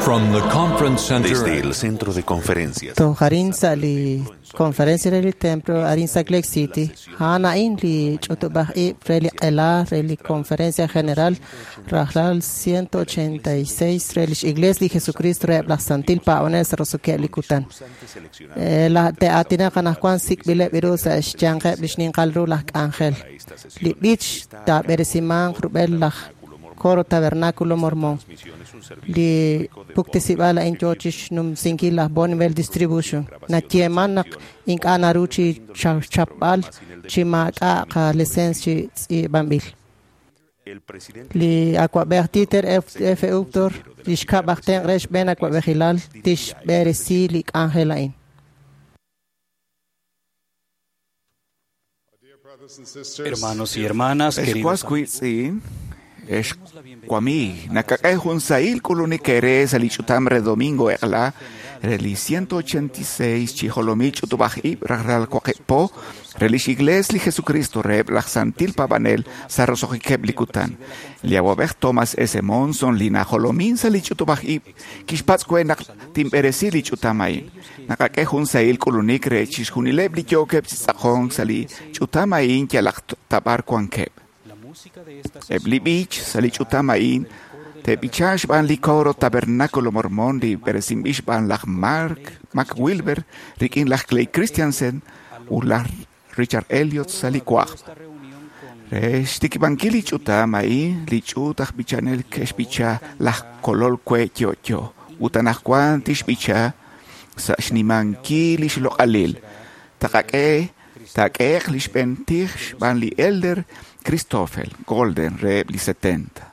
From the conference center Desde el centro de conferencias. Toj arin sa' li conferencia re li templo arin Salt Lake City, a'an a'in li ch'utub'aj ib' re li q'ela re li conferencia general rajlal 186 re lix Iglesia li Jesucristo reheb' laj Santil Paab'anel sa' roso'keb' li kutan. Te'aatinaq anaqwan sik'b'ileb' ru sa' xyanqeb' li xninqal ru laj k'anjel. Li b'ich taab'eresimanq rub'el laj Coro Tabernáculo Mormón. Li puktesib'al a'in yoo chixnumsinkil laj Bonneville Distribution. Nayeeman naq ink'a' naru chi chapb'al chi maak'a' qalicencia chi tz'iib'anb'il. Li awa'b'ej Dieter F. Uchtdorf, li xkab' aj tenq' re xb'een awa'b'ejilal, tixb'eresi li k'anjel a'in. Hermanos y hermanas, queridos Ex kwami, nakak'e jun sahil k'ulunik ere sa' li ch'utam re domingo eq'la re li 186 chi jolomil ch'utub'aj ib' rajlal waqib' po re lix Iglesia li Jesucristo reheb' laj Santil Paab'anel sa' roso'jikeb' li kutan. Li awa'b'ej Thomas S. Monson li najolomin sa' li ch'utub'aj ib' kixpatz' we naq tinb'eresi li ch'utam a'in. Nakak'e jun sahil k'ulunik re chixjunileb' li yookeb' chi tz'aqonk sa' li ch'utam a'in yalaq tab'ar wankeb'. Eb' li b'ich sa' li ch'utam a'in te'b'icha xb'aan li Coro Tabernáculo Mormón li b'eresinb'il xb'aan laj Mark McWilber rik'in laj Clay Christensen ut laj Richard Elliot sa' li wajb'. Re xtikib'ankil li ch'utam a'in li ch'uut aj b'ichanel ke'xb'icha laj Kolol we yo'yo ut anaqwan tixb'icha sa' xnimankil li xloq'alil. Taqak'e taak'ehe'q li xb'een tij xb'aan li Elder Christopher Golden reheb' li 70.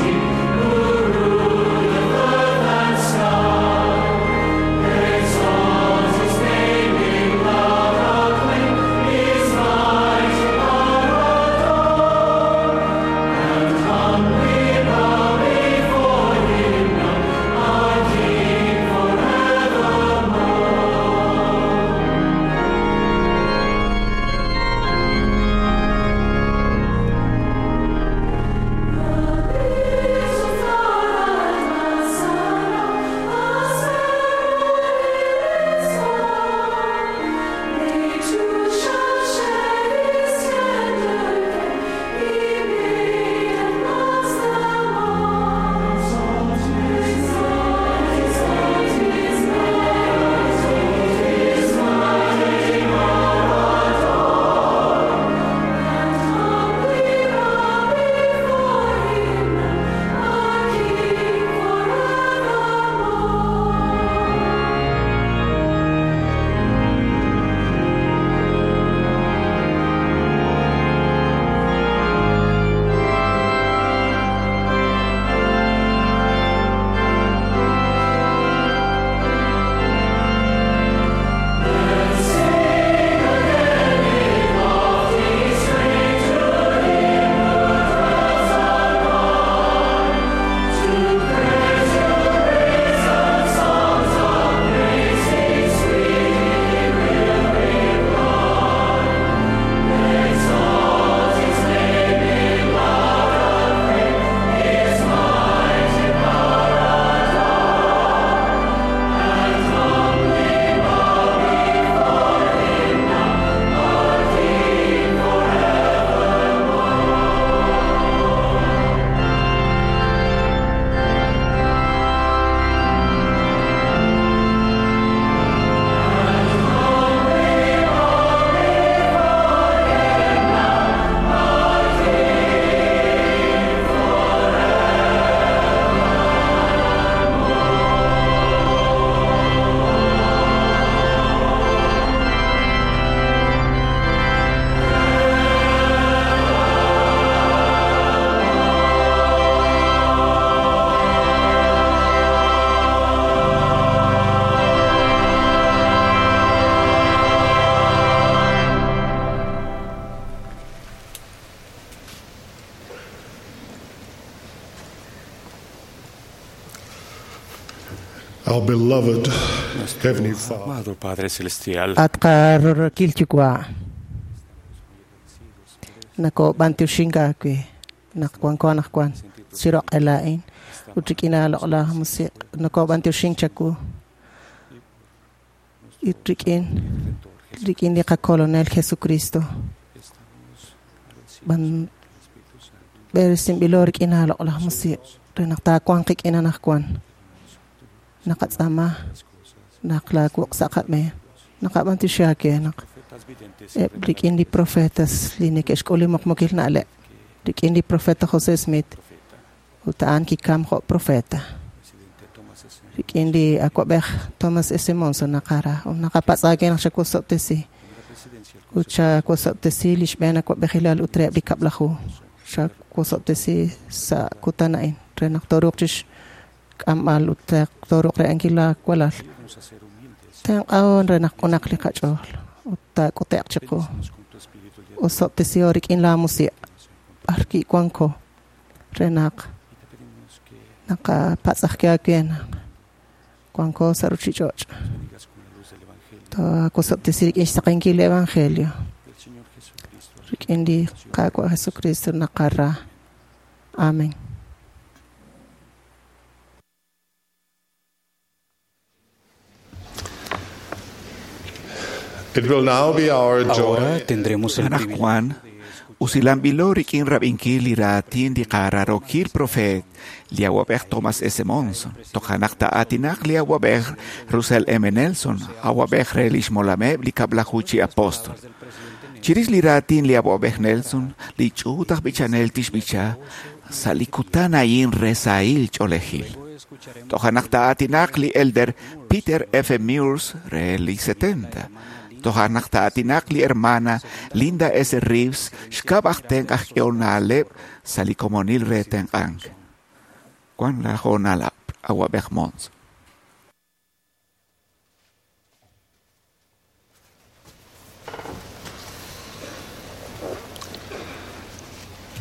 Who ruleth earth and sky. Our beloved Heavenly Father, Amado Padre Celestial, At qarorokil yuwa' nakob'antioxink aawe naq wanko anaqwan chiroq'ela'in ut rik'in aaloq'laj musiq' nakob'antioxink chawu ut rik'in rik'in li qakolonel Jesucristo b'an b'eresinb'ilo rik'in aaloq'laj musiq' re naq taawanq qik'in anaqwan naqatz'aama naq laawuq' sa' qab'een naqab'antioxi aawe naq eb' rik'in li profetas li neke'xk'ul li muqmukil na'leb' rik'in li profeta José Smith ut a'an kikam jo' profeta rik'in li awa'b'ej Thomas S. Monson naqara ut naqapatz' aawe naq xawosob'tesi ut xawosob'tesi li xb'een awa'b'ejilal ut reheb' li kab'laju xawosob'tesi sa' kutan a'in re naq tooruuq chixk'amb'al ut tooruuq re'ankil laawalal tenq'ahon re naq q'unaq li qach'ool ut taak'ute'q chiqu osob'tesiho rik'in laamusiq' b'ar ki'wanko re naq naqapatz'ajke aawe naq wanko sa' ruchich'och' taawosob'tesi rik'in xsaqenkil li evangelio rik'in li Qaawa' Jesucristo naqara amen. It will now be our joy ahora tendremos el privilegio Anaqwan, usilanb'ilo rik'in rab'inkil li raatin li qararokil profeet li awab'ej Thomas S. Monson. Tojanaq ta'aatinaq li awab'ej Russell M. Nelson, awab'ej re lix molameb' li kab'laju chi apóstol. Chirix li raatin li awab'ej Nelson, li ch'uut aj b'ichanel tixb'icha sa' li kutan a'in re sahil ch'oolejil. Tojanaq ta'aatinaq li elder Peter F. Murs re li 70. Tojanaq ta'aatinaq li hermana Linda S. Reeves xkab' aj tenq' aj k'ehol na'leb' sa' li komonil re tenq'ank. Wan la hoonal awab'ej Mons.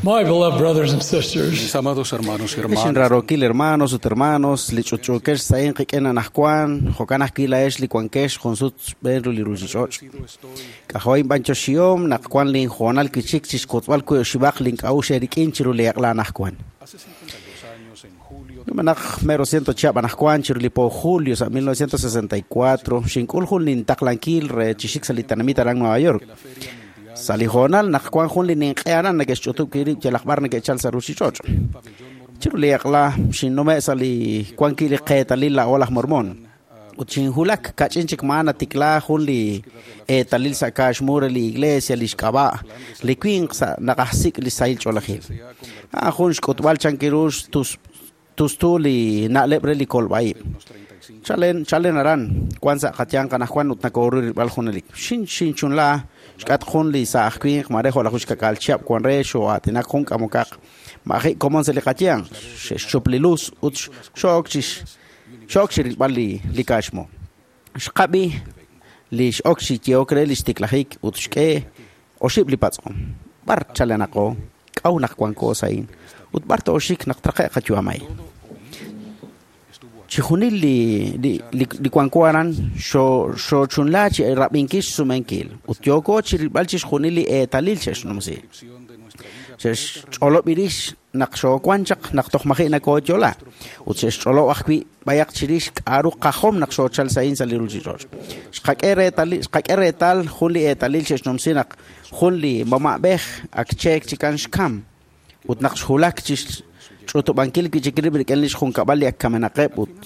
My beloved brothers and sisters, Mis amados hermanos y hermanas, Xinrarokil hermanos ut hermanos, li ch'utch'uukex sa'in qik'in anajwan, jo'kan ajwi' la'ex li wankex junsut xb'een ru li ruchich'och'. K'ajo'in b'anchoxihom naq wan linjoonal kichik chixkotzb'al wi oxib'aq link'a'uxl eerik'in chiru li eq'la anajwan. hace 52 años, en julio Numenaq mero ciento chihab' anajwan chiru li po julio sa' 1964, xink'ul jun lintaqlankil re chixik sa' li tenamit aran Nueva York. Sa' li hoonal naq wan jun li ninq'e aran neke'xch'utub' kirib' yalaq b'ar neke'chal sa' ruchich'och'. Chiru li eq'la xinnume' sa' li wan wi' li qeetalil la'o laj Mormon. Ut xinjulak kach'in chik maan natikla jun li eetalil sa' kaaxmu re li iglesia li xk'ab'a' li winq sa' naqajsik' li sahil ch'oolejil. A'an jun xk'utb'al chankiru tustu li na'leb' re li kolb'a'ib'. Chalen chalen aran wan sa' qayanq anaqwan ut nakoru rilb'al junelik. Xin xinchunla xk'at jun li sa' aj winq mare jo' laj uxkak'al chihab' wan re xo'aatinak jun k'amokaq ma'ji' komon sa' li qayanq xe'xchup li luz ut xo'ok chix xo'ok chi rilb'al li li kaaxmu. Xqab'i li x'ok xiyehok re li xtiklajik ut xk'e oxib' li patz'om. B'ar chalenaqo k'aw naq wanko sa'in ut b'ar to'oxik naq traqe' qayu'am a'in. Chijunil li li li li wanko aran xo xochunla chi rab'inkil xsumenkil ut yooko chi rilb'al chixjunil li eetalil xe'xnumsi. Xe'xch'olob' irix naq xoowan chaq naq toj maji' nakooyola ut xe'xch'olob' ajwi' b'ayaq chirix k'a'ru qajom naq xoochal sa'in sa' li ruchich'och'. Xqak'e reetalil xqak'e reetal jun li eetalil xe'xnumsi naq jun li mama'b'ej ak cheek chikan xkam ut naq xjulak chi ch'utub'ankil wi' chik rib' rik'in li xjunkab'al li ak kamenaqeb' ut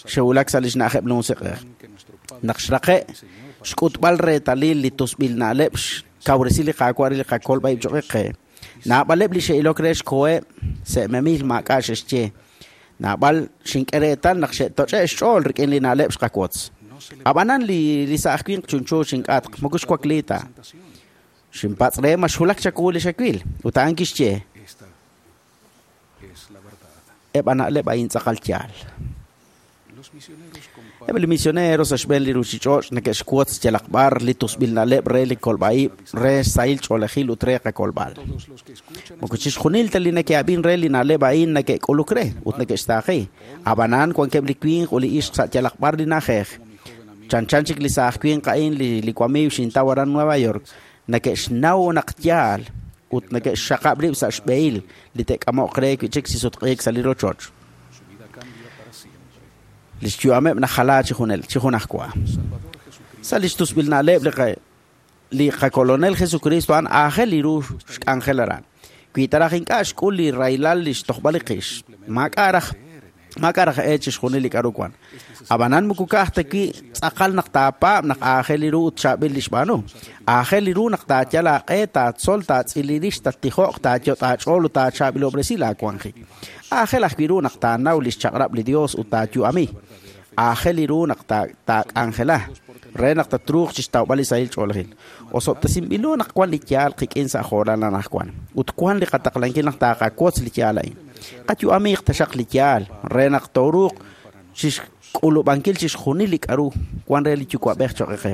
xe'wulak sa' li xna'ajeb' li musiq'ej. Naq xraqe' xk'utb'al reetalil li tusb'il na'leb' xkawresi li Qaawa' re li qakolb'a'ib' cho'q qe. Naab'aleb' li xe'ilok re xkoheb' se'memil maak'a' xe'xye. Naab'al xink'e reetal naq xe'toch'e' xch'ool rik'in li na'leb' xqawotz. Ab'anan li li sa' aj winq chunchu xink'atq moko xwakli ta. Xinpatz' re ma xwulak chawu li xawil ut a'an kixye esta es la verdad. eb' a na'leb' a'in tz'aqal yaal. Eb' li misionero sa' xb'een li ruuchich'och' neke'xwotz yalaq b'ar li tusb'il na'leb' re li kolb'a'ib', re sahil ch'oolejil ut re qakolb'al. Moko chixjunil ta li neke'ab'in re li na'leb' a'in neke'k'uluk re ut neke'xtaaqi. Ab'anan wankeb' li winq ut li ixq sa' yalaq b'ar li na'ajej. Chanchan chik li saaj winq a'in li wamiiw xintaw aran Nueva York, neke'xnaw naq yaal ut neke'xxaqab' rib' sa' xb'ehil li te'k'amo'q re wi' chik chi sutq'iik sa' li rochoch. Li xyu'ameb' najala chi junajwa. Sa' li xtusb'il na'leb' li qakolonel Jesucristo a'an aajel li ru xk'anjel aran. Wi taraj ink'a' xk'ul li rahilal li xtojb'al li qix, maak'a' raj e chixjunil li k'aru wan. Ab'anan moko ka'aj ta wi' tz'aqal naq taapaab' naq aajel li ru ut chaab'il li xb'aanu. Aajel li ru naq taayal aaq'e, taatzol, taatz'il li rix, tattijo'q, taayot' aach'ool ut taachaab'ilob'resi laawanjik. Aajel ajwi' ru naq taanaw li xchaq'rab' li Dios ut taayu'ami. Aajel li ru naq taak'anjela re naq tatruuq chi xtawb'al li sahil ch'oolejil. Osob'tesinb'ilo naq wan li yaal qik'in sa' jo'ral anaqwan ut wan li qataqlankil naq taaqawotz li yaal a'in. Qayu'amiiq taxaq li yaal re naq tooruuq chixk'ulub'ankil chixjunil li k'aru wan re li yuwa'b'ej cho'q qe.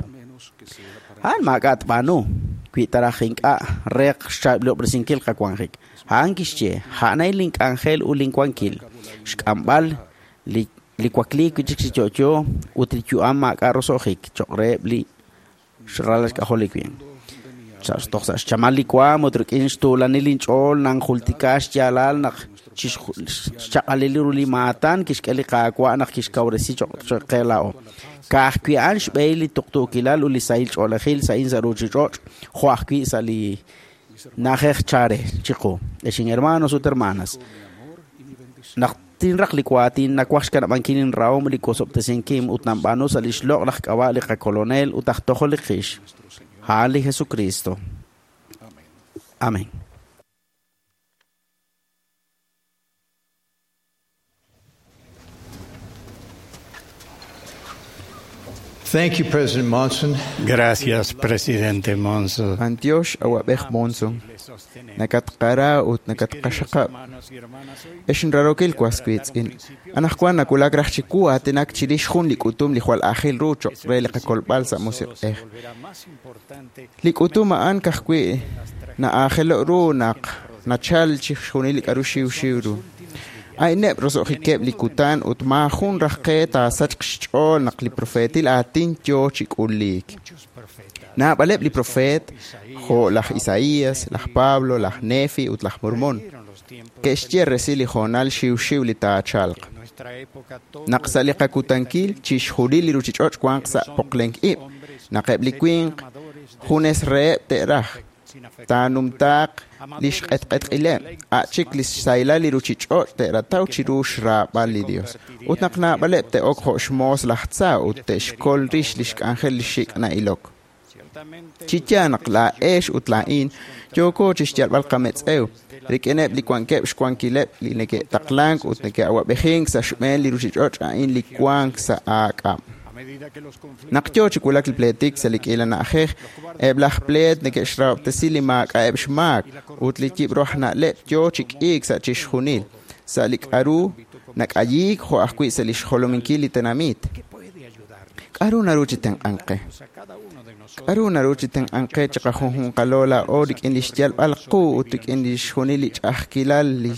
A'an maak'a' tb'aanu wi taraj ink'a' re xchaab'ilob'resinkil qawanjik. A'an kixye, a'an a'in link'anjel ut linwankil, xk'amb'al li wakliik wi' chik chi yo'yo ut li yu'am maak'a' roso'jik cho'q reheb' li xralal xk'ajol li winq. Toj sa' xchamal li waam ut rik'in xtuulanil linch'ool nanjultika xyaalal naq xchaq'alil ru li maatan kixk'e li Qaawa' naq kixkawresi cho'q qe laa'o. Ka'ajwi' a'an xb'ehil li tuqtuukilal ut li sahil ch'oolejil sa'in sa' ruuchich'och' jo' ajwi' sa' li na'ajej chare chiqu. Ex hermanos ut hermanas, naq tinraq li waatin nawaj xkanab'ankil inrahom li wosob'tesinkim ut nanb'aanu sa' li xloq' laj k'ab'a' li qakolonel ut aj tojol li qix. A'an li Jesucristo. Amén. Thank you, President Monson. Gracias, Presidente Monson. Antiox awab'ej Monson. Nakatqara ut nakatqaxaqab'. Ex nrarokil waswiitz'in. Anaqwan nakulak raj chiwu aatinak chirix jun li k'utum li jwal aajel ru cho'q re li qakolb'al sa' musiq'ej. Li k'utum a'an ka'ajwi' na'aajelo' ru naq nachal chixjunil li k'aru xiwxiw ru. A'ineb' roso'jikeb' li kutan ut maajun raj qe taasachq xch'ool naq li profeetil aatin yoo chi k'uliik. Naab'aleb' li profeet, jo' laj Isaías, laj Pablo, laj Nefi ut laj Mormón, ke'xye resil li hoonal xiwxiw li taachalq. Naq sa' li qakutankil chixjunil li ruuchich'och' wanq sa' poqlenk ib', naq eb' li winq junes reheb' te'raj, taanumtaaq li xq'etq'etq'ileb', a' chik li xsahilal li ruuchich'och' te'rataw chiru xraab'al li Dios. Ut naq naab'aleb' te'ok jo' xmoos laj tza ut te'xkol rix li xk'anjel li xik' na'ilok. Chi yaal naq laa'ex ut laa'in yooko chi xyalb'al qametz'ew rik'ineb' li wankeb' xwankileb' li neke'taqlank ut neke'awab'ejink sa' xb'een li ruuchich'och' a'in li wank sa' aak'ab'. Naq yoo chi wulak li pleetik sa' li k'iila na'ajej, eb' laj pleet neke'xrahob'tesi li maak'a'eb' xmaak ut li yib'ru aj na'leb' yoo chi k'iik sa' chixjunil, sa' li k'aru nak'ayiik jo' ajwi' sa' li xjolominkil li tenamit. K'aru naru chi tenq'ank qe? K'aru naru chi tenq'ank qe chiqajunjunqalo laa'o rik'in li xyalb'al qu ut rik'in li xjunil li ch'a'ajkilal li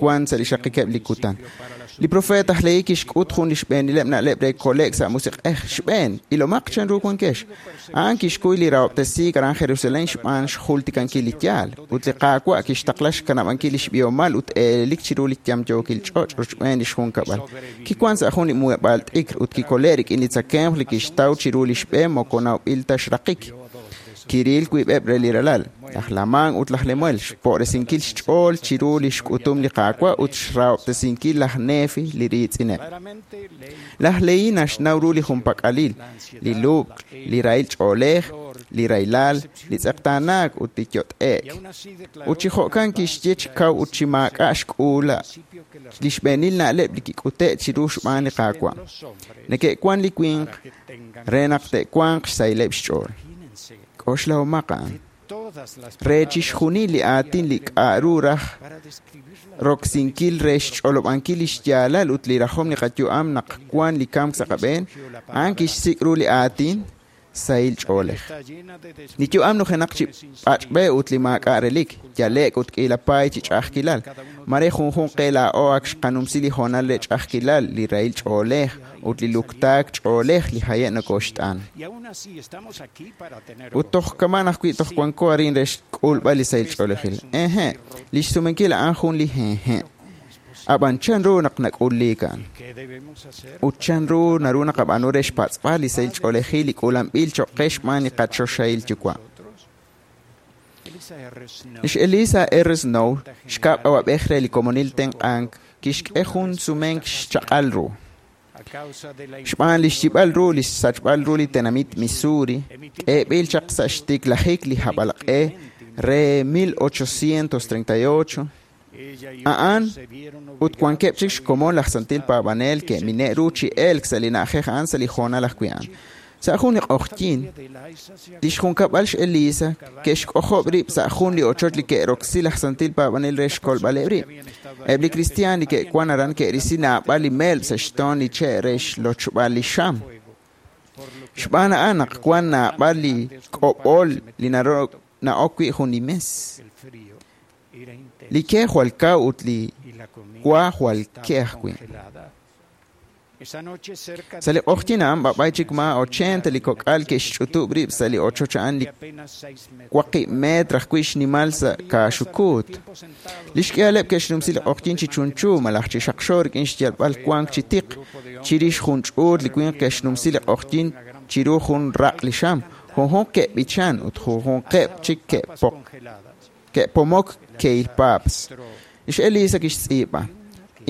wank sa' li xraqikeb' li kutan. Li profeet aj Lehi kixk'ut jun li xb'eenileb' na'leb' re kole'k sa' musiq'ej. Xb'een, ilomaq chanru wankex. A'an kixkuy li rahob'tesiik aran Jerusalén xb'aan xjultikankil li yaal, ut li Qaawa' kixtaqla xkanab'ankil li xb'ihomal ut eelelik chiru li yamyookil ch'och' rochb'een li xjunkab'al. Kiwank sa' jun li muheb'aal t'ikr ut kikole' rik'in li tzakemq li kixtaw chiru li xb'e moko nawb'il ta xraqik. Kiril wiib'eb' re li ralal, laj Lamán ut laj Lemuel, xpo'resinkil xch'ool chiru li xk'utum li Qaawa' ut xrahob'tesinkil laj Nefi li riitz'ineb'. Laj Lehi naxnaw ru li junpak'alil, li lub'k, li rahil ch'oolej, li rahilal, li tz'eqtaanaak ut li yot'e'k. Ut chi jo'kan kixye chi kaw ut chi maak'a' xk'uula li xb'eenil na'leb' li kik'ute' chiru xb'aan li Qaawa'. Neke'wan li winq re naq te'wanq xsahileb' xch'ool. K'oxlahomaq a'an. Re chixjunil li aatin li k'a'ru raj roksinkil re xch'olob'ankil li xyaalal ut li rajom li qayu'am naq wan li kamk sa' qab'een, a'an kixsik' ru li aatin sahil ch'oolej. Li yu'am nujenaq chi pach'b'e ut li maak'a' relik, yale'k ut k'iila paay chi ch'a'ajkilal. Mare junjunq qe laa'o ak xqanumsi li hoonal re ch'a'ajkilal, li rahil ch'oolej ut li luktaak ch'oolej li haye' nokoxt'an. Ut toj kaman ajwi' toj wanko arin re xk'ulb'al li sahil ch'oolejil. Eje, li xsumenkil a'an jun li hehe'. Ab'an chanru naq nak'ulliik a'an? Ut chanru naru naqab'aanu re xpatz'b'al li sahil ch'oolejil li k'uulanb'il cho'q qe xb'aan li qachoxahil yuwa'? Lix Elisa R. Snow, xkab' awab'ej re li komonil tenq'ank, kixk'e jun sumenk xchaq'al ru. Xb'aan li xyib'al ru li xsachb'al ru li tenamit Missouri, k'eeb'il chaq sa' xtiklajik li hab'alq'e re 1838, a'an ut wankeb' chik xkomon laj santil paab'anel ke'mine' ru chi elk sa' li na'ajej a'an sa' li hoonal ajwi' a'an. Sa' jun li q'oqyink, li xjunkab'al xElisa ke'xk'ojob' rib' sa' jun li ochoch li ke'roksi laj santil paab'anel re xkolb'aleb' rib'. Eb' li kristiaan li ke'wan aran ke'risi naab'al li melb' sa' xtoon li che' re xlochb'al li xam. Xb'aan a'an naq wan naab'al li k'ob'ol li na'ok wi' jun li mes. Li ke jwal kaw ut li wa jwal ke ajwi'. Sa' li q'oqyink a'an b'ab'ay chik ma 80 li kok'al ke'xch'utub' rib' sa' li ochoch a'an li 8 metr ajwi' xnimal sa' kaaxukuut. Li xk'ihaleb' ke'xnumsi li q'oqyink chi chunchu malaj chi xaqxo rik'in xyalb'al wank chi tiq. Chirix jun ch'uut li winq ke'xnumsi li q'oqyink chiru jun raq' li xam. Junjunq ke'b'ichan ut junjunqeb' chik ke'pomok ke'ilpaps. Lix Elisa kixtz'iib'a.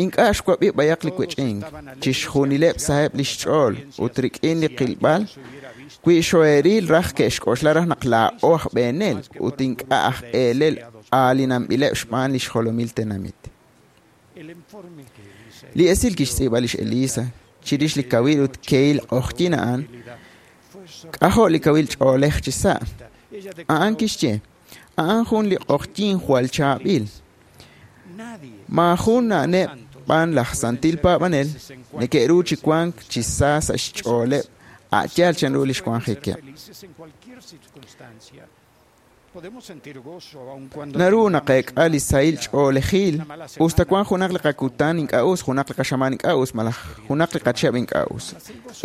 Ink'a' xwab'i b'ayaq li wech'ink, chixjunileb' saheb' li xch'ool ut rik'in li qilb'al, wi xoeril raj ke'xk'oxla raj naq laa'o aj b'eenel ut ink'a' aj eelel aalinanb'ileb' xb'aan li xjolomil tenamit. Li esil kixtz'iib'a lix Elisa chirix li kawil ut kehil q'oqyink a'an, k'ajo' li kawil ch'oolej chi sa'. A'an kixye, a'an jun li q'oqyink jwal chaab'il. Maajun na'neb' b'an laj santil paab'anel neke'ru chi wank chi sa sa' xch'ooleb' a' yaal chanru li xwanjikeb'. Naru naqeek'a li sahil ch'oolejil us ta wank junaq li qakutan ink'a' us, junaq li qaxamaan ink'a' us, malaj junaq li qachihab' ink'a' us.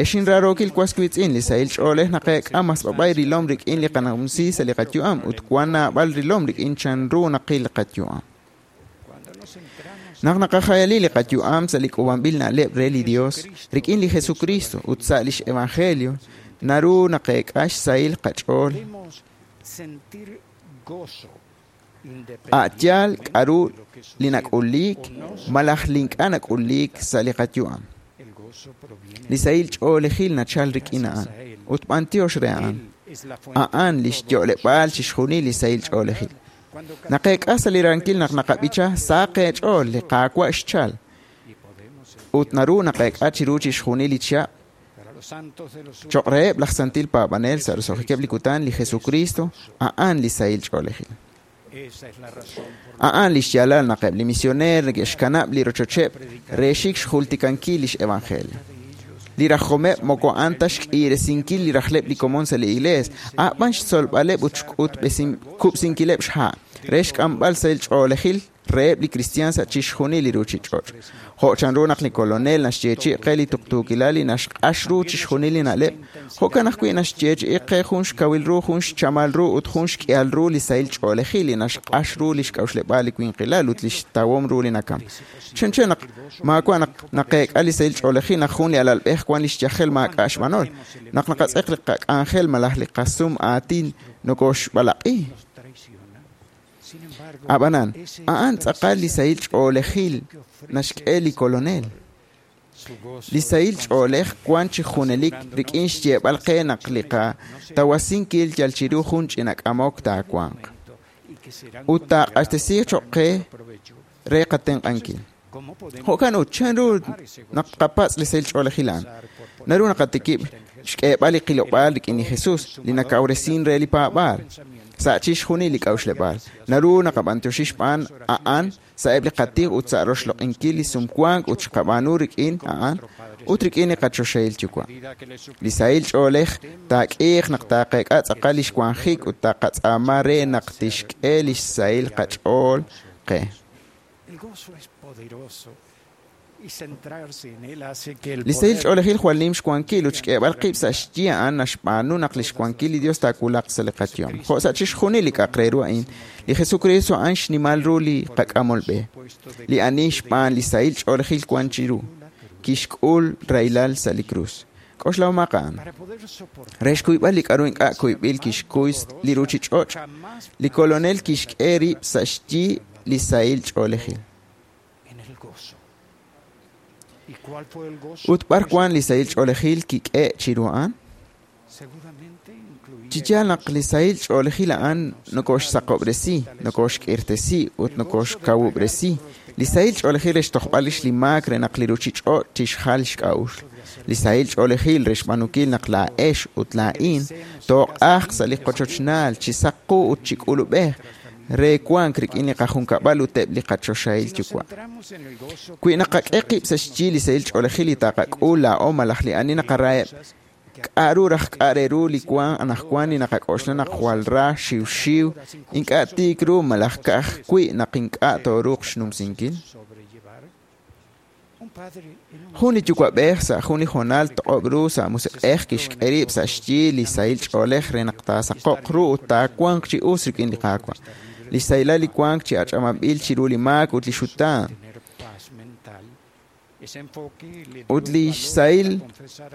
Ex inraarookil was wiitz'in, li sahil ch'oolej naqeek'a mas b'ab'ay rilom rik'in li qanumsi sa' li qayu'am ut wan naab'al rilom rik'in chanru naqil li qayu'am. Naq naqajayali li qayu'am sa' li k'uub'anb'il na'leb' re li Dios rik'in li Jesucristo ut sa' lix evangelio, naru naqeek'a xsahil qach'ool. A' yaal k'a'ru li nak'uliik malaj li ink'a' nak'uliik sa' li qayu'am. Li sahil ch'oolejil nachal rik'in a'an ut b'antiox re a'an. A'an li xyo'leb'aal chixjunil li sahil ch'oolejil. Naqeek'a sa' li rankil naq naqab'icha sa qeech'ool li Qaawa' xchal. Ut naru naqeek'a chiru chixjunil li chihab' cho'q reheb' laj santil paab'anel sa' roso'jikeb' li kutan li Jesucristo a'an li sahil ch'oolejil. A'an li xyaalal naq eb' li misioneer neke'xkanab' li rochocheb' re xik xjultikankil lix evangelio. Li rajomeb' moko a'an ta xk'iresinkil li rajleb' li komon sa' li iglees, a'b'an xtzolb'aleb' ut xk'utb'esinkileb' xha' re xk'amb'al sahil ch'oolejil reheb' li kristiaan sa' chixjunil li ruuchich'och'. Jo' chanru naq li kolonel naxyeechi'i qe li tuqtuukilal li naxq'ax ru chixjunil li na'leb', jo'kan ajwi' naxyeechi'i qe jun xkawil ru, jun xchamal ru ut jun xk'ihal ru li sahil ch'oolejil li naxq'ax ru li xk'a'uxleb'aal li winqilal ut li xtawom ru li nakam. Chanchan naq maawa' naq naqeek'a li sahil ch'oolejil naq jun li alalb'ej wan li xyajel maak'a' xb'anol, naq naqatz'eq li qak'anjel malaj li qasum aatin nokoxb'alaq'i. Ab'anan, a'an tz'aqal li sahil ch'oolejil naxk'e li kolonel. Li sahil ch'oolej wan chi junelik rik'in xyeeb'al qe naq li qatawasinkil yal chiru jun ch'ina k'amok taawanq. Ut taaq'axtesiiq cho'q qe re qatenq'ankil. Jo'kan ut chanru naq qapatz' li sahil ch'oolejil a'an. Naru naqatikib' xk'eeb'al li qilob'aal rik'in li Jesús, li nakawresin re li paab'aal. Sa' chixjunil li k'a'uxleb'aal. Naru naqab'antioxi xb'aan a'an sa'eb' li qatij ut sa' roxloq'inkil li sumwank ut xqab'aanu rik'in a'an ut rik'in li qachoxahil yuwa'. Li sahil ch'oolej taak'iiq naq taaqeek'a tz'aqal lix wanjik ut taqatz'aama re naq tixk'e lix sahil qach'ool qe. Li sahil ch'oolejil jwal nim xwankil ut xk'eeb'al qib' sa' xyi a'an naxb'aanu naq lix wankil li Dios taawulaq sa' li qayu'am. Jo' sa' chixjunil li k'a'aq re ru a'in, li Jesucristo a'an xnimal ru li qak'amol b'e. Li ani xb'aan li sahil ch'oolejil wan chiru, kixk'ul rahilal sa' li krus. K'oxlahomaq a'an. Re xkuyb'al li k'a'ru ink'a' kuyb'il kixkuy li ruchich'och', li Kolonel kixk'e rib' sa' xyi li sahil ch'oolejil. Ut b'ar wan li sahil ch'oolejil kik'e chiru a'an? Chi yaal naq li sahil ch'oolejil a'an nokoxsaqob'resi, nokoxk'irtesi ut nokoxkawub'resi. Li sahil ch'oolejil re xtojb'al rix li maak re naq li ruchich'och' tixjal xk'a'uxl. Li sahil ch'oolejil re xb'aanunkil naq laa'ex ut laa'in tooq'ajq sa' li qochochnaal chi saq qu ut chi k'ulub'ej re wank rik'in li qajunkab'al ut eb' li qachoxahil yuwa'. Wi naqak'e qib' sa' xyi li sahil ch'oolejil li taqak'ul laa'o malaj li ani naqaraheb', k'a'ru raj k'a' re ru li wan anaqwan li naqak'oxla naq jwal ra xiwxiw, ink'a' tiik ru malaj ka'ajwi' naq ink'a' tooruuq xnumsinkil? Jun li yuwa'b'ej sa' jun li hoonal toq'ob' ru sa' musiq'ej kixk'e rib' sa' xyi li sahil ch'oolej re naq taasaqo'q ru ut taawanq chi us rik'in li Qaawa'. Li xsahilal li wank chi ach'ab'anb'il chiru li maak ut li xutaan. Ut li xsahil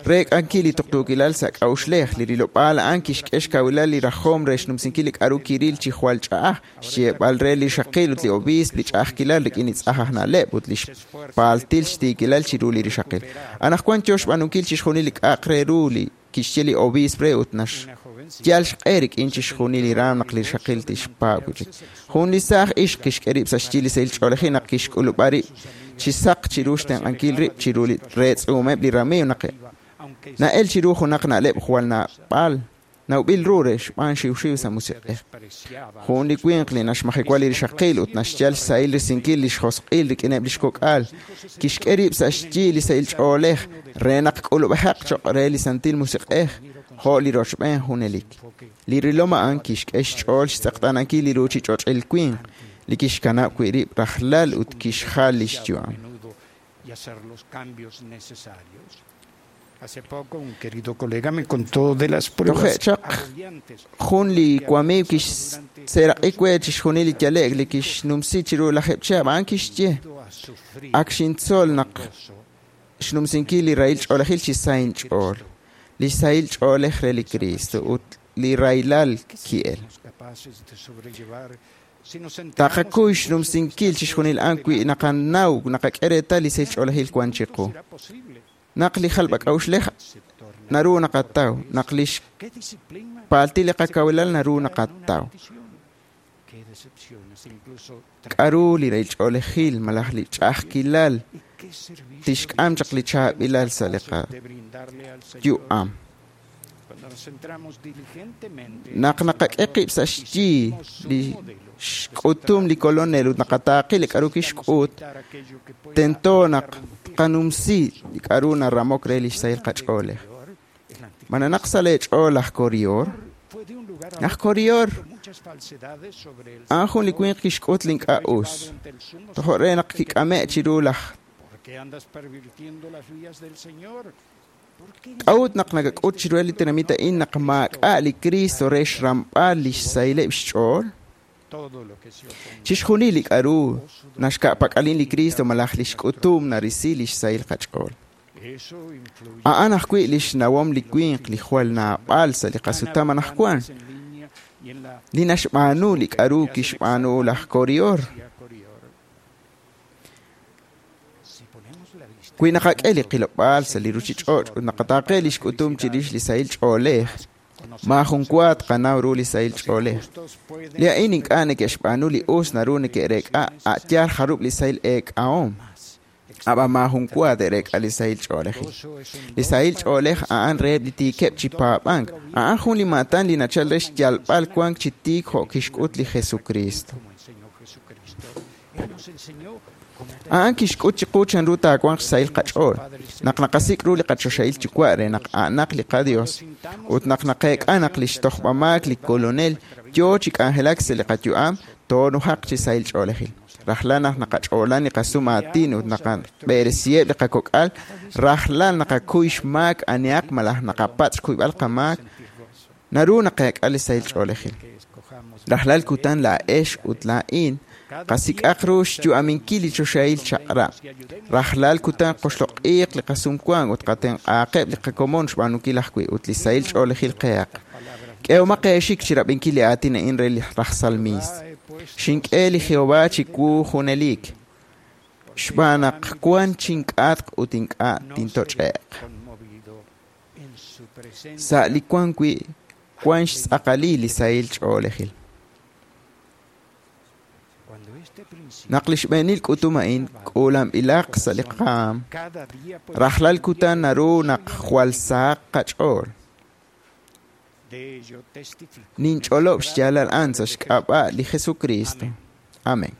reek'ankil li tuqtuukilal sa' k'a'uxlej, li rilob'aal a'an kixk'e xkawilal li rajom re xnumsinkil li k'a'ru kiril chi jwal ch'a'aj, xyeeb'al re li xaqil ut li obiisp li ch'a'ajkilal rik'in li tz'aj aj na'leb' ut li xpaaltil xtiikilal chiru li rixaqil. Anaqwan yo xb'aanunkil chixjunil li k'a'aq re ru li kixye li obiisp re ut naxyal xq'e rik'in chixjunil li raam naq li rixaqil tixpaab' wi' chik. Jun li saaj ixq kixk'e rib' sa' xyi li sahil ch'oolejil naq kixk'ulub'a rib' chi saq chiru xtenq'ankil rib' chiru li reetz'uumeb' li ramiiw naq na'el chiru junaq na'leb' jwal naab'al nawb'il ru re xb'aan xiwxiw sa' musiq'ej. Jun li winq li naxmajewa li rixaqil ut naxyal xsahil risinkil li xjosq'il rik'ineb' li xkok'al, kixk'e rib' sa' xyi li sahil ch'oolej re naq k'ulub'ejaq choq' re li santil musiq'ej jo' li rochb'een junelik. Li rilom a'an kixk'e xch'ool xtz'eqtaanankil li ruchich'och'il winq li kixkanab' wi' rib' rajlal ut kixjal li xyu'am. Toje' chaq jun li wamiiw kixseeraq'i we chixjunil li yale'k li kixnumsi chiru lajeb' chihab' a'an kixye ak xintzol naq xnumsinkil li rahil ch'oolejil chi sa inch'ool, li sahil ch'oolej re li Cristo ut li rahilal ki'el. Taqakuy xnumsinkil chixjunil a'an wi naqanaw naqak'e reetal li sahil ch'oolejil wan chiqu. Naq li jalb'ak'a'uxlej naru naqataw, naq li xpaaltil li qakawilal naru naqataw. K'a'ru li rahil ch'oolejil malaj li ch'a'ajkilal tixk'am chaq li chaab'ilal sa' li qayu'am. Naq naqak'e qib' sa' xyi li xk'utum li Kolonel ut naqataaqi li k'a'ru kixk'ut, tento naq tqanumsi li k'a'ru naramok re li xsahil qach'oolej. Ma nanaq sa' leech'ool laj Korior? Laj Korior a'an jun li winq kixk'ut li ink'a' us. Tojo' re naq kik'ame' chiru laj K'a'ut naq nakak'ut chiru li tenamit a'in naq maak'a' li Cristo re xramb'al li xsahileb' xch'ool? Chixjunil li k'a'ru naxka'pak'alin li Cristo malaj li xk'utum narisi li xsahil qach'ool. A'an ajwi' li xnawom li winq li jwal naab'al sa' li qasutam anaqwan, li naxb'aanu li k'a'ru kixb'aanu laj Korior. Wi naqak'e li qilob'aal sa' li ruchich'och' ut naqataaqe li xk'utum chirix li sahil ch'oolej, maajun wa tqanaw ru li sahil ch'oolej. Li a'in ink'a' neke'xb'aanu li us naru neke'reek'a a' yaal jarub' li sahil eek'ahom. Ab'an maajun wa te'reek'a li sahil ch'oolejil. Li sahil ch'oolej a'an reheb' li tiikeb' chi paab'ank. A'an jun li maatan li nachal re xyalb'al wank chi tiik jo' kixk'ut li Jesucristo. A'an kixk'ut chiqu chanru taawanq xsahil qach'ool. Naq naqasik' ru li qachoxahil Yuwa' re naq a'anaq li qaDios, ut naq naqeek'a naq li xtojb'amaak li Kolonel yoo chi k'anjelak sa' li qayu'am, toonujaq chi sahil ch'oolejil. Rajlal naq naqach'oolan li qasum aatin ut naqab'eresiheb' li qakok'al, rajlal naqakuy xmaak anihaq malaj naqapatz' xkuyb'al qamaak, naru naqeek'a li sahil ch'oolejil. Rajlal kutan laa'ex ut laa'in qasik'aq ru xyu'aminkil li choxahil chaq'rab'. Rajlal kutan qoxloq'iiq li qasumwank ut qatenq'aaqeb' li qakomon xb'aanunkil ajwi' ut li sahil ch'oolejil qehaq. K'ehomaq eexik chi rab'inkil li aatin a'in re li raj salmiist. Xink'e li Jehová chiwu junelik, xb'aan naq wan chink'atq ut ink'a' tintoch'e'q. Sa' li wan wi' wan xtz'aqalil li sahil ch'oolejil. Naq li xb'eenil k'utum a'in k'uulanb'ilaq sa' li qaam, rajlal kutan naru naq jwal sahaq qach'ool. Ninch'olob' xyaalal a'an sa' xk'ab'a' li Jesucristo. Amén.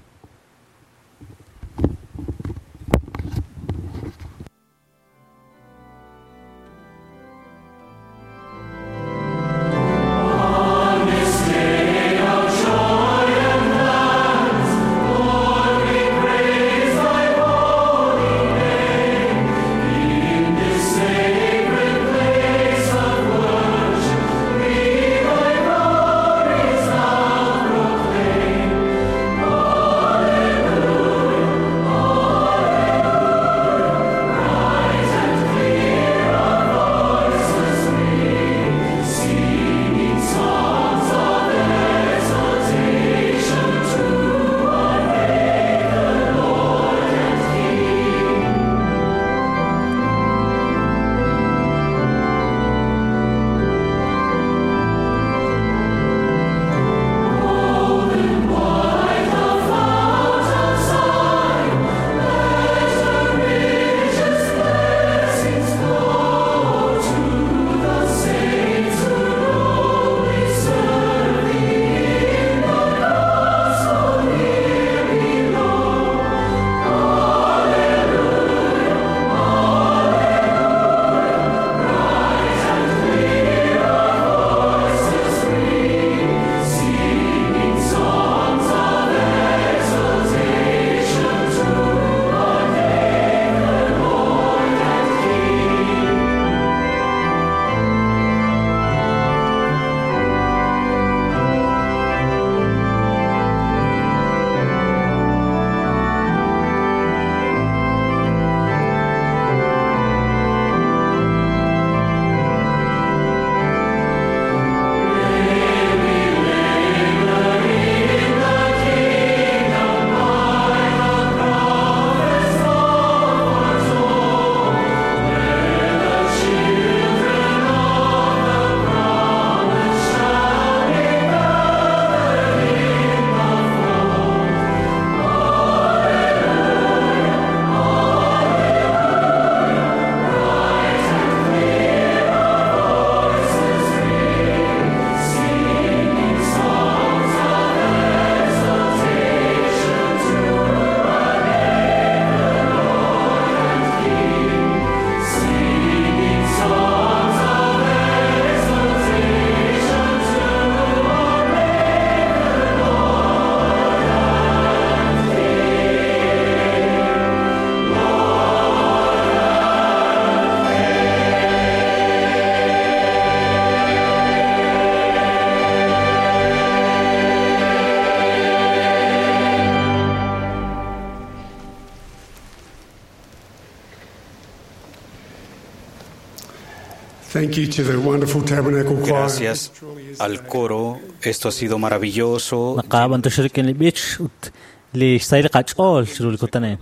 Thank you to the wonderful Tabernacle Choir. Gracias al coro, esto ha sido maravilloso. Naqab'antoxil li b'ich ut li xsahil qach'ool chiru li kutan a'in.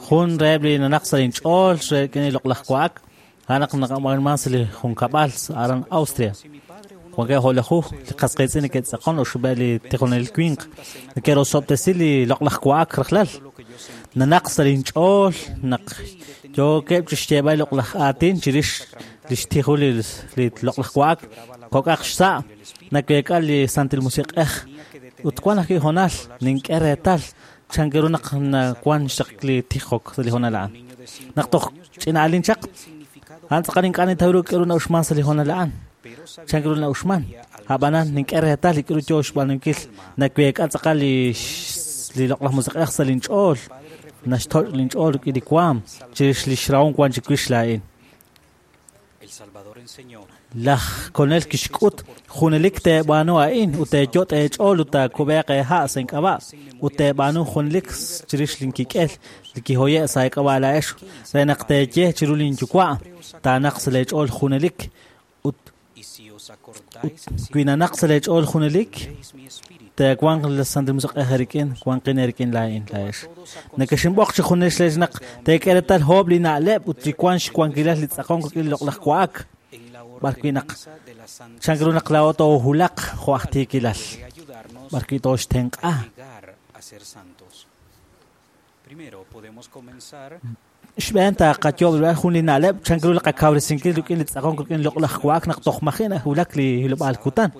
Jun reheb' li nanaq sa' inch'ool rik'in li loq'laj wa'ak, a'an naq naqab'anman sa' li junkab'al aran Austria. Wankeb' jo'lajuj li qas qiitz'in neke'tz'aqon oxib'eb' li tijonelil winq neke'rosob'tesi li loq'laj wa'ak rajlal. Nanaq sa' linch'ool naq yookeb' chixyeeb'al li loq'laj aatin chirix li xtijul li loq'laj wa'ak kok'aq xsa' naweek'a li Santil Musiq'ej ut wan ajwi' hoonal nink'e reetal chan ru naq nawan xaq li tijok sa' li hoonal a'an. Naq toj ch'ina'alin chaq a'an tz'aqal ink'a' nintaw ru k'aru na'uxman sa' li hoonal a'an. Chan ru na'uxman ab'anan nink'e reetal li k'aru yoo xb'aanunkil naweek'a tz'aqal li loq'laj musiq'ej sa' linch'ool naxtoch' linch'ool rik'in li waam chirix li xrahom wan chiwix laa'in. Laj Kolonel kixk'ut junelik teeb'aanu a'in ut teeyot' eech'ool ut taakub'eeq eeha' sa' ink'ab'a' ut teeb'aanu junelik chirix linkik'el li kihoye' sa' eek'ab'a' laa'ex re naq teeye chiru linyuwa' taanaq sa' leech'ool junelik ut wi nanaq sa' leech'ool junelik teewanq li Santil Musiq'ej eerik'in wanqin eerik'in laa'in laa'ex. Nekexinb'oq chi junelik leex naq teek'e reetal hoob' li na'leb' ut li wank xwankilal li tz'aqonk rik'in li loq'laj wa'ak b'arwi' naq chan ru naq laa'o toohulaq jo' aj tiikilal b'arwi' tooxtenq'a. Xb'een taqayob' jun li na'leb' chan ru li qakawresinkil rik'in li tz'aqonk rik'in li loq'laj wa'ak naq toj maji' nahulak li hilob'aal kutan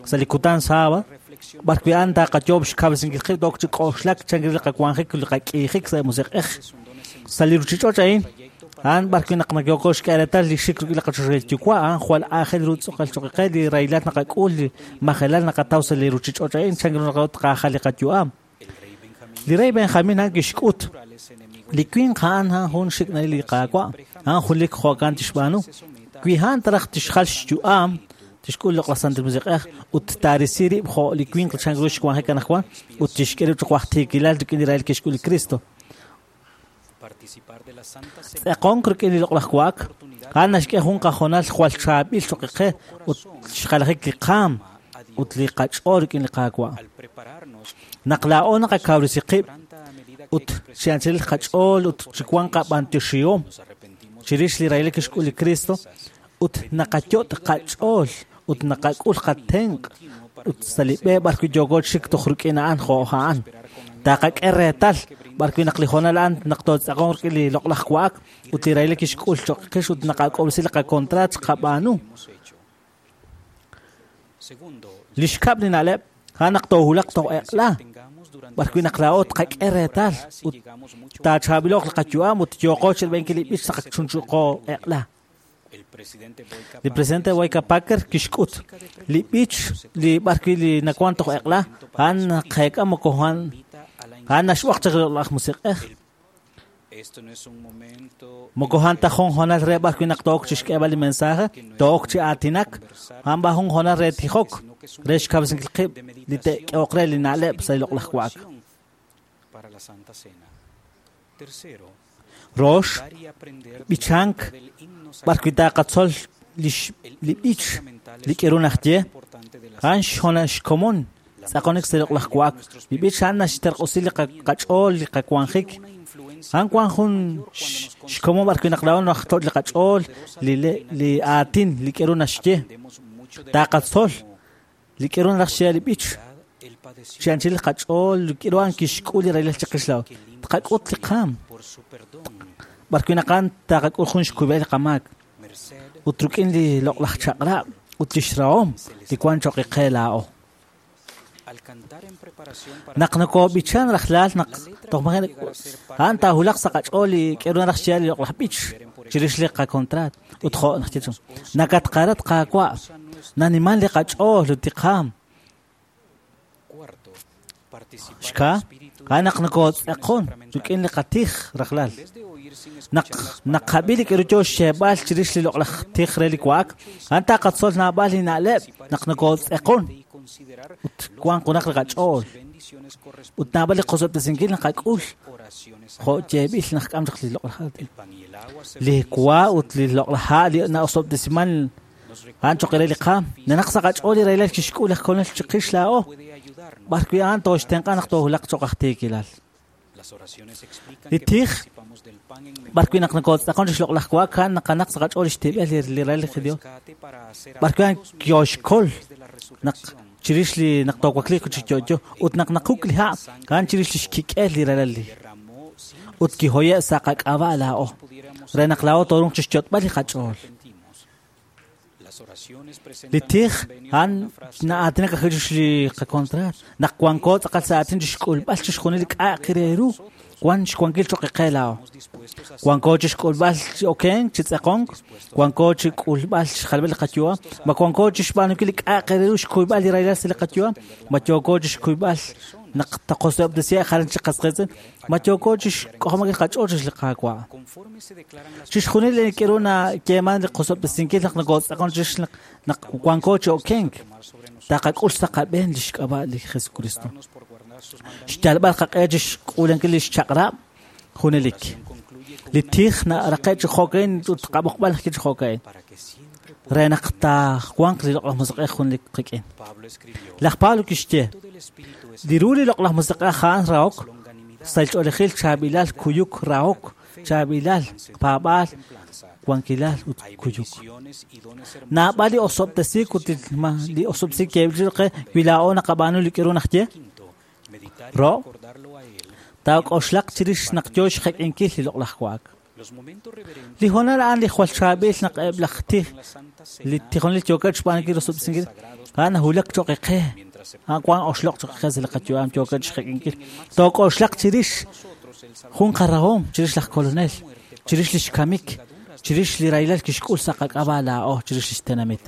sa' li kutan sábado b'arwi' a'an taqayob' xkawresinkil qib' took chi k'oxlak chan ru li qawanjik li qak'iijik sa' musiq'ej sa' li ruuchich'och' a'in a'an b'arwi' naq nayooko xk'e reetal li xik rik'in li qachoxahil yuwa' a'an jwal aajel ru tz'aqal choq' qe li rahilal naqak'ul li majelal naqataw sa' li ruuchich'och' a'in chan ru naq tqajal li qayu'am. Li rey Benjamin a'an kixk'ut li winq a'an jun xik'nalil li Qaawa' a'an junelik jo'kan tixb'aanu wi a'an taraj tixjal xyu'am tixk'ul loq'laj Santil Musiq'ej ut taarisi rib' jo' li winq chan ru xwanjik anaqwan ut tixk'e rib' choq' aj tiikilal rik'in li rahil kixk'ul li Cristo. Tz'aqonk rik'in li loq'laj wa'ak a'an naxk'e jun qahoonal jwal chaab'il choq' qe ut xjalajik li qaam ut li qach'ool rik'in li Qaawa'. Naq laa'o naqakawresi qib' ut chi anchalil qach'ool ut chi wank qab'antioxihom chirix li rahilal kixk'ul li Cristo ut naqayot' qach'ool ut naqak'ul qatenq' ut sa' li b'e b'arwi' yooko chik toj rik'in a'an jo' a'an. Taqak'e reetal b'arwi' naq li hoonal a'an naq tootz'aqonq rik'in li loq'laj wa'ak ut li rahilal kixk'ul choq' qix ut naqak'ob'resi li qakontraat xqab'aanu. Li xkab' li na'leb' a'an naq toohulaq toj eq'la b'arwi' naq laa'o tqak'e reetal ut taachaab'ilo'q li qayu'am ut yooqo chirb'enkil li b'ich sa' qachunchuqo eq'la. Li presidente Boyka Packer kixk'ut li b'ich li b'arwi' li nawan toj eq'la a'an naqeek'a moko a'an naxb'oq chaq li loq'laj musiq'ej. Moko a'an ta jun hoonal re b'arwi' naq took chixk'eeb'al li mensaje took chi aatinak a'an b'a jun hoonal re tijok re xkawresinkil qib' li te'k'ehoq re li na'leb' sa' li loq'laj wa'ak. Rox, b'ichank b'arwi' taqatzol li b'ich li k'aru naxye a'an xhoonal xkomon tz'aqonik sa' li loq'laj wa'ak. Li b'ich a'an naxterq'usi li qach'ool li qawanjik a'an wan jun xkomon b'arwi' naq laa'o najtoch' li qach'ool li aatin li k'aru naxye taqatzol li k'aru naxye li b'ich chi anchal li qach'ool li k'aru a'an kixk'ul li rahilal chiqix laa'o tqak'ut li qaam b'arwi' naq a'an taqak'ul jun xkub'el li qamaak ut rik'in li loq'laj chaq'rab' ut li xrahom li wan choq' qe laa'o. Naq nokob'ichan rajlal naq toj maji' a'an taahulaq sa' qach'ool li k'aru naraj xye li loq'laj b'ich chirix li qakontraat ut jo' naxye nakatqarat Qaawa' naniman li qach'ool ut li qaam. Xka a'an naq nokotz'aqon rik'in li qatij rajlal. Naq naqab'i li k'aru yoo xyeeb'al chirix li loq'laj tij re li wa'ak a'an taqatzol naab'al li na'leb' naq nokotz'aqon ut wanq junaq li qach'ool ut naab'al li qosob'tesinkil naqak'ul jo' yeeb'il naq k'am chaq li loq'laj aatin. Li wa ut li loq'laj ha' li na'osob'tesiman a'an choq' re li qaam nanaq sa' qach'ool li rahilal kixk'ul laj Kolonel chiqix laa'o b'arwi' a'an tooxtenq'a naq toohulaq choq' aj tiikilal. Li tij B'ar wi' naq nokotz'aqon chi xloq'laj wa'ak a'an naqanaq sa' qach'ool li xtib'el li ralal li Dios. B'ar wi' a'an kioxkol naq chirix li naq toowakliiq chi yo'yo ut naq naquk' li ha' a'an chirix li xkik'el li ralal li ut kihoye' sa' qak'ab'a' laa'o re naq laa'o toorunq chi xyot'b'al li qach'ool. Li tij a'an na'aatinak ajwi' chirix li qakontraat naq wanko tz'aqal sa' aatin chi xk'ulb'al chixjunil li k'a'aq re ru wan xwankil cho'q qe laa'o. Wanko chi xk'ulb'al chi okenk chi tz'eqonk, wanko chi k'ulb'al xjalb'al li qayu'am, ma wanko chi xb'aanunkil li k'a'aq re ru xkuyb'al li rahilal sa' li qayu'am, ma yooko chi xkuyb'al naq taqosob'tesiheb' jalan chi qas qiitz'in, ma yooko chi xk'ojob'ankil qach'ool chirix li Qaawa'. Chixjunil li k'aru nayeeman li qosob'tesinkil naq nokotz'aqon chirix naq wanko chi okenk, taqak'ul sa' qab'een li xk'ab'a' li Jesucristo. Xyalb'al qaq'e chi xk'uulankil li xchaq'rab' junelik. Li tij naraqe' chi jo'ka'in ut qab'oqb'al chi jo'ka'in re naq taawanq li Loq'laj Musiq'ej junelik qik'in. Laj Pablo kixye, li ru li Loq'laj Musiq'ej a'an rahok, sahil ch'oolejil, chaab'ilal, kuyuk, rahok, chaab'ilal, paab'aal, wankilal ut kuyuk. Naab'al li osob'tesiik ut li osob'tesiik yeeb'il qe wi laa'o naqab'aanu li k'aru naxye. Ro, taak'oxlaq chirix naq yo xjek'inkil li loq'laj wa'ak. Li hoonal a'an li jwal chaab'il naq eb' laj tij li tijonel yookeb' xb'aanunkil rosob'tesinkil a'an nahulak cho'q qe. A'an wank oxloq' cho'q qe sa' li qayu'am yookeb' xjek'inkil. Took'oxlaq chirix jun qarahom chirix laj Kolonel, chirix li xkamik, chirix li rahilal kixk'ul sa' qak'ab'a' laa'o chirix li xtenamit.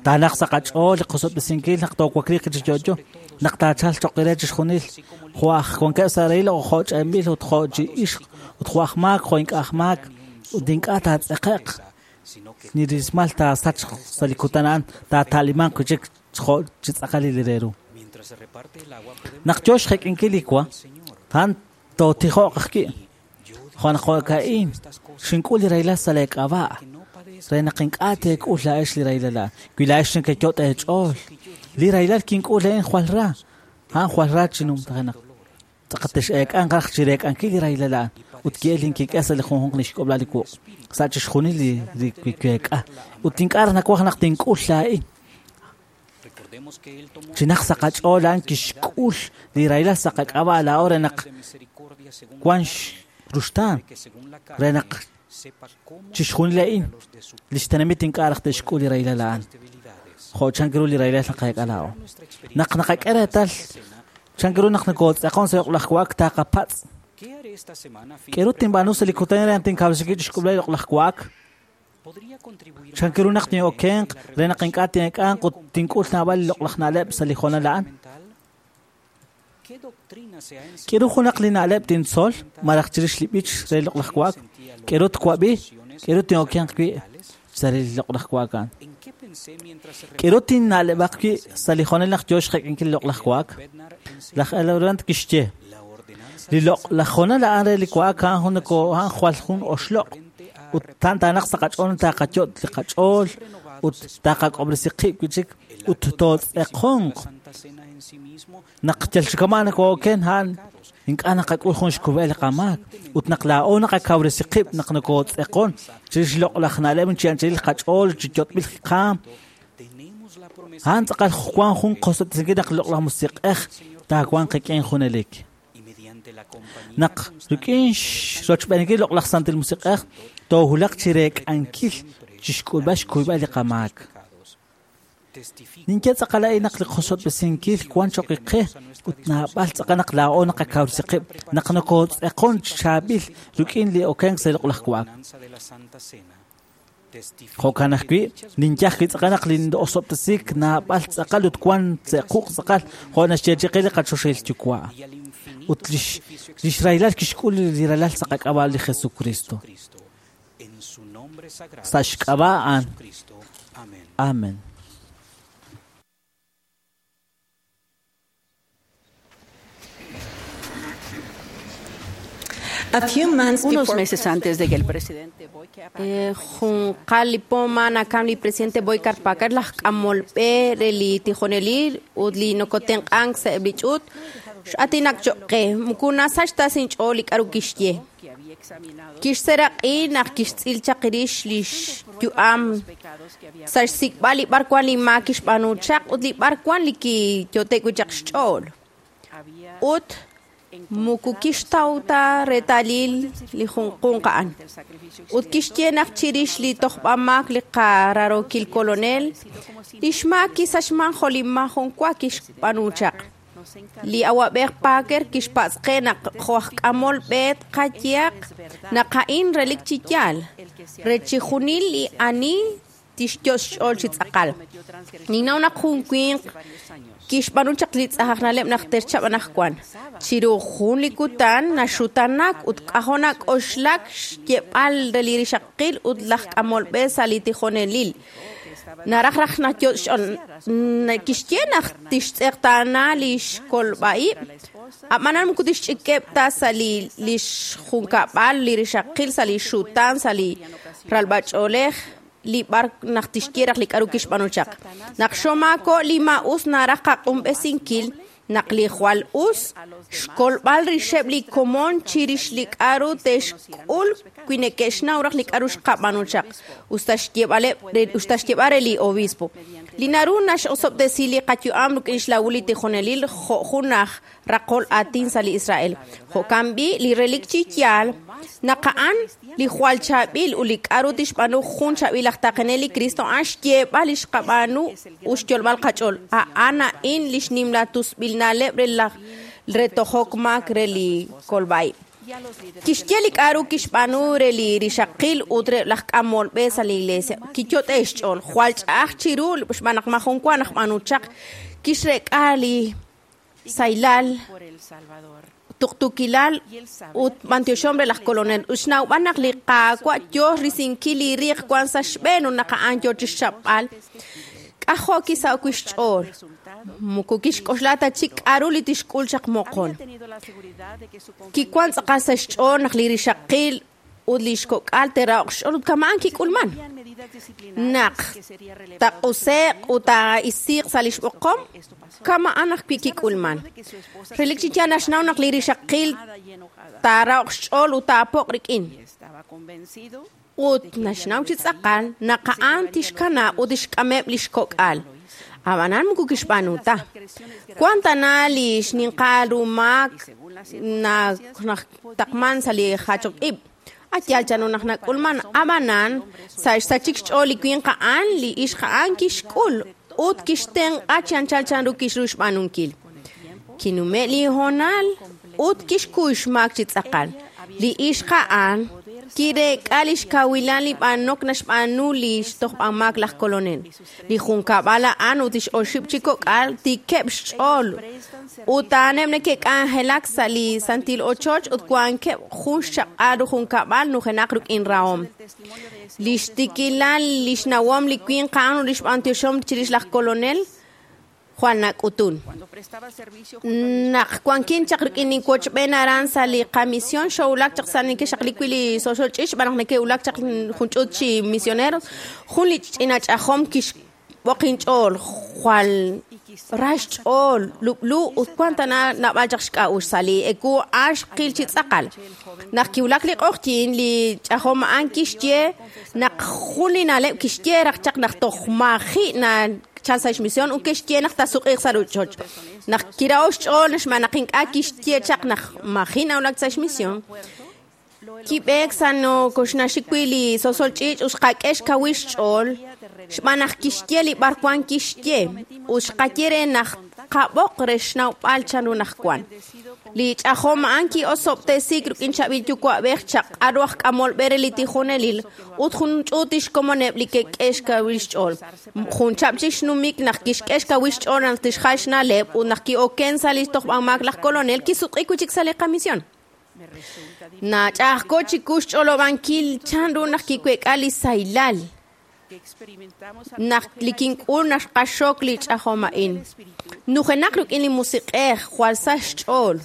Taanaq sa' qach'ool li qosob'tesinkil naq toowakliiq chi yo'yo, naq taachalq cho'q re chixjunil, jo' aj wankeb' sa' rahil o jo' ch'emb'il ut jo' chi ixq ut jo' aj maak jo' ink'a' aj maak ut ink'a' taatz'eqe'q ni rismal taasachq sa' li kutan a'an taata'limanq wi' chik jo' chi tz'aqal li re ru. Naq yo xjek'inkil li wa, a'an tootijo'q ajwi'. Jo' naq jo'ka'in xink'ul li rahilal sa' leek'ab'a' re naq ink'a' teek'ul laa'ex li rahilal a'an. Wi laa'ex nekeyot' eech'ool, li rahilal kink'ul a'in jwal ra, a'an jwal ra chi numtajenaq. Tz'aqatex'eek'anq raj chi reek'ankil li rahilal a'an ut ki'el inkik'el sa' li junjunq li xk'ob'lal li wuq' sa' chixjunil li week'a ut ink'a' raj nawaj naq tink'ul laa'in. Chinaq sa' qach'ool a'an kixk'ul li rahilal sa' qak'ab'a' laa'o re naq wan ruxtaan re naq chixjunil a'in li xtenamit ink'a' raj te'xk'ul li rahilal a'an. Jo' chank ru li rahilal naqak'e laa'o. Naq naqak'e reetal chank ru naq nokotz'aqon sa' loq'laj wa'ak taqapatz'. K'aru tinb'aanu sa' li kutan re naq tinkawresi chi xk'ulb'al li loq'laj wa'ak? Chank ru naq tin'okenq re naq ink'a' tin'eek'anq ut tink'ul naab'al li loq'laj na'leb' sa' li hoonal a'an? K'aru junaq li na'leb' tintzol malaj chirix li b'ich re loq'laj wa'ak? K'aru twab'i? K'aru tin'okenq wi' sa' li loq'laj wa'ak a'an? K'aru tinna'leb'aq wi' sa' li hoonal naq yo xjek'inkil li loq'laj wa'ak? Laj Elbrant kixye, li loq'laj hoonal a'an re li wa'ak a'an jun a'an jwal jun oxloq' ut taanaq sa' qach'ool taqayot' li qach'ool ut taqak'ob'resi qib' wi' chik ut tootz'eqonq. Naq yal chi kama' nakooken a'an ink'a' naqak'ul jun xkub'el li qamaak ut naq laa'o naqakawresi qib' naq nokotz'eqon chirix loq'laj na'leb' chi anchal qach'ool chi yot'b'il qaam. A'an tz'aqal wan jun qosob'tesinkil naq loq'laj musiq'ej taawanq qik'in junelik. Naq rik'in xrochb'eenkil loq'laj Santil Musiq'ej toohulaq chi reek'ankil chi xk'ulb'al xkuyb'al li qamaak. Ninye tz'aqal a'in naq li qosob'tesinkil wan cho'q qe ut naab'al tz'aqal naq laa'o naqakawresi qib' naq nokotz'eqon chi chaab'il rik'in li okenk sa' li loq'laj wa'ak. Jo'kan ajwi' ninye ajwi' tz'aqal naq li osob'tesiik naab'al tz'aqal ut wan tze'quq tz'aqal jo' naxyeechi'i qe li qachoxahil Yuwa' ut lix rahilal kixk'ul li ralal sa' qak'ab'a' li Jesucristo. Sa' xk'ab'a' a'an. Amen. Unos meses antes de que el presidente Junqal poma nakam li presidente Boyka Packer laj k'amolb'e re li tijonelil ut li nokotenq'ank sa' eb' li ch'uut x'atinak cho'q qe mukuna sachta sinch'ool li k'aru kixye. Kixseeraq'i naq kixtz'il chaq rix li xyu'am sa' xsik'b'al li b'arwan li maak kixb'aanu chaq ut li b'arwan li kiyo'te' wi' chaq xch'ool. Ut moko kixtaw ta reetalil li junjunq a'an. Ut kixye naq chirix li tojb'amaak li qararokil kolonel, li xmaak kisachman jo' li maajun wa kixb'aanu chaq. Li awab'ej Parker kixpatz' qe naq jo' aj k'amol b'e qayehaq naq a'in relik chi yaal, re chixjunil li ani tixyot' xch'ool chi tz'aqal. Ninnaw naq jun winq kixb'aanu chaq li tz'ajaj na'leb' naq terchab' anaqwan. Chiru jun li kutan naxutanak ut k'ajo' nak'oxlak xyeeb'al re li rixaqil ut laj k'amol b'e sa' li tijonelil. Naraj raj nayot' xch'ool kixye naq tixtz'eqtaana li xkolb'a'ib', ab'anan moko tixch'ikeb' ta sa' li xjunkab'al li rixaqil sa' li xutaan sa' li ralb'ach'oolej li b'ar naq tixye raj li k'aru kixb'aanu chaq. Naq xomaako' li maa'us naraj qaq'unb'esinkil naq li jwal us xkolb'al rixeb' li komon chirix li k'aru te'xk'ul wi neke'xnaw raj li k'aru xqab'aanu chaq, usta xyeeb'al re li obispo. Li naru nax'osob'tesi li qayu'am rik'in xlawul li tijonelil jo' jun aj raqol aatin sa' li Israel. Jo'kan b'i' li relik chi yaal naq a'an li jwal chaab'il ut li k'aru tixb'aanu jun chaab'il aj taqenel li Cristo a'an xyeeb'al li xqab'aanu ut xyolb'al qach'ool. A'an a'in li xnimla tusb'il na'leb' re laj re tojok maak re li kolb'a'ib'. Kixye li k'aru kixb'aanu re li rixaqil ut re laj k'amol b'e sa' li iglesia. Kiyot'e xch'ool, jwal ch'a'aj chiru xb'aan naq maajun wa naq b'aanu chaq. Kixrek'a li saylal, tuqtuukilal ut b'antioxom re laj kolonel. Ut xnawb'al naq li Qaawa' yoo risinkil li riiq wan sa' xb'een ut naq a'an yoo chixchapb'al. K'ajo' kisaho'k wi' xch'ool. Moko kixk'oxla ta chik k'aru li tixk'ul chaq moqon. Kiwan tz'aqal sa' xch'ool naq li rixaqil ut li xkok'al te'raho'q xch'ool ut kama'an kik'ulman. Naq taq'use'q ut taa'isiiq sa' li xb'oqom, kama'an ajwi' kik'ulman. Relik chi yaal naxnaw naq li rixaqil taaraho'q xch'ool ut taapo'q rik'in. Ut naxnaw chi tz'aqal naq a'an tixkanab' ut tixk'ameb' li xkok'al. Ab'anan moko kixb'aanu ta. Wan tana li xninqal ru maak naq taqman sa' li jachok ib'. Ayal chanu naq nak'ulman ab'anan sa' xsachik xch'ool li winq a'an li ixq a'an kixk'ul ut kixtenq'a chi anchal chanru kixru xb'aanunkil. Kinume' li hoonal ut kixkuy xmaak chi tz'aqal. Li ixq a'an kirek'a li xkawilal li b'anok naxb'aanu li xtojb'amaak laj kolonel. Li junkab'al a'an ut lix oxib' chi kok'al tikeb' xch'ool ut a'aneb' neke'k'anjelak sa' li santil ochoch ut wankeb' jun xchaq'al ru junkab'al nujenaq rik'in rahom. Li xtikilal li xnawom li winq a'an ut li xb'antioxom chirix laj kolonel jwal nak'utun. Naq wankin chaq rik'in ninwochb'een aran sa' li qamisión xowulak chaq sa' neke'xaqli wi' li soxol ch'iich' xb'aan naq neke'wulak chaq jun ch'uut chi misioneros, jun li ch'ina ch'ajom kixb'oq inch'ool, jwal ra xch'ool, lub'lu ut wan tana naab'al chaq xk'a'uxl sa' li eku a'an xqil chi tz'aqal. Naq kiwulak li q'oqyin, li ch'ajom a'an kixye naq jun li na'leb' kixye raj chaq naq toj maji' na chal sa' xmisión ut kixye naq taasuq'iiq sa' rochoch. Naq kiraho'k xch'ool xb'aan naq ink'a' kixye chaq naq maji' nawulak sa' xmisión, kib'eek sa' nokoxnaxik wi' li sosol ch'iich' ut xqak'e xkawil xch'ool xb'aan naq kixye li b'arwan kixye ut xqaye re naq qab'oq re xnawb'al chanru naq wan. Li ch'ajom a'an ki'osob'tesiik rik'in chaab'il yuwa'b'ej chaq'aru aj k'amol b'e re li tijonelil ut jun ch'uut xkomoneb' li ke'k'e xkawil xch'ool. Jun chab' chik xnumik naq kixk'e xkawil xch'ool naq tixjal xna'leb' ut naq ki'oken sa' li tojb'amaak laj kolonel kisuq'i wi' chik sa' li qamisión. Nach'a'ajko chiku xch'olob'ankil chanru naq kiwek'a li saylal naq li kink'ul naq xqaxok li ch'ajom a'in. Nujenaq rik'in li musiq'ej jwal sa xch'ool.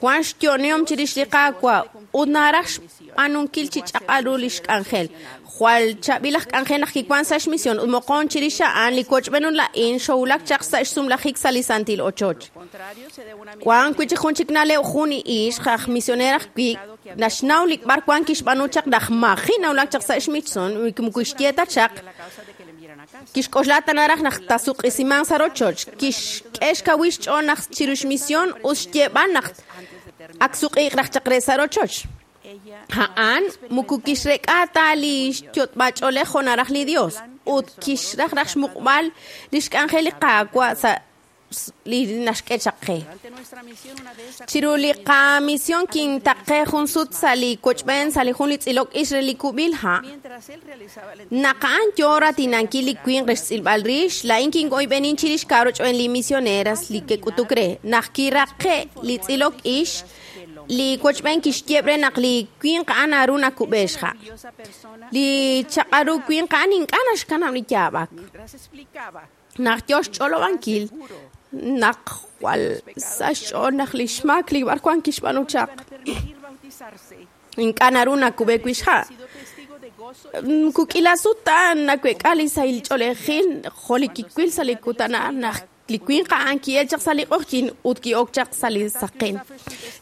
Wank xyo'onihom chirix li Qaawa' ut naraj xb'aanunkil chi ch'aq'al ru li xk'anjel. Jwal chaab'il aj k'anjel naq kiwank sa' xmisión ut moqon chirix a'an li wochb'een ut laa'in xowulak chaq sa' xsumlajik sa' li santil ochoch. Wank wi' chik jun chik na'leb' jun ixq aj misioneer ajwi' naxnaw li b'ar wank kixb'aanu chaq naq maji' nawulak chaq sa' xmisión moko kixye ta chaq kixk'oxla ta naraj naq taasuq'isimanq sa' rochoch kixk'e xkawil xch'ool naq chiru xmisión ut xyeeb'al naq ak suq'iiq raj chaq re sa' rochoch. A'an moko kixrek'a ta li xyot'b'ach'oolej jo' naraj li Dios ut kixraj raj xmuqb'al li xk'anjel li Qaawa' sa' li naxk'e chaq qe. Chiru li qamisión kintaqe jun sut sa' li wochb'een sa' li jun li tz'ilok ix re li kub'il ha'. Naq a'an yo ratinankil li winq re xtz'ilb'al rix, laa'in kin'oyb'enin chirix kaaroch'oen li misioneras li ke'k'utuk re. Naq kiraqe' li tz'ilok ix, li wochb'een kixyeeb' re naq li winq a'an naru nakub'e xha'. Li chaq'al ru winq a'an ink'a' naxkanab' li yaab'ak. Naq yo xch'olob'ankil naq jwal sa' xch'ool naq li xmaak li b'ar wank kixb'aanu chaq. Ink'a' naru nakub'e wi' xha'. Kuk'ila sut ta nawek'a li sahil ch'oolejil jo' li kiwil sa' li kutan a'an naq li winq a'an ki'el chaq sa' li q'oqyink ut ki'ok chaq sa' li saqen.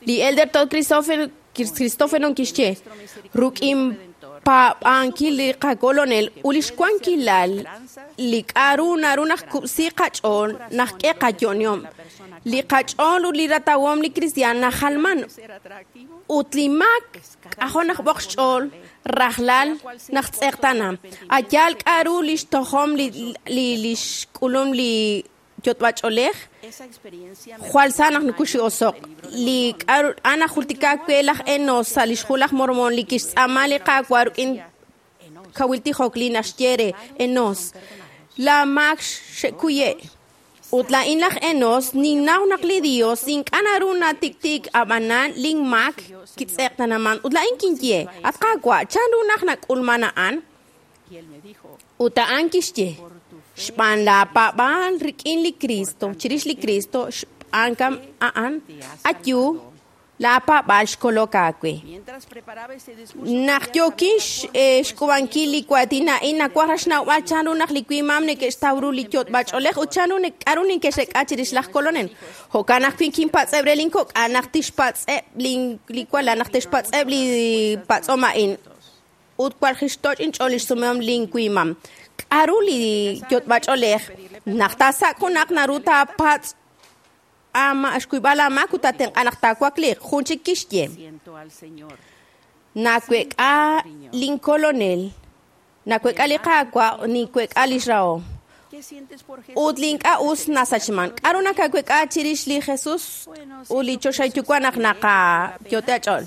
Li Elder Todd Christofferson kixye ruk'in paab'ankil li qakolonel ut li xwankilal li k'a'ru naru naq kub'si qach'ool naq k'e qayo'onihom. Li qach'ool ut li ratawom li kristiaan najalman ut li maak k'ajo' naq b'oq xch'ool rajlal naq tz'eqtana. Ayaal k'a'ru li xtojom li xk'ulum li yot'b'ach'oolej jwal sa naq nukuxi'osoq. Li k'a'ru a'an najultika we laj Enos sa' li xhu laj Mormón li kixtz'aama li Qaawa' ruk'in kawil tijok li naxye re Enos. La maak xe'kuye'. Ut laa'in laj Enos ninnaw naq li Dios ink'a' naru natiktik ab'anan linmaak kitz'eqtanaman. Ut laa'in kinye, at Qaawa', chanru naq nak'ulman a'an? Ut a'an kixye, xb'aan laapaab'aal rik'in li Cristo, chirix li Cristo, xb'aan kam a'an, ayu, laapaab'aal xkolok aawe. Naq yookin xk'ub'ankil li waatin a'in nawaj raj xnawb'al chanru naq li wimam neke'xtaw ru li yot'b'ach'oolej ut chanru k'a'ru neke'xrek'a chirix laj kolonel. Jo'kan ajwi' kinpatz'eb' re linkok'al naq tixpatz'eb' li walal naq tixpatz'eb' li patz'om a'in ut walj xtoch' inch'ool li xsumehom linwimam. K'a'ru li yot'b'ach'oolej naq taasak' junaq naru taapatz' xkuyb'al aamaak ut taatenq'a naq taawakliiq. Jun chik kixye, nawek'a linkolonel, nawek'a li Qaawa', niwek'a li xrahom. Ut li ink'a' us nasachman. K'a'ru nakawek'a chirix li Jesus ut li choxahil yuwa' naq naqayote ach'ool?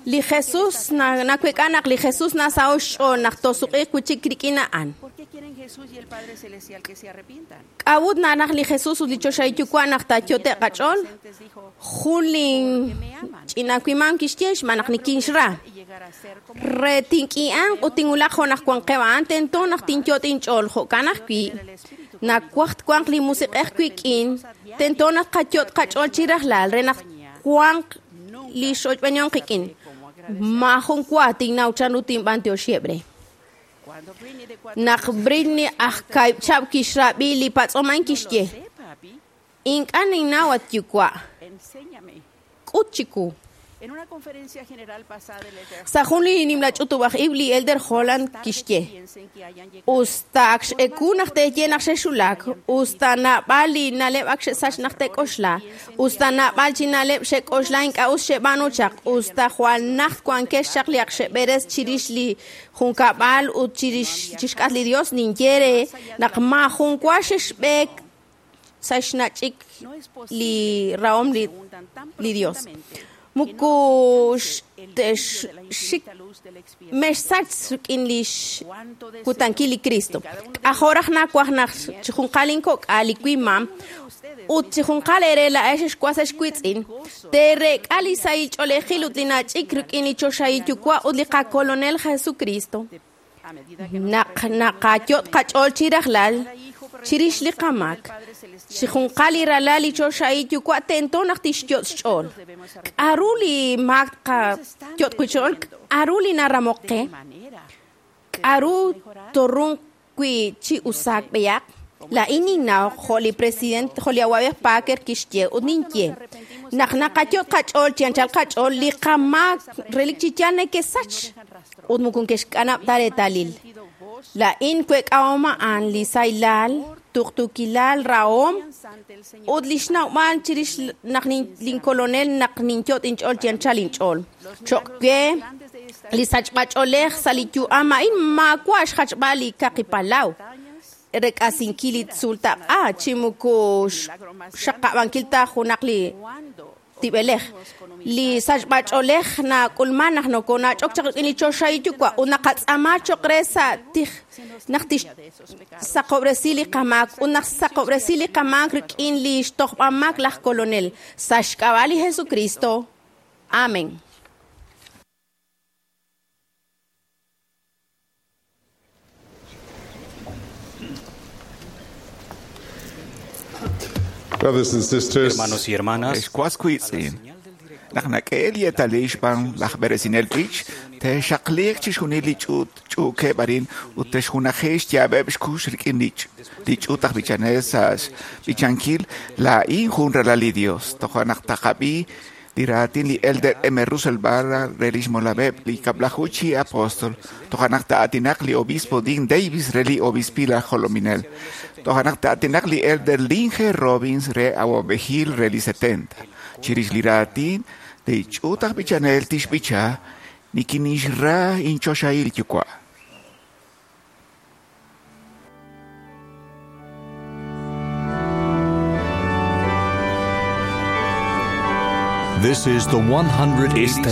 Li Jesus nawek'a naq li Jesus nasaho' xch'ool naq tosuq'iiq wi' chik rik'in a'an. K'a'ut naraj li Jesus ut li choxahil yuwa' naq taayote qach'ool? Jun li ch'ina wimam kixye xb'aan naq nikinxra. Re tink'i'anq ut tinwulaq jo' naq wanqeb' a'an tento naq tinyot' inch'ool jo'kan ajwi' nawaj twanq li musiq'ej wik'in tento naq qayot' qach'ool chi rajlal re naq wanq li xochb'enihom qik'in. Maajun wa tinnaw chanru tinb'antioxieb' re. Naq Britney aj kaahib' chihab' kixrab'i li patz'om a'in kixye, ink'a' ninnaw at yuwa', k'ut chiwu. Sa' jun li nimla ch'utub'aj ib' li Elder Holland kixye, usta ak x'eku naq teeye naq xexulak, usta naab'al li na'leb' ak xe'sach naq te'k'oxla, usta naab'al chi na'leb' xe'k'oxla ink'a' us xe'b'aanu chaq, usta jwal najt wankex chaq li ak xe'b'eres chirix li junkab'al ut chirix chixk'atq li Dios ninye re naq maajun wa xexb'eek sa' xnach'ik li rahom li Dios. Moko xik mexsach rik'in li xkutankil li Cristo. K'ajo' raj nawaj naq chi junqal inkok'al li wimam ut chi junqal eere laa'ex xwas xwitz'in teerek'a li sahil ch'oolejil ut li nach'ik rik'in li choxahil yuwa' ut li qakolonel Jesucristo. Naq naqayot' qach'ool chi rajlal Chirix li qamaak, chi junqal li ralal li choxahil yuwa' tento naq tixyot' xch'ool. K'aru li maak qayot' wi' xch'ool? K'aru li naramok qe? K'aru torun wi' chi usaak b'eyaq? Laa'in ninnaw jo' li president jo' li awab'ej Parker kixye ut ninye naq naqayot' qach'ool chi anchal qach'ool li qamaak relik chi yaal nekesach ut moko ke'xk'anab' ta reetalil. Laa'in week'ahom a'an li saylal, tuqtuukilal, rahom ut li xnawb'al chirix naq linkolonel naq ninyot' inch'ool chi anchal inch'ool. Cho'q we li sachb'ach'oolej sa' li yu'am a'in maawa' xjachb'al li kaqi palaw rek'asinkil li tzuultaq'a chi moko xaqab'ankil ta junaq li tib'elej. Li sachb'ach'oolej nak'ulman naq nokonach'ok chaq rik'in li choxahil yuwa' ut naqatz'aama cho'q re sa' tij naq tixsaqob'resi li qamaak ut naq saqob'resi li qamaak rik'in li xtojb'amaak laj kolonel sa' xk'ab'a' li Jesucristo. Amén. Brothers and sisters, Hermanos y hermanas, Ex Naq nak'eel yeetalil xb'aan laj b'eresinel b'ich, te'xaqliiq chixjunil li ch'uukeb' arin ut te'xjunaji xyaab'eb' xkux rik'in li ch'uut aj b'ichanel sa' xb'ichankil laa'in jun ralal li Dios. Toja' naq taqab'i li raatin li Elder M. Russell Barra re lix molab'eb' li kab'laju chi apóstol. Toja' naq ta'atinaq li obispo Dean Davis re li obispil aj jolominel. Toja' naq ta'atinaq li Elder Lynn G. Robbins re awab'ejil re li 70. Chirix li raatin li ch'uut aj b'ichanel tixb'icha nikinixra inchoxahil yuwa'. Esta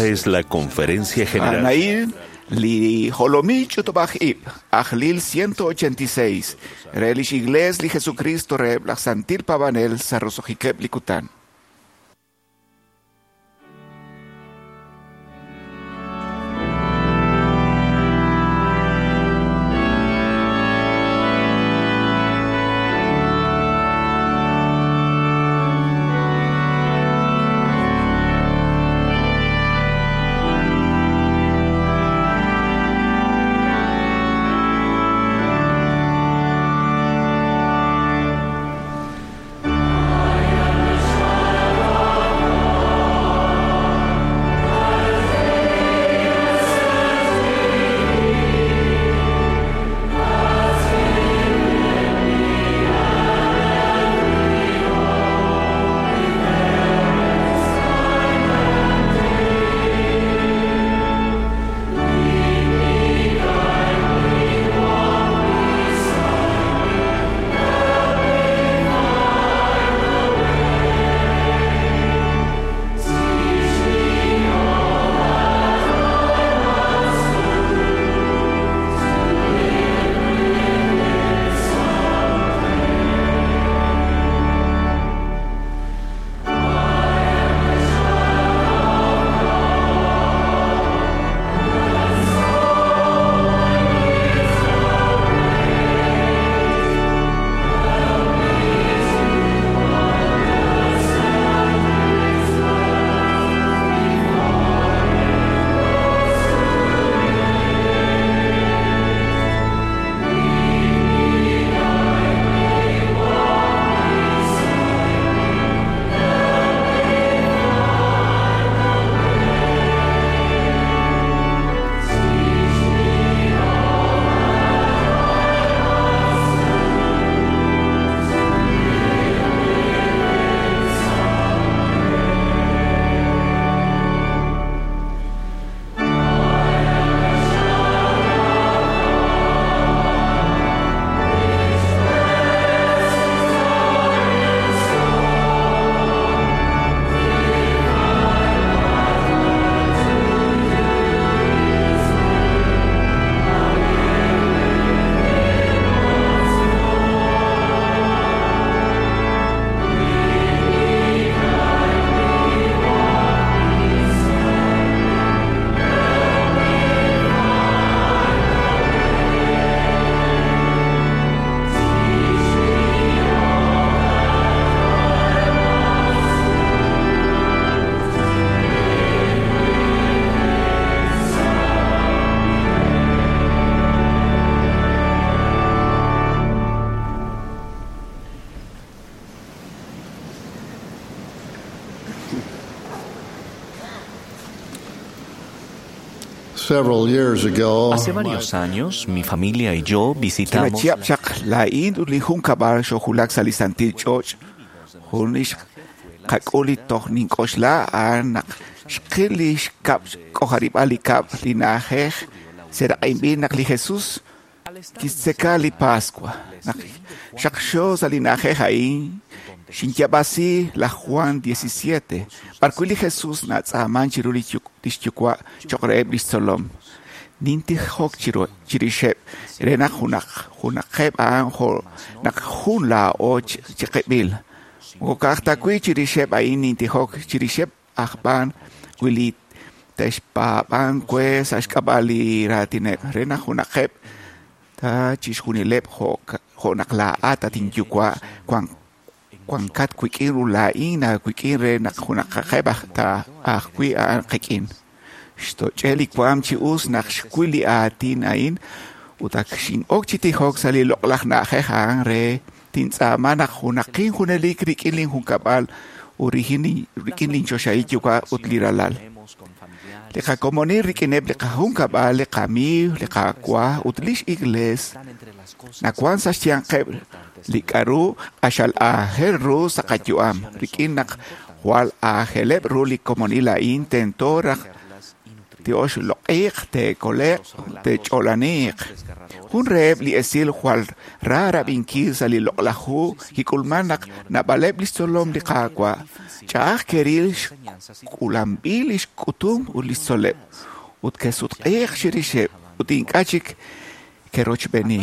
es la conferencia general. Anail li jolomil ch'utub'aj ib' ajlil 186 re lix iglees li Jesucristo re laj santil paab'anel sa' roso'jikeb' li kutan. I am the Several years ago, Hace varios años, mi familia y yo visitamos Kila chihab' chaq laa'in ut li junkab'al xojulak sa' li santil ch'och' jun li xqak'ul li toj nink'oxla a'an naq xqil li xkab' xk'ojarib'al li kab' li na'ajej seraq'inb'il naq li Jesus kixtzeka li Pascua. Naq xaqxo sa' li na'ajej a'in xinyab'asi laj Juan 17, b'arwi' li Jesus natz'aaman chiru li xyuwa' cho'q reheb' li xtzolom. Nintijok chirixeb' re naq junaqeb' a'an jo' naq jun laa'o chiqib'il. Moko ka'aj ta wi' chirixeb' a'in nintijok, chirixeb' aj b'an wi li te'xpaab'an we sa' xk'ab'a' li raatineb' re naq junaqeb' ta chixjunileb' jo' naq laa'at at inyuwa' wankat wik'in ut laa'in aawik'in re naq junaqaqeb' ta ajwi' a'an qik'in. Xtoch'e li waam chi us naq xwil li aatin a'in ut ak xin'ok chi tijok sa' li loq'laj na'ajej a'an re tintz'aama naq junaqin junelik rik'in linjunkab'al ut rik'in linchoxahil yuwa' ut li ralal. Li qakomonil rik'ineb' li qajunkab'al, li qamiiw, li Qaawa' ut lix iglees nawan sa' xyanqeb' li k'a'ru q'axal aajel ru sa' qayu'am. Rik'in naq jwal aajeleb' ru li komonil a'in tento raj te'oxloq'iiq, te'kole'q, te'ch'olaniiq. Jun reheb' li esil jwal ra rab'inkil sa' li loq'laj hu kik'ulman naq naab'aleb' li xtzolom li Qaawa' ch'a'aj ke'ril xk'ulanb'il li xk'utum ut li xtzoleb' ut ke'sutq'iiq chirixeb' ut ink'a' chik ke'rochb'eeni.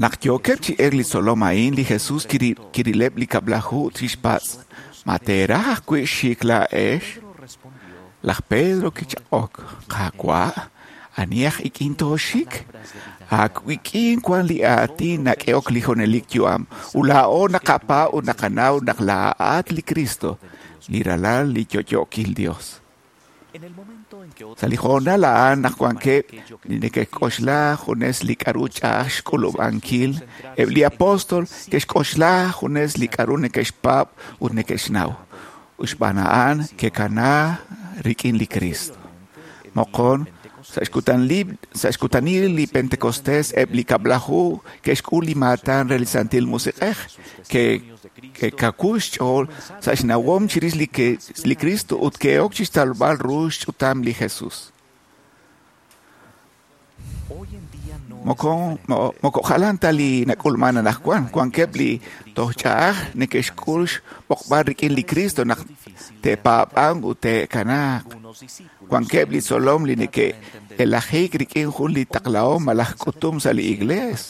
Naq yookeb' chi elk li tzolom a'in, li Jesus kirileb' li kab'laju ut kixpatz': Ma teeraj ajwi' xik laa'ex? Laj Pedro kichaq'ok: Qaawa', ani aj ik'in tooxik? Aawik'in wan li aatin nak'ehok li junelik yu'am, ut laa'o naqapaab' ut naqanaw naq laa'at li Cristo, li Ralal li yo'yookil Dios. Sa' li hoonal a'an naq wankeb' li neke'k'oxla junes li k'a'ru ch'a'aj xk'ulub'ankil, eb' li apóstol ke'xk'oxla junes li k'a'ru neke'xpaab' ut neke'xnaw. Ut xb'aan a'an ke'kana rik'in li Cristo. Moqon, sa' xkutanil li Pentecostés eb' li kab'laju ke'xk'ul li maatan re li Santil Musiq'ej, ke'kawu xch'ool sa' xnawom chirix li Cristo ut ke'ok chixtalb'al ru xch'utam li Jesus. Moko jalan ta li nak'ulman anaqwan, wankeb' li toj ch'a'aj neke'xk'ul xb'oqb'al rik'in li Cristo naq te'paab'anq ut te'kanaaq. Wankeb' li tzolom li neke'elajik rik'in jun li taqlahom malaj k'utum sa' li iglees.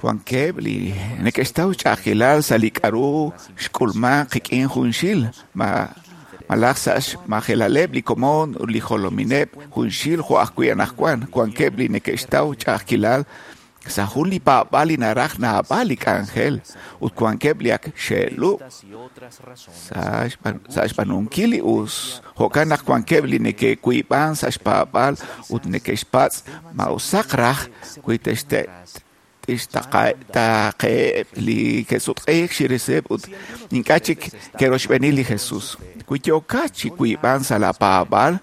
Wankeb' li neke'xtaw ch'a'ajkilal sa' li k'a'ru xk'ulman qik'in junxil malaj sa' xmajelaleb' li komon ut li jolomineb' junxil jo' ajwi' anaqwan. Wankeb' li neke'xtaw ch'a'ajkilal sa' jun li paab'aal li naraj naab'al li k'anjel ut wankeb' li ak xe'lub' sa' xb'aanunkil li us. Jo'kan naq wankeb' li neke'wiib'an sa' xpaab'aal ut neke'xpatz' ma usaq raj wi te'xtaaqeheb' li ke'sutq'iik chirixeb' ut ink'a' chik ke'rochb'eeni li Jesus. Wi yookat chi wiib'an sa' la paab'aal,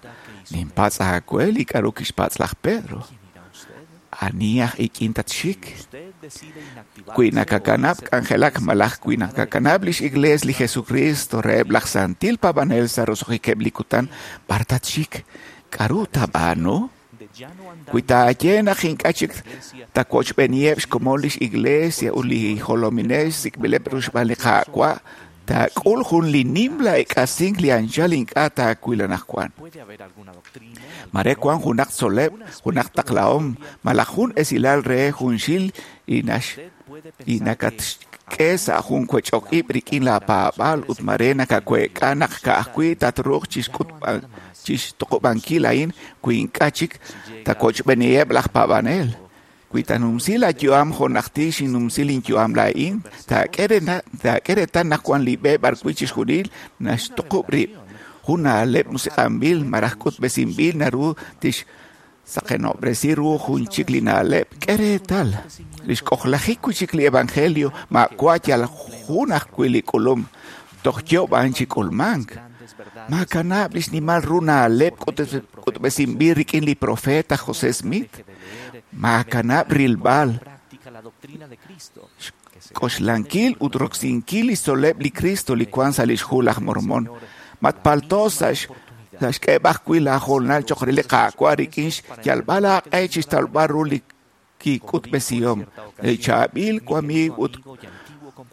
ninpatz' aawe li k'a'ru kixpatz' laj Pedro. Ani aj ik'in tatxik? Wi nakakanab' k'anjelak malaj wi nakakanab' lix iglees li Jesucristo reheb' laj santil paab'anel sa' roso'jikeb' li kutan, b'ar tatxik? K'a'ru taab'aanu? Wi taaye naq ink'a' chik tawochb'eeniheb' xkomon lix iglesia ut li jolominel xsik'b'ileb' ru xb'aan li Qaawa', taak'ul jun li nimla ek'asink li anchal ink'a' taawil anaqwan. Mare wan junaq tzoleb', junaq taqlahom, malaj jun esilal re junxil li nakatxk'e sa' jun wech'ok ib' rik'in la paab'aal ut mare nakaweek'a naq ka'ajwi' tatruuq chixtuqub'ankil a'in wi ink'a' chik tawochb'eeniheb' laj paab'anel. Wi tanumsi la yu'am jo' najtil xinnumsi linyu'am laa'in, taak'e reetal naq wan li b'e b'arwi' chixjunil naxtuqub' rib'. Jun na'leb' musiq'anb'il malaj k'utb'esinb'il naru tixsaqenob'resi ru jun chik li na'leb'. K'e reetal, li xk'ojlajik wi' chik li evangelio maawa' yal jun ajwi' li k'ulum, toj yoob'an chi k'ulmank. Maakanab' li xnimal ru na'leb' k'utb'esinb'il rik'in li profeta José Smith. Maakanab' rilb'al xk'oxlankil ut roksinkil li xtzol'leb' li Cristo li wank sa' li xhu laj Mormón. Matpalto sa' xk'eeb'al ajwi' laahoonal cho'q re li Qaawa' rik'in xyalb'al aaq'e chi xtawb'al ru li kik'utb'esihom. Li chaab'il wamiiw ut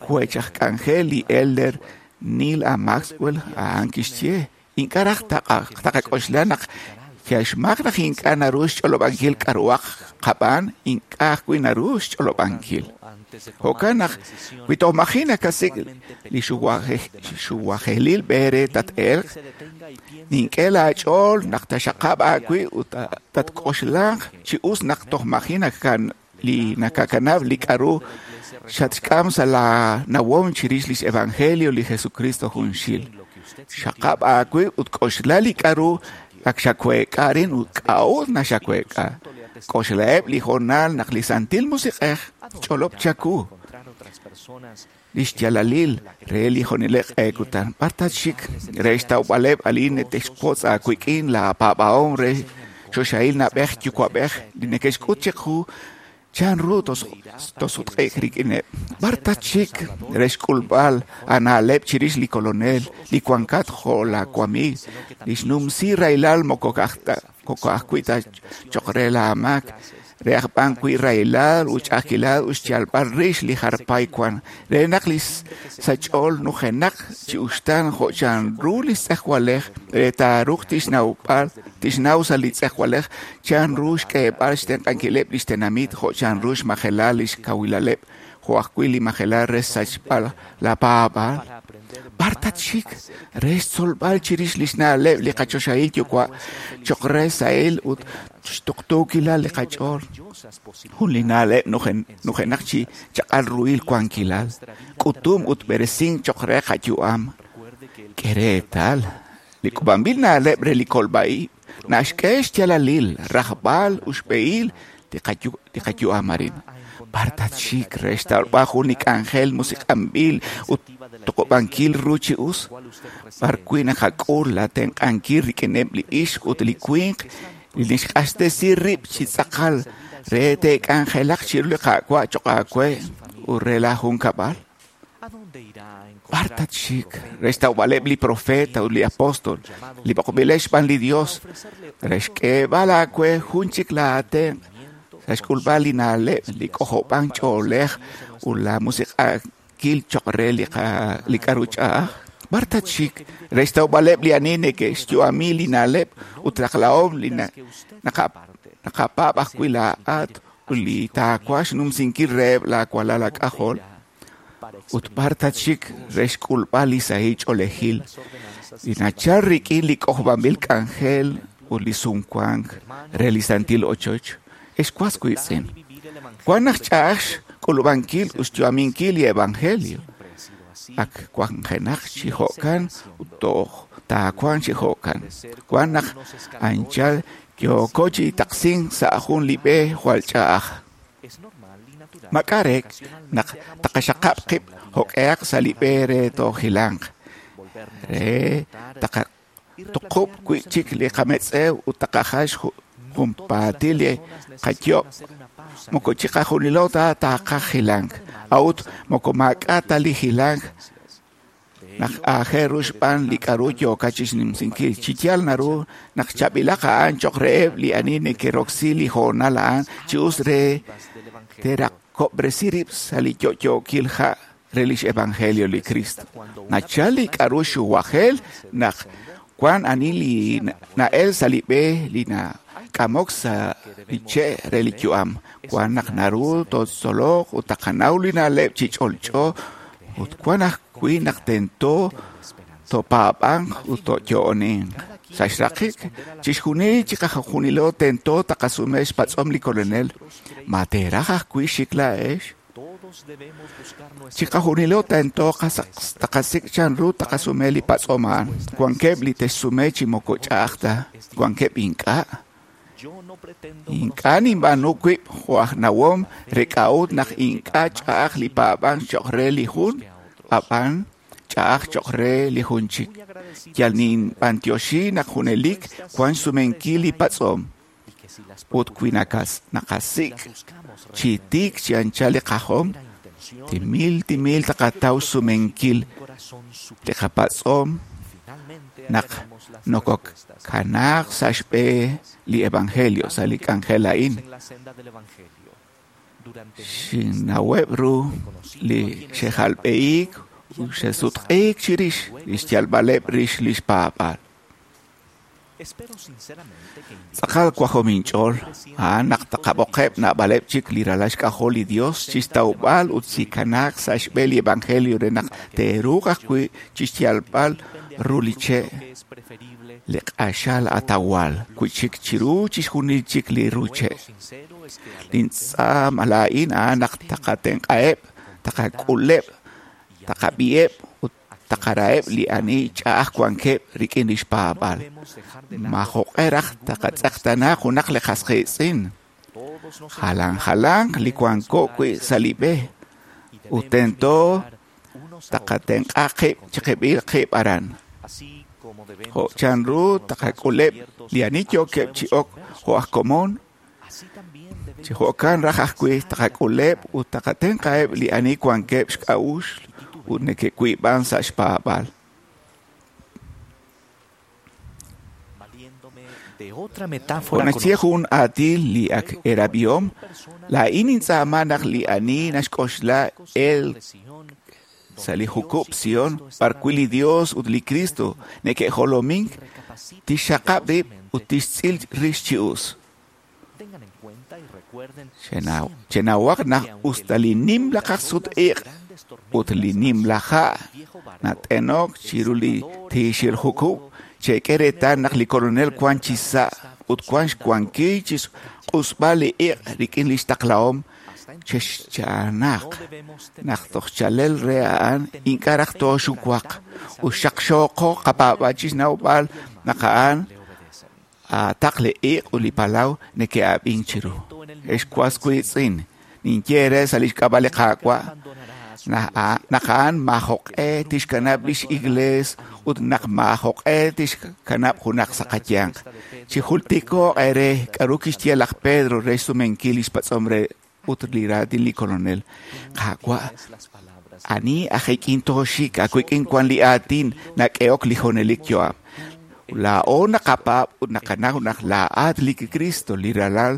wech aj k'anjel li Elder Neal A. Maxwell a'an kixye: ink'a' raj taqak'oxla naq xmaak naq ink'a' naru xch'olob'ankil k'a'ruhaq qab'aan, ink'a' ajwi' naru xch'olob'ankil. Jo'kan naq wi toj maji' nakasik' li xuwajelil b'e re tat-elq, nink'e laach'ool naq taxaqab' aawib' ut tatk'oxlanq chi us naq toj maji' nakakanab' li k'a'ru xatxk'am sa' laanawom chirix lix evangelio li Jesucristo junxil. Xaqab' aawib' ut k'oxla li k'a'ru ak xaweek'a arin ut k'a'ut naxaweek'a. K'oxlaheb' li hoonal naq li Santil Musiq'ej ch'olob' chaku li xyaalalil re li junelik q'e kutan. B'ar tatxik re xtawb'aleb' alin neke'xwotz aawik'in laapaab'ahom re choxahil na'b'ej yuwa'b'ej li neke'xk'ut chiqu chanru tosutq'e'k rik'ineb'. B'ar tatxik re xk'ulb'al aana'leb' chirix li Kolonel li wankat jo' laawamiiw li xnumsi rahilal moko ka'ajwi' ta cho'q re laamaak, re aj b'an wi' rahilal ut ch'a'ajkilal ut xyalb'al rix li jarpay wank, re naq li sach'ool nujenaq chi uxtaan jo' chanru li tz'ejwalej re taaruuq tixnaw sa' li tz'ejwalej chanru xk'eeb'al xtenq'ankileb' li xtenamit jo' chanru xmajelal li xkawilaleb' jo' ajwi' li majelal re xsachb'al laapaab'aal. B'ar tatxik re xtzolb'al chirix li xna'leb' li qachoxahil yuwa' cho'q re sahil ut xtuqtuukilal li qach'ool. Jun li na'leb' nujenaq chi chaq'al ruhil wankilal, k'utum ut b'eresink cho'q re qayu'am. K'e reetal li k'ub'anb'il na'leb' re li kolb'a-ib' naxk'e xyaalalil, rajb'al ut xb'ehil li qayu'am arin. B'ar tatxik re xtawb'al jun li k'anjel musiq'anb'il ut toq'ob'ankil ru chi us, b'ar wi' naqak'ul laatenq'ankil rik'ineb' li ixq ut li winq li nixq'axtesi rib' chi tz'aqal re te'k'anjelaq chiru li Qaawa' cho'q aawe ut re laajunkab'al. B'ar tatxik re xtawb'aleb' li profeta ut li apóstol li b'oqb'ileb' xb'aan li Dios re xk'eeb'al aawe jun chik laatenq' sa' xk'ulb'al li na'leb' li k'ojob'ank ch'oolej ut la musiq'ankil cho'q re li k'a'ru ch'a'aj. B'ar tatxik re xtawb'aleb' li ani neke'xyu'ami li na'leb' ut taqlahom li naqapaab' ajwi' laa'at ut li taawaj xnumsinkil reheb' laawalal aak'ajol. Ut b'ar tatxik re xk'ulb'al li sahil ch'oolejil li nachal rik'in li k'ojob'anb'il k'anjel ut li sumwank re li santil ochoch. Ex was wiitz'in, wan naq ch'a'aj xk'ulub'ankil ut xyu'aminkil li evangelio. Ak wanjenaq chi jo'kan ut toj taawanq chi jo'kan. Wan naq anchal yooko chi taqsink sa' jun li b'e jwal ch'a'aj. Mak'arek naq taqaxaqab' qib' jo'q'ehaq sa' li b'e re toojilanq, re taqatuqub' wi'chik li qametz'ew ut taqajal junpaatil li qayob'. Moko chiqajunilo ta taqaj jilank, a'ut moko maak'a' ta li jilank naq aajel ru xb'aan li k'a'ru yookat chixnumsinkil. Chi yaal naru naq chaab'ilaq a'an cho'q reheb' li ani neke'roksi li hoonal a'an chi us re te'raqob'resi rib' sa' li yo'yookil ha' re lix evangelio li Cristo. Nachal li k'a'ru xuwajel naq wan ani li na'el sa' li b'e li nak'amok sa' li che' re li yu'am. Wan naq naru tootzoloq ut taqanaw li na'leb' chi ch'olch'o ut wan ajwi' naq tento topaab'anq ut toyo'oninq. Sa' xraqik, chixjunil chiqajunilo tento taqasume xpatz'om li Kolonel. Ma teeraj ajwi' xik laa'ex? Chiqajunilo tento taqasik' chanru taqasume li patz'om a'an. Wankeb' li te'xsume chi moko ch'a'aj ta, wankeb' ink'a'. Ink'a' ninb'aanu wib' jo' aj nawom re k'a'ut naq ink'a' ch'a'aj li paab'ank cho'q re li jun, ab'an ch'a'aj cho'q re li jun chik. Yal ninb'antioxi naq junelik wan xsumenkil li patz'om. Ut wi naqasik' chi tiik chi anchal li qajom, timil timil taqataw xsumenkil li qapatz'om naq nokokanaaq sa' xb'e li evangelio sa' li k'anjel a'in. Xinnaweb' ru li xe'jalb'ehiik ut xe'sutq'iik chirix li xyalb'aleb' rix li xpaab'aal. Tz'aqal wajom inch'ool a'an naq taqab'oqeb' naab'aleb' chik li ralal xk'ajol li Dios chixtawb'al ut chikanaaq sa' xb'e li evangelio re naq te'ruuq ajwi' chixyalb'al ru li che' li q'axal atawal wi' chik chiru chixjunil chik li ru che'. Lintz'aam laa'in a'an naq taqatenq'aheb', taqak'uleb', taqab'iheb' ut taqaraheb' li ani ch'a'aj wankeb' rik'in li xpaab'aal. Majo'q'e raj taqatz'eqtaana junaq li qas qiitz'in. Jalan jalanq li wanko wi' sa' li b'e ut tento taqatenq'a qib' chiqib'il qib' aran. Jo' chanru taqak'uleb' li ani yookeb' chi ok jo' aj komon, chi jo'kan raj ajwi' taqak'uleb' ut taqatenq'aheb' li ani wankeb' xk'a'uxl ut neke'wiib'an sa' xpaab'aal. Jo' naxye jun aatin li ak erab'ihom, laa'in nintz'aama naq li ani naxk'oxla el sa' li jukub' Sion b'arwi' li Dios ut li Cristo neke'jolomink, tixxaqab' rib' ut tixtz'il rix chi us. Chenawaq naq usta li nimla kaqsut-iq' ut li nimla ha' nat'enok chiru li tiixil jukub', chek'e reetal naq li Kolonel wan chi sa' ut wan xwankil chi xq'usb'al li iq' rik'in li xtaqlahom. Chexcha'anaq naq toj chalel re a'an ink'a' raj tooxuwaq ut xaqxooqo qapaab'aal chi xnawb'al naq a'an aataq li iq' ut li palaw neke'ab'ink chiru. Ex was wiitz'in, ninye eere sa' li xk'ab'a' li Qaawa' naq a'an maajoq'e tixkanab' lix iglees ut naq maajoq'e tixkanab' junaq sa' qayanq. Chijultiko'q eere k'aru kixye laj Pedro re xsumenkil li xpatz'om re ut li raatin li Kolonel. Qaawa', ani aj ik'in tooxik, awik'in wan li aatin nak'ehok li junelik yu'am. Laa'o naqapaab' ut naqanaw naq laa'at li Cristo, li ralal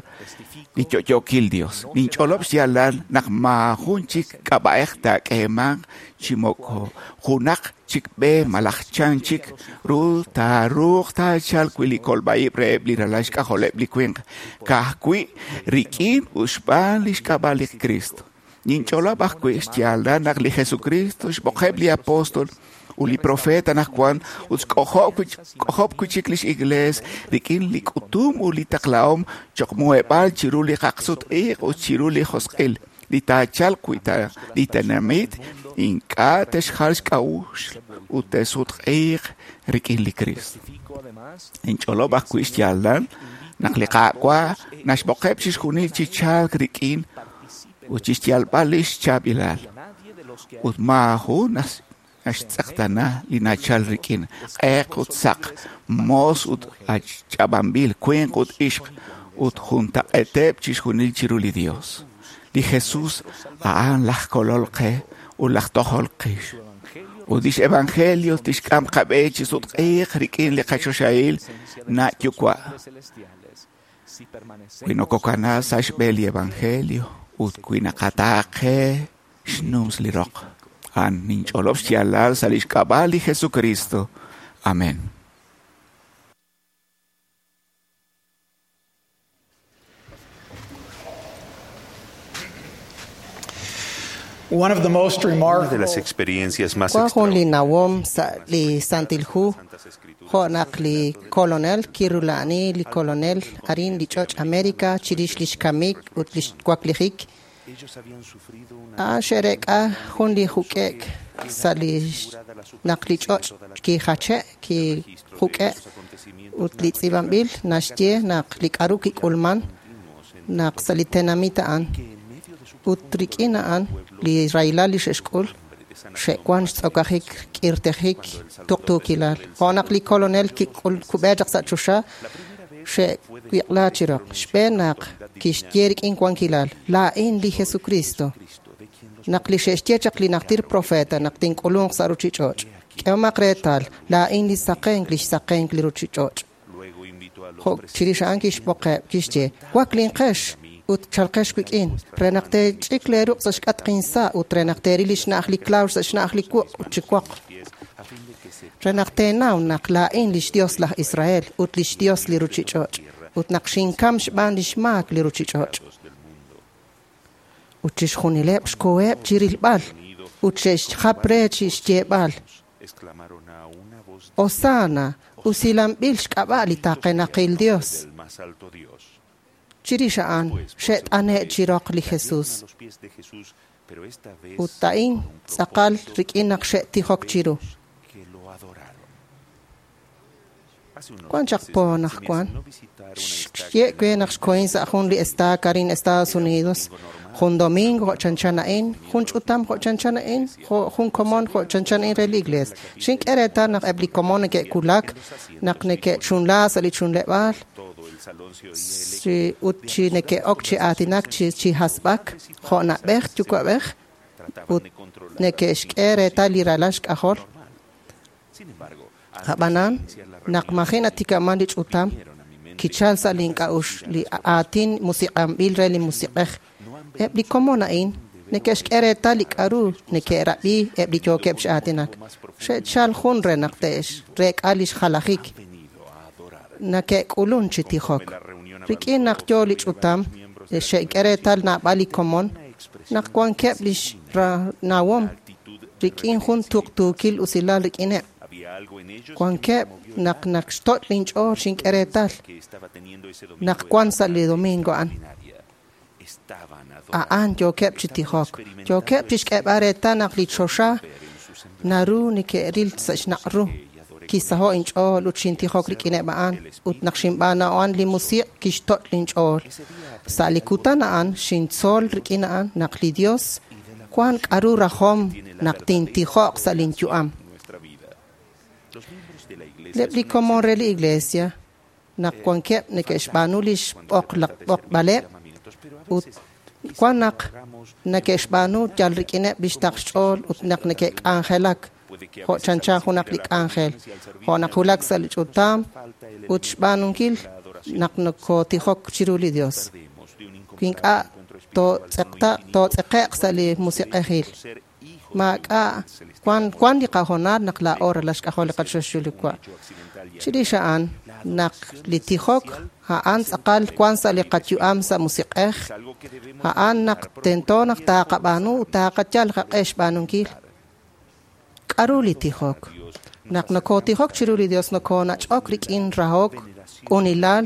li yo'yookil Dios. Ninch'olob' xyaalal naq maajun chik k'ab'a'ej taak'eemanq chi moko junaq chik b'e malaj chan chik ru taaruuq taachalq wi' li kolb'a'ib' reheb' li ralal xk'ajoleb' li winq, ka'ajwi' rik'in ut xb'aan li xk'ab'a' li Cristo. Ninch'olob' ajwi' xyaalal naq li Jesucristo xb'oqeb' li apóstol ut li profeta anaqwan ut xk'ojob' wi' chik lix iglees rik'in li k'utum ut li taqlahom cho'q muheb'aal chiru li kaqsut-iq' ut chiru li josq'il li taachalq wi' li tenamit ink'a' te'xjal xk'a'uxl ut te'sutq'iiq rik'in li Cristo. Ninch'olob' ajwi' xyaalal naq li Qaawa' naxb'oqeb' chixjunil chi chalk rik'in ut chixyalb'al lix chaab'ilal ut maajun naxtz'eqtaana li nachal rik'in q'eq ut saq, moos ut ach'ab'anb'il, winq ut ixq ut juntaq'eeteb' chixjunil chiru li Dios. Li Jesús a'an laj kolol qe ut laj tojol qix. Ut lix evangelio tixk'am qab'e chi sutq'iiq rik'in li qachoxahil na' yuwa'. Wi nokokana sa' xb'e li evangelio ut wi naqataaqe xnums li roq. A'an ninch'olob' xyaalal sa' lix k'ab'a' li Jesucristo. Amén. One of the most Una de remarkable las experiencias más Wan jun li nawom sa' li Santil Hu jo' naq li kolonel kirula'ani li kolonel arin li ch'och' America chirix lix kamik ut lix waklijik. A'an xe'reek'a jun li juk'e'k sa' li naq li ch'och' kijache' kijuk'e' ut li tz'iib'anb'il naxye naq li k'aru kik'ulman naq sa' li tenamit a'an ut rik'in a'an li rahilal li xe'xk'ul Xe'wan xtz'okajik k'irtejik tuqtuukilal. Jo' naq li kolonel kik'ub'e chaq sa' choxa, xe'wiq'la chi roq. Xb'een naq kixye rik'in wankilal, laa'in li Jesucristo. Naq li xe'xye chaq li najtir profeta naq tink'ulunq sa' ruchich'och'. K'ehomaq reetal, laa'in li saqenk, li xsaqenk li ruchich'och'. Jo' chirix a'an kixb'oqeb', kixye, waklinqex ut chalqex wik'in, re naq teech'ik leeruq' sa' xk'atq insa' ut re naq teeril li xna'aj li klawx sa' xna'aj li wuq' ut chi woq. Re naq teenaw naq laa'in lix Dios laj Israel ut lix Dios li ruchich'och' ut naq xinkam xb'aan lix maak li ruchich'och'. Ut chixjunileb' xkoheb' chi rilb'al ut xe'xjap re chi xyeeb'al, Hosanna, usilanb'il xk'ab'a' li taqenaqil Dios. Chirix a'an xe't'ane' chi roq li Jesus. Ut a'in tz'aqal rik'in naq xe'tijok chiru. Wan chaq po naq wan. Xye we naq xkohin sa' jun li estaca arin Estados Unidos, jun domingo jo' chanchan a'in, jun ch'utam jo' chanchan a'in, jun komon jo' chanchan a'in re li iglees. Xink'e reetal naq eb' li komon neke'kulak, naq neke'chunla sa' li chunleb'aal, ut chi neke'ok chi aatinak chi hasb'ak, jo' na'b'ej yuwa'b'ej, ut neke'xk'e reetal li ralal xk'ajol. Ab'anan, naq maji' natikaman li ch'utam, kichal sa' link'a'uxl li aatin musiq'anb'il re li musiq'ej. Eb' li komon a'in neke'xk'e reetal li k'a'ru neke'rab'i eb' li yookeb' chi aatinak. Xe'chal jun re naq te'reek'a lix jalajik. Neke'k'ulun chi tijok. Rik'in naq yo li ch'utam, xe'k'e reetal naab'al li komon, naq wankeb' lix nawom rik'in jun tuqtuukil usilal rik'ineb'. Wankeb' naq naq xtoch' linch'ool xink'e reetal naq wan sa' li domingo a'an. A'an yookeb' chi tijok, yookeb' chi xk'eeb'al reetal naq li choxa naru neke'ril sa' xnaq' ru. Kisaho' inch'ool ut xintijok rik'ineb' a'an ut naq xinb'aanu a'an li musiq' kixtoch' linch'ool. Sa' li kutan a'an xintzol rik'in a'an naq li Dios wan k'a'ru rajom naq tintijoq sa' linyu'am. Eb' li komon re li iglesia naq wankeb' neke'xb'aanu lix b'oqb'aleb' ut wan naq neke'xb'aanu yal rik'ineb' lix taql xch'ool ut naq neke'k'anjelak jo' chanchan junaq li k'anjel, jo' naq wulak sa' li ch'utam ut xb'aanunkil naq nokotijok chiru li Dios. Wi ink'a' tootz'eqe'q sa' li musiq'ejil. Maak'a' wan li qahoonal naq laa'o ralal xk'ajol li qachoxahil Yuwa'. Chirix a'an naq li tijok a'an tz'aqal wan sa' li qayu'am sa' musiq'ej, a'an naq tento naq taaqab'aanu ut taaqayal qaq'e xb'aanunkil. K'a'ru li tijok? Naq nokotijok chiru li Dios nokonach'ok rik'in rahok, q'unilal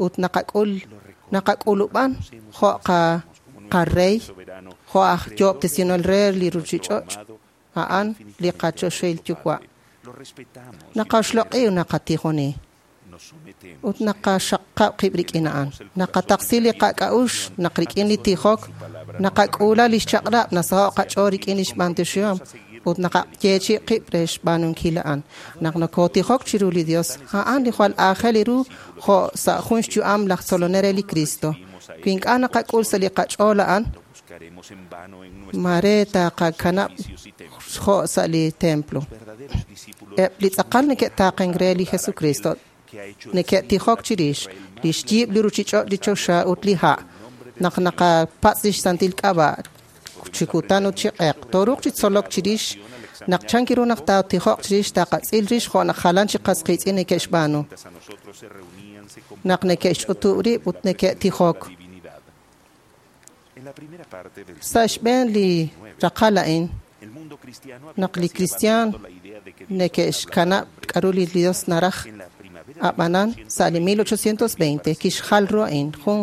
ut naqak'ulub'an jo' qarey, jo' aj yoob'tesinel re li ruchich'och', a'an li qachoxahil Yuwa'. Naqaxloq'i ut naqatijoni ut naqaxaqab' qib' rik'in a'an. Naqataqsi li qak'a'uxl naq rik'in li tijok, naqak'uula lix chaq'rab' nasaho' qach'ool rik'in lix b'antioxihom ut naqayeechi' qib' re xb'aanunkil a'an. Naq nokotijok chiru li Dios, a'an li jwal aajel ru jo' sa' jun xyu'am laj tzolonel re li Cristo. Wi ink'a' naqak'ul sa' li qach'ool a'an, mare taqakanab' jo' sa' li templo. Eb' li tz'aqal neke'taaqenk re li Jesucristo neke'tijok chirix li xyiib' li ruchich'och' li choxa ut li ha' naq naqapatz' lix santil k'ab'a' chi kutan ut chi q'eq. Tooruuq chi tzolok chirix naq chankiru naq taatijoq chirix taqatz'il rix jo' naq jalan chi qas qiitz'in neke'xb'aanu. Naq neke'xch'utub' rib' ut neke'tijok. Sa' xb'een li raqal a'in, naq li kristiaan neke'xkanab' k'a'ru li Dios naraj, ab'anan sa' li 1820 kixjal ru a'in jun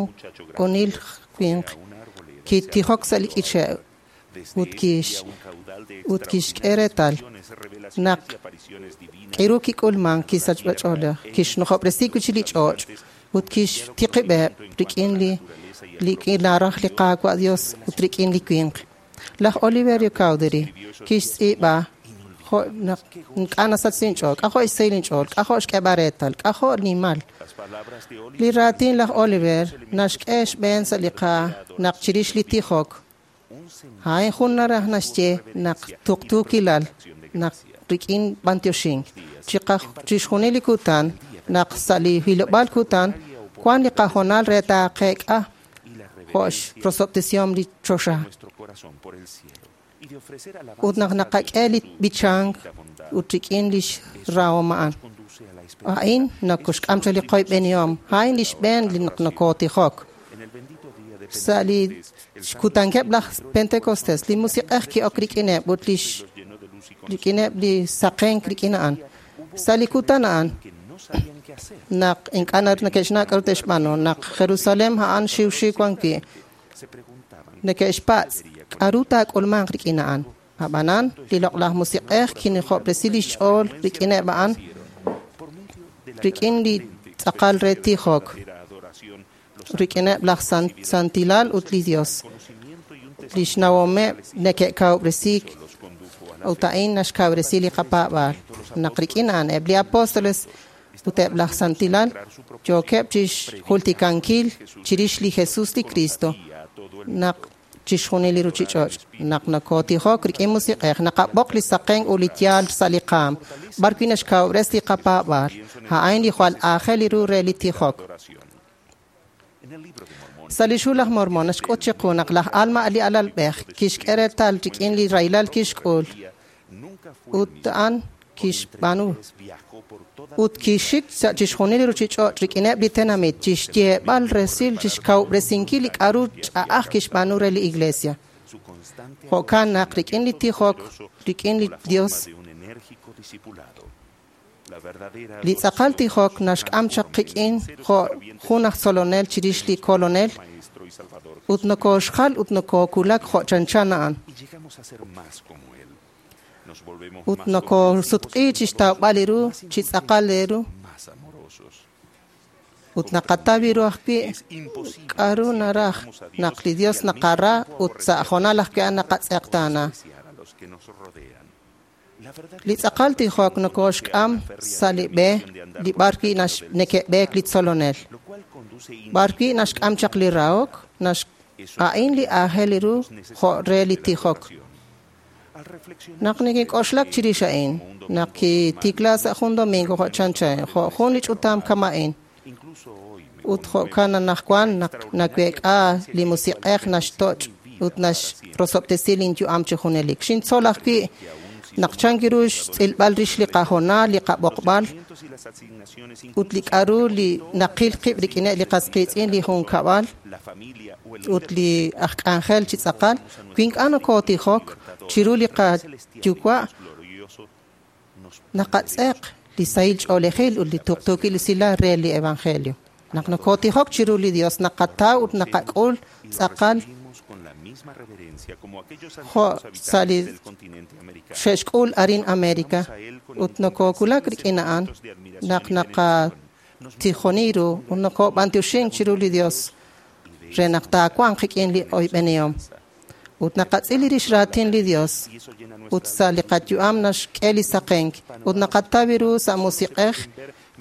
q'unil winq kitijok sa' li k'iche' ut kixk'e reetal naq k'iru kik'ulman kisachb'ach'oolej, kixnujob'resi wi' chik li ch'och' ut kixtiqib'eb' rik'in li naraj li Qaawa' Dios ut rik'in li winq. Laj Oliverio Cowdery kixtz'iib'a jo' naq ink'a' nasach inch'ool, k'ajo' xsahil inch'ool, k'ajo' xk'eeb'al reetal, k'ajo' nimal. Li raatin laj Oliver naxk'e xb'een sa' li qa naq chirix li tijok. A'in jun naraj naxye naq tuqtuukilal naq rik'in b'antioxink. Chixjunil li kutan naq sa' li hilob'aal kutan wan li qahoonal re taaqeek'a jo' xrosob'tesihom li choxa. Ut naq naqak'e li b'ichank ut rik'in lix rahom a'an. A'in nakoxk'am chaq li qoyb'enihom. A'in li xb'een li naq nokotijok. Sa' li xkutankeb' laj Pentecostés, li musiq'ej ki'ok rik'ineb' ut lix rik'ineb' li saqenk rik'in a'an. Sa' li kutan a'an naq ink'a' neke'xnaw k'aru te'xb'aanu, naq Jerusalem a'an xiwxiw wan wi', neke'xpatz' k'aru taak'ulmanq rik'in a'an. Ab'anan, li loq'laj musiq'ej kinijob'resi lix ch'ool rik'ineb' a'an rik'in li tz'aqal re tijok, rik'ineb' laj santilal ut li Dios. Lix nawomeb' neke'kawob'resiik ut a'in naxkawresi li qapaab'aal. Naq rik'in a'an eb' li apóstoles ut eb' laj santilal yookeb' chixjultikankil chirix li Jesus li Cristo naq chixjunil li ruchich'och'. Naq nakotijok rik'in musiq'ej, naqab'oq li saqen ut li yaal sa' li qaam, b'ar wi' naxkawob'res li qapaab'aal. A'in li jwal aajel li ru re li tijok. Sa' li xhu laj Mormon naxk'ut chiqu naq laj Alma li alalb'ej kixk'e reetal rik'in li rahilal kixk'ul ut a'an kixb'aanu ut kixik sa' chixjunil li ruchich'och' rik'ineb' li tenamit chixyeeb'al resil chixkawob'resinkil li k'aru ch'a'aj kixb'aanu re li iglesia. Jo'kan naq rik'in li tijok rik'in li Dios li tz'aqal tijok naxk'am chaq qik'in jo' jun aj tzolonel chirix li kolonel ut nokoxjal ut nokokulak jo' chanchan a'an. Ut nokosutq'i chixtawb'al li ru chi tz'aqal li ru ut naqataw ru ajwi' k'aru naraj naq li Dios naqara ut sa' hoonal ajwi' a'an naqatz'eqtaana. Li tz'aqal tijok nokoxk'am sa' li b'e li b'ar wi' neke'b'eek li tzolonel. B'ar wi' naxk'am chaq li rahok, a'in li aajel li ru jo' re li tijok. Naq nekink'oxlak chirix a'in, naq kitikla sa' jun domingo jo' chanchan, jo' jun li ch'utam kama'in. Ut jo'kan anaqwan naq naweek'a li musiq'ej naxtoch' ut naxrosob'tesi linyu'am chi junelik. Xintzol ajwi' naq chank ru xtz'ilb'al rix li qahoonal, li qab'oqb'al ut li k'aru li naqil qib' rik'ineb' li qas qiitz'in li junkab'al ut li aj k'anjel chi tz'aqal, wi ink'a' nokotijok chiru li qayuwa' naqatz'eq li sahil ch'oolejil ut li tuqtuukil usilal re li evangelio. Naq nokotijok chiru li Dios naqataw ut naqak'ul tz'aqal jo' sa' li xe'xk'ul arin America ut nokokulak rik'in a'an naq naqatijoni ru ut nokob'antioxink chiru li Dios re naq taawanq qik'in li oyb'enihom. Ut naqatz'il li rix raatin li Dios ut sa' li qayu'am naxk'e li saqenk ut naqataw ru sa' musiq'ej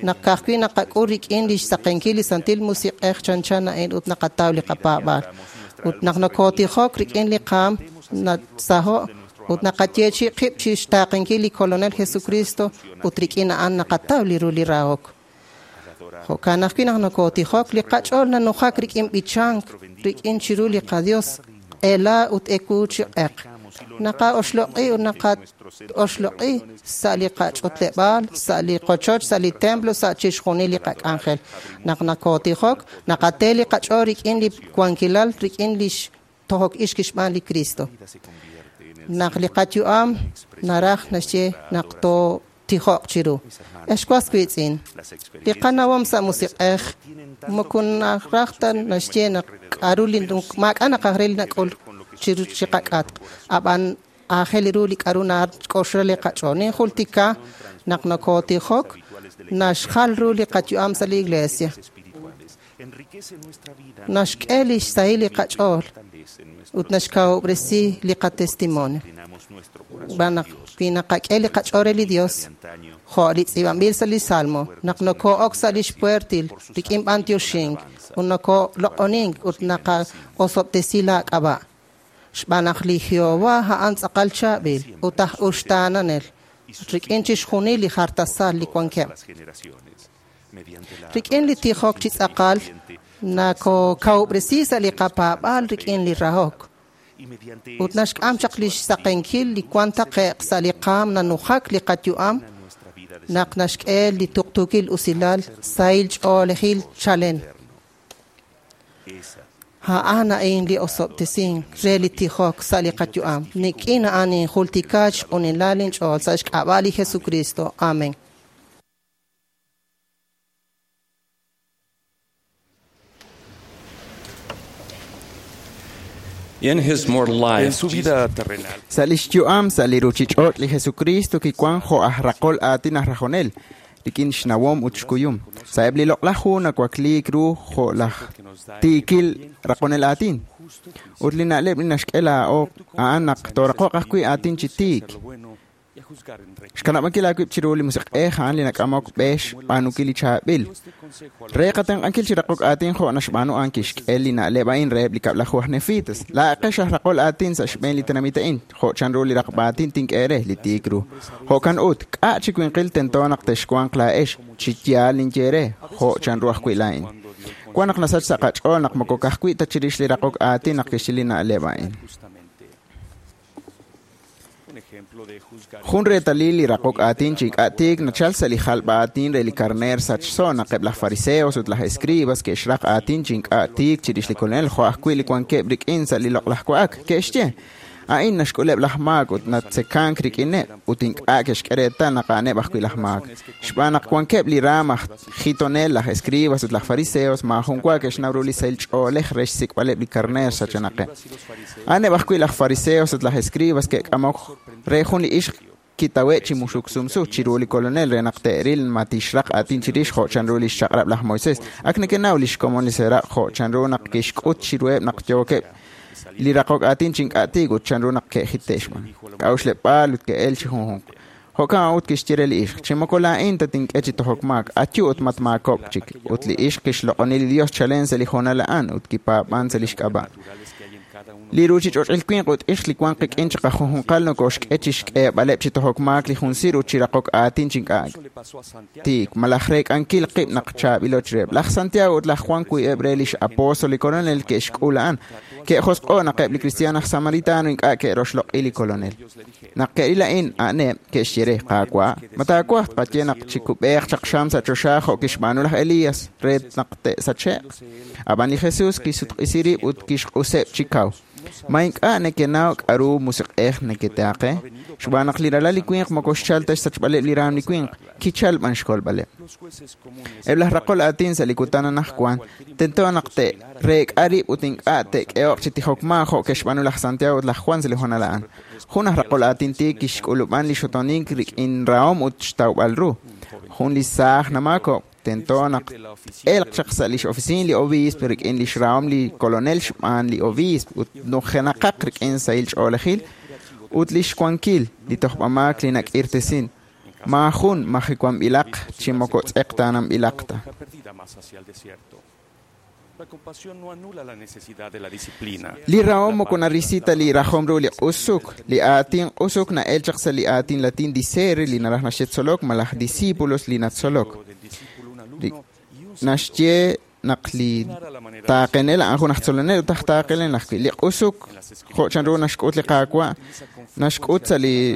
naq ka'ajwi' naqak'ul rik'in li xsaqenkil li Santil Musiq'ej chanchan a'in ut naqataw li qapaab'aal. Ut naq nokotijok rik'in li qaam nasaho' ut naqayeechi qib' chi xtaaqenkil li Kolonel Jesucristo ut rik'in a'an naqataw li ru li rahok. Jo'kan ajwi' naq nokotijok li qach'ool nanujak rik'in b'ichank rik'in chiru li qaDios q'ela ut ewu chi q'eq. Naqaoxloq'i ut naqaoxloq'i sa' li qach'utleb'aal, sa' li qochoch, sa' li templo, sa' chixjunil li qak'anjel. Naq nakotijok, naqate li qach'ool rik'in li wankilal, rik'in li xtojok ix kixb'aan li Cristo. Naq li qayu'am naraj naxye naq tootijoq chiru. Ex was wiitz'in, li qanawom sa' musiq'ej moko naraj ta naxye naq k'aru li maak'a' naqaj re li nak'ul chiru chi qak'atq. Ab'an aajel ru li k'aru nak'oxla li qach'ool. Ninjultika naq nokotijok naxjal ru li qayu'am sa' li iglesia. Naxk'e li xsahil li qach'ool ut naxkawub'resi li qatestimonio. Xb'aan naq wi naqak'e li qach'ool re li Dios, jo' li tz'iib'anb'il sa' li Salmo, naq nokoo'ok sa' li xpuertil rik'in b'antioxink ut nokoloq'onink ut naqaosob'tesi laak'ab'a'. Xb'aan naq li Jehová a'an tz'aqal chaab'il ut aj uxtaananel rik'in chixjunil li jartasal li wankeb'. Rik'in li tijok chi tz'aqal nakokawub'resi sa' li qapaab'aal rik'in li rahok. Ut naxk'am chaq li xsaqenkil li wan taqe'q sa' li qaam nanujak li qayu'am naq naxk'e li tuqtuukil usilal sahil ch'oolejil chalen. A'an a'in li osob'tesink re li tijok sa' li qayu'am. Nik'in a'an injultika xq'unilal inch'ool sa' xk'ab'a' li Jesucristo. Amen. In his mortal life, En su vida terrenal, Sa' lix yu'am sa' li ruchich'och' li Jesucristo kiwan jo' aj raqol aatin aj rajonel, rik'in xnawom ut xkuyum. Sa'eb' li loq'laj hu nawakliik ru jo' laj tiikil raqonel aatin. Ut li na'leb' li naxk'e laa'o a'an naq tooraqoq ajwi' aatin chi tiik. Xkanab'ankil aawib' chiru li musiq'ej a'an li nak'amok b'e xb'aanunkil li chaab'il. Re qatenq'ankil chi raqok aatin jo' naxb'aanu a'an kixk'e li na'leb' a'in reheb' li kab'laju aj Nefitas. Laa'aqex aj raqol aatin sa' xb'een li tenamit a'in, jo' chanru li raqb'a aatin tink'e re li tiik ru. Jo'kan ut, k'a' chi winqil tento naq texwanq laa'ex, chi yaal ninye re, jo' chanru ajwi' laa'in. Wan naq nasach sa' qach'ool naq moko ka'ajwi' ta chirix li raqok aatin naq kixye li na'leb' a'in. un ejemplo de juzgar Jun reetalil li raqok aatin chi ink'a' tiik nachal sa' li jalb'a aatin re li karneer sachso naq eb' laj fariseos ut laj escribas ke'xraq aatin chi ink'a' tiik chirix li Kolonel jo' ajwi' li wankeb' rik'in sa' li loq'laj wa'ak. Ke'xye, a'in naxk'uleb' laj maak ut natzekank rik'ineb' ut ink'a' ke'xk'e reetal naq a'aneb' ajwi' laj maak. Xb'aan naq wankeb' li raam aj jitonel, laj escribas ut laj fariseos maajun wa ke'xnaw ru li sahil ch'oolej re xsik'b'aleb' li karneer sachenaqeb'. A'aneb' ajwi' laj fariseos ut laj escribas ke'k'amok re jun li ixq kitawe' chi muxuk sumsu chiru li Kolonel re naq te'ril ma tixraq aatin chirix jo' chanru li xchaq'rab' laj Moisés. Ak nekenaw li xkomon li seraq' jo' chanru naq kixk'ut chiruheb' naq yookeb' li raqok aatin chi ink'a' tiik ut chanru naq ke'jite' xb'aan. K'a'uxleb'aal ut ke'el chi junjunq. Jo'kan ut kixye re li ixq, chi moko laa'in tatink'e chi tojok maak, ayu ut matmaakob'k chik. Ut li ixq kixloq'oni li Dios chalen sa' li hoonal a'an ut kipaab'an sa' li xk'ab'a'. Li ruchich'och'il winq ut ixq li wan qik'in chiqajunjunqal nokoxk'e chi xk'eeb'aleb' chi tojok maak li jun sir ut chi raqok aatin chi ink'a' tiik, malaj reek'ankil qib' naq chaab'ilo chiruheb'. Laj Santiago ut laj Juan wiib'eb' re lix apóstol li Kolonel ke'xk'ul a'an. Ke'josq'o' naq eb' li kristiaan aj Samaritano ink'a' ke'roxloq'i li Kolonel. Naq ke'ril a'in, a'aneb' ke'xye re, Qaawa', ma taawaj tqaye naq chikub'eeq chaq xam sa' choxa jo' kixb'aanu laj Elías re naq te'sache'q? Ab'an li Jesús kisutq'isi rib' ut kixq'useb' chi kaw. Ma ink'a' nekenaw k'a'ru musiq'ej neketaaqe? Xb'aan naq li ralal li winq moko xchal ta xsachb'aleb' li raam li winq, kichal b'an xkolb'aleb'. Eb' laj raqol aatin sa' li kutan anaqwan tento naq te'reek'a rib' ut ink'a' te'k'ehoq chi tijok maak jo' ke'xb'aanu laj Santiago ut laj Juan sa' li hoonal a'an. Jun aj raqol aatin tiik kixk'ulub'an li xotonink rik'in rahom ut xtawb'al ru. Jun li saaj namaakob'k tento naq elq chaq sa' lix oficina li obiisp rik'in lix rahom li kolonel xb'aan li obiisp ut nujenaqaq rik'in sahil ch'oolejil ut lix wankil li tojb'amaak li nak'irtesin. Maajun majiwanb'ilaq chi moko tz'eqtaananb'ilaq ta. perdida más hacia el desierto. La compasión no anula la necesidad de la disciplina. Li rahom moko narisita li rajom ru li q'usuk. Li aatin q'usuk na'el chaq sa' li aatin latin dicere li naraj naxye tzolok malaj discípulos li natzolok. Li naxye naq li taaqenel a'an jun aj tzolonel ut aj taaqenel ajwi'. Li q'usuk jo' chanru naxk'ut li Qaawa', naxk'ut sa' li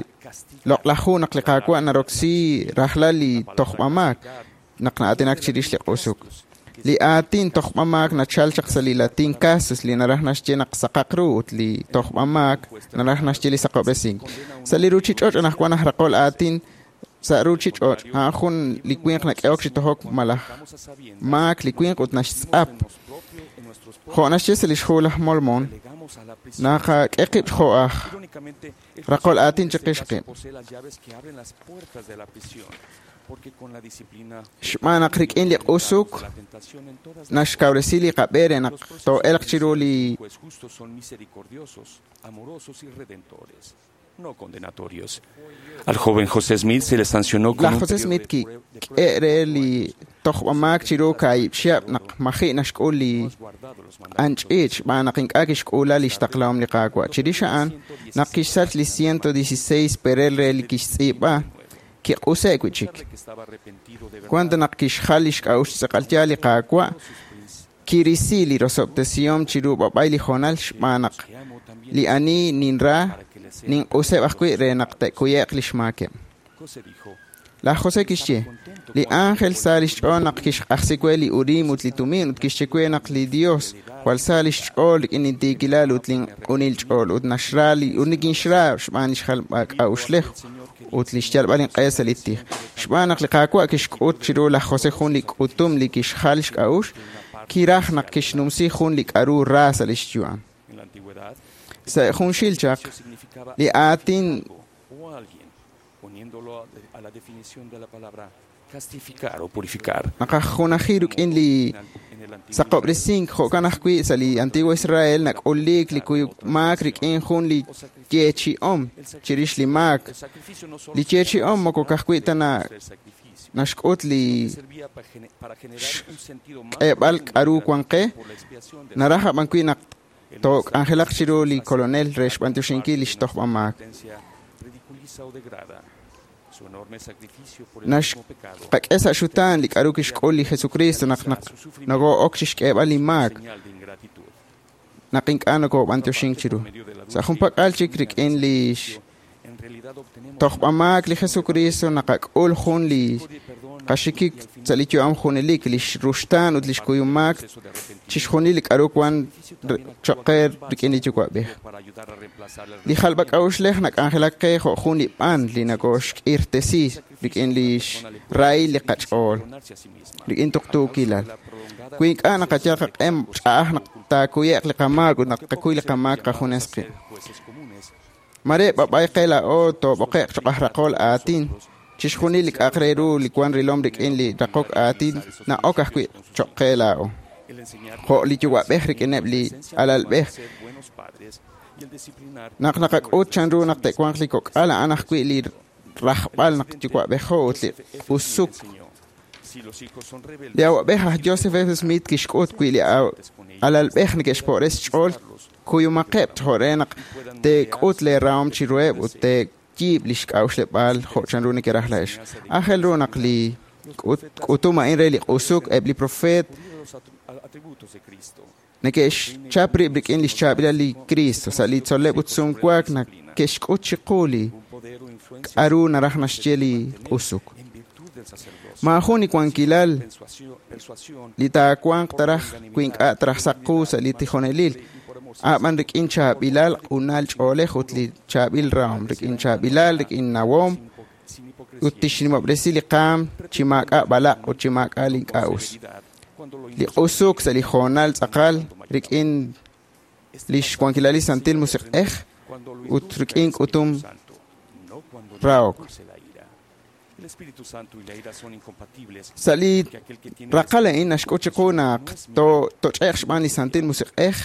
loq'laj hu naq li Qaawa' naroksi rajlal li tojb'amaak naq na'aatinak chirix li q'usuk. Li aatin tojb'amaak nachal chaq sa' li latin casus li naraj naxye naq saqaq ru ut li tojb'amaak naraj naxye li saqob'resink. Sa' li ruchich'och' anaqwan aj raqol aatin sa' ruchich'och' a'an jun li winq nak'ehok chi tojok malaj maak li winq ut naxtz'ap. Jo' naxye sa' lix hu laj Mormon, naqak'e qib' jo' aj raqol aatin chiqix qib'. Posee las llaves que abren las puertas de la prisión. Xb'aan naq rik'in li q'usuk naxkawresi li qab'e re naq too'elq chiru li no condenatorios. Al joven José Smith se le sancionó con Laj José Smith kik'e re li tojb'amaak chiru kaahib' chihab' naq maji' naxk'ul li q'anch'iich' xb'aan naq ink'a' kixk'uula li xtaqlahom li Qaawa'. Chirix a'an, naq kixsach li 116 perel re li kixtz'iib'a, kiq'use' wi' chik. Wan ta naq kixjal li xk'a'uxl tz'aqal yaal li Qaawa', kirisi li rosob'tesihom chiru b'ab'ay li hoonal xb'aan naq li ani ninra ninq'useb' ajwi' re naq te'kuye'q li xmaakeb'. Laj José kixye, li ángel sa lix ch'ool naq kixq'ajsi we li Urim ut li Tumim ut kixye we naq li Dios jwal sa lix ch'ool rik'in intiikilal ut linq'unil ch'ool ut naxra li ut nikinxra xb'aan li xjalb'ak'a'uxlej ut li xyalb'al inq'e sa' li tij. Xb'aan naq li Qaawa' kixk'ut chiru laj José jun li k'utum li kixjal xk'a'uxl, kiraj naq kixnumsi jun li k'a'ru ra sa' lix yu'am. Sa' junxil chaq, li aatin poniéndolo a la definición de la palabra castificar o purificar. Naqajunaji rik'in li saqob'resink jo'kan ajwi' sa' li Antiguo Israel nak'uliik li kuyuk maak rik'in jun li yeechi'om chirix li maak. Li yeechi'om moko ka'ajwi' ta naxk'ut li k'eeb'al k'a'ru wan qe, naraj ab'an wi' naq took'anjelaq chiru li Kolonel re xb'antioxinkil li xtojb'amaak. Naxqak'e sa' xutaan li k'a'ru kixk'ul li Jesucristo naq nokoo'ok chixk'eeb'al li maak, naq ink'a' nokoob'antioxink chiru. Sa' junpak'al chik rik'in li tojb'amaak li Jesucristo naqak'ul jun li qaxikik sa' li yu'am junelik, li ruxtaan ut li xkuyumaak chixjunil li k'a'ru wan choq' qe rik'in li Yuwa'b'ej. Li jalb'ak'a'uxlej nak'anjelak qe jo' jun li b'an li nakooxk'irtesi rik'in li xrahil li qach'ool, rik'in tuqtuukilal. Wi ink'a' naqayal qaq'e ch'a'aj naq taakuye'q li qamaak ut naq qakuy li qamaak qajunes qib'. Mare b'ab'ay qe laa'o toob'oqe'q choq' aj raqol aatin, chixjunil li k'a'aq re ru li wan rilom rik'in li raqok aatin na'ok ajwi' choq' qe laa'o. Jo' li yuwa'b'ej rik'ineb' li alalb'ej. Naq naqak'ut chanru naq te'wanq li kok'al a'an ajwi' li rajb'al naq yuwa'b'ejo ut li q'usuk. Li awa'b'ej aj Joseph F. Smith kixk'ut wi' li alalb'ej neke'xpo'res xch'ool kuyumaqeb' jo' re naq teek'ut lee rahom chiruheb' ut teeyiib' li xk'a'uxleb'aal jo' chanru nekeraj laa'ex. Aajel ru naq li k'utum a'in re li q'usuk eb' li profeet neke'xchap rib' rik'in li xchaab'ilal li Cristo sa' li tzol'leb' ut sumwaak neke'xk'ut chiqu li k'a'ru naraj naxye li q'usuk. Maajun li wankilal li taawanq taraj wi ink'a' taraj saq qu sa' li tijonelil, ab'an rik'in chaab'ilal q'unal ch'oolej ut li chaab'il rahom, rik'in chaab'ilal, rik'in nawom, ut tixnimob'resi li qaam chi maak'a' b'alaq' ut chi maak'a' li ink'a' us. Li q'usuk sa' li hoonal tz'aqal rik'in li xwankilal li Santil Musiq'ej ut rik'in k'utum rahok. Sa' li raqal a'in naxk'ut chiqu naq toch'e'q xb'aan li Santil Musiq'ej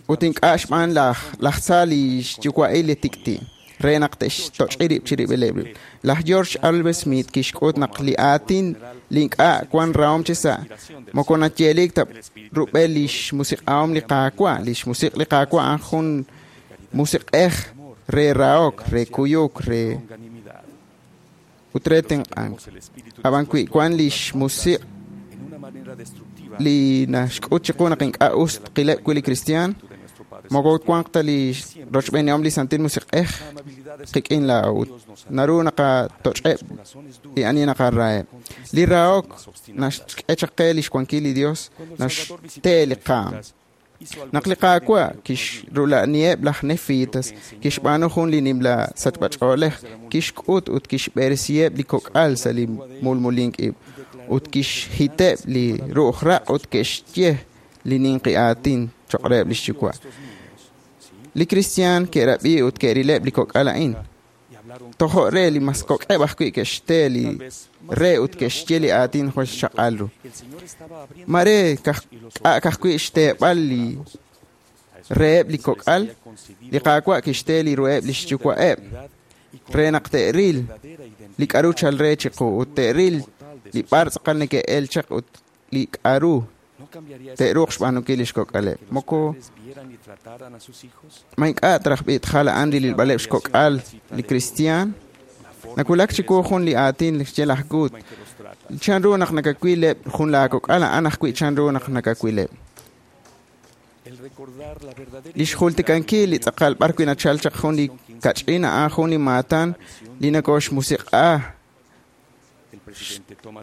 ut ink'a' xb'aan laj tza li xyuwa'il li tik'ti' re naq te'xtoch'i rib' chirib'ileb' rib'. Laj George Albert Smith kixk'ut naq li aatin li ink'a' wan rahom chi sa' moko nayeelik ta rub'el li xmusiq'ahom li Qaawa'. Li xmusiq' li Qaawa' a'an jun musiq'ej re rahok, re kuyuk, re ut re tenq'ank. Ab'an wi wan li xmusiq' li naxk'ut chiqu naq ink'a' us tqileb' wi' li kristiaan, moko wanq ta li rochb'eenihom li Santil Musiq'ej qik'in laa'o ut naru naqatoch'eb' li ani naqaraheb'. Li rahok naxk'e chaq qe li xwankil li Dios, naxte li qaam. Naq li Qaawa' kixrula'niheb' laj Nefitas, kixb'aanu jun li nimla sachb'ach'oolej, kixk'ut ut kixb'eresiheb' li kok'al sa' li mulmulink ib', ut kixhiteb' li ru'uj raq' ut ke'xye li ninqi aatin choq' reheb' lix yuwa'. Li kristiaan ke'rab'i ut ke'rileb' li kok'al a'in. Tojo' re li mas kok'eb' ajwi' ke'xte li re ut ke'xye li aatin jwal xchaq'al ru. Mare ka'ajwi' xteeb'al li reheb' li kok'al, li Qaawa' kixte li ruheb' li xyuwa'eb' re naq te'ril li k'aru chal re chiqu ut te'ril li b'ar tz'aqal neke'el chaq ut li k'aru te'ruuq xb'aanunkil li xkok'aleb'. Moko ma ink'a' traj b'i' tjal a'an li rilb'aleb' xkok'al li kristiaan. Nawulak chiwu jun li aatin li xye laj Gut. Chanru naq nakawileb' jun laakok'al a'an ajwi' chanru naq nakawileb'. Li xjultikankil li tz'aqal b'ar wi' nachal chaq jun li kach'in a'an jun li maatan li nakoxmusiq'a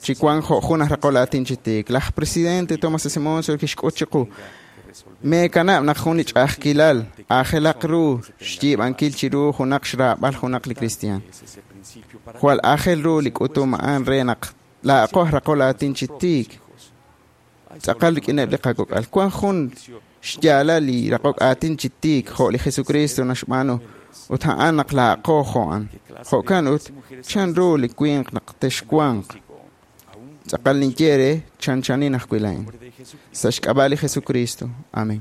chi wank jo' jun aj raqol aatin chi tiik. Laj presidente Thomas S. Monson kixk'ut chiqu meekanab' naq jun li ch'a'ajkilal aajelaq ru xyiib'ankil chiru junaq xraab'al junaq li kristiaan. Jwal aajel ru li k'utum a'an re naq laa'aqo aj raqol aatin chi tiik tz'aqal rik'ineb' li qakok'al. Wank jun xyaalal li raqok aatin chi tiik jo' li Jesucristo naxb'aanu ut a'an naq laa'aqo jo'an. Jo'kan ut chanru li winq naq texwanq tz'aqal ninye re chanchanin ajwi' laa'in. Sa' xk'ab'a' li Jesucristo. Amén.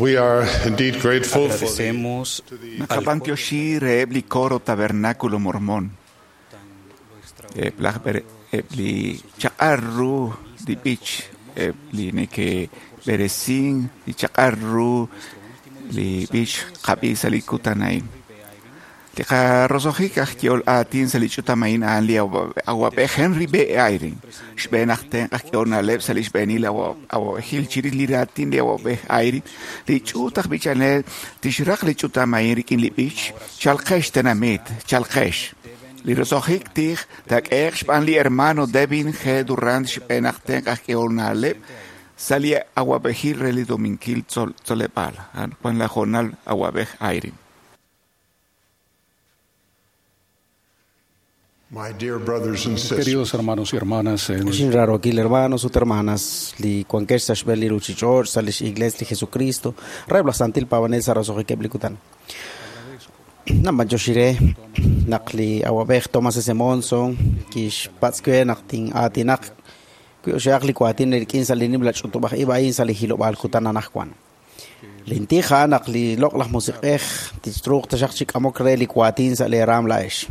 We are indeed grateful for Agradecemos Naqab'antioxi reheb' li coro Tabernáculo Mormón. Eb' laj eb' li chaq'al ru li b'ich, eb' li neke'b'eresin li chaq'al ru li b'ich qab'i sa' li kutan a'in. Li qarosojik aj yehol aatin sa' li ch'utam a'in a'an li awab'ej Henry B. Eyring, xb'een aj tenq' aj k'ehol na'leb' sa' li xb'eenil awab'ejil chirix li raatin li awab'ej Eyring. Li ch'uut aj b'ichanel tixraq li ch'utam a'in rik'in li b'ich Chalqex tenamit, chalqex. Li rosojik tij taak'ehe'q xb'aan li hermano Devin G. Durrant, xb'een aj tenq' aj k'ehol na'leb' sa' li awab'ejil re li Dominkil Tzoleb'aal. Wan la hoonal awab'ej Eyring. My dear brothers and sisters, Queridos hermanos y hermanas, en Xin rarookil hermanos ut hermanas, li wankex sa' xb'een li ruuchich'och' sa' lix Iglees li Jesucristo, reheb' laj Santil Paab'anel sa' roso'jikeb' li kutan. Namanchoxi re naq li awab'ej Thomas S. Monson kixpatz' we naq tin'aatinaq wi oxe'aq li waatin rik'in sa' li nimla ch'utub'aj ib' a'in sa' li hilob'aal kutan anaqwan. Lintij a'an naq li loq'laj musiq'ej tixruuq taxaq chi k'amok re li waatin sa' lee raam laa'ex.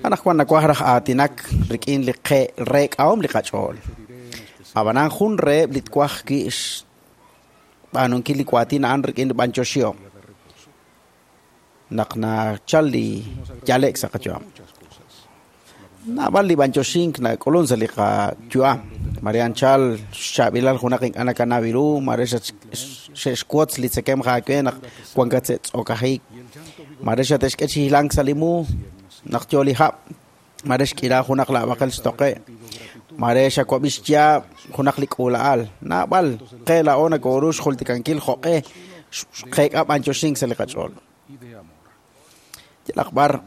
Anaqwan nawaj raj aatinak rik'in li reek'ahom li qach'ool. Ab'anan jun reheb' li twaj wi' xb'aanunkil li waatin a'an rik'in li b'anyoxihom naq nachal li yale'k sa' qayu'am. Naab'al li b'anyoxink nak'ulun sa' li qayu'am. Mare anchal xchaab'ilal junaq ink'a' nakanaw ru, mare xe'xwotz li tzekemq aawe naq wankat sa' tz'okajik. Mare xate'xk'e chi hilank sa' li mu naq yo li hab', mare xk'ira junaq laab'aqel xtoqe', mare xawab'i xyaab' junaq li k'uula'al. Naab'al qe laa'o nakooru xjultikankil jo'q'e xqeek'a b'anyoxink sa' li qach'ool. Yalaq b'ar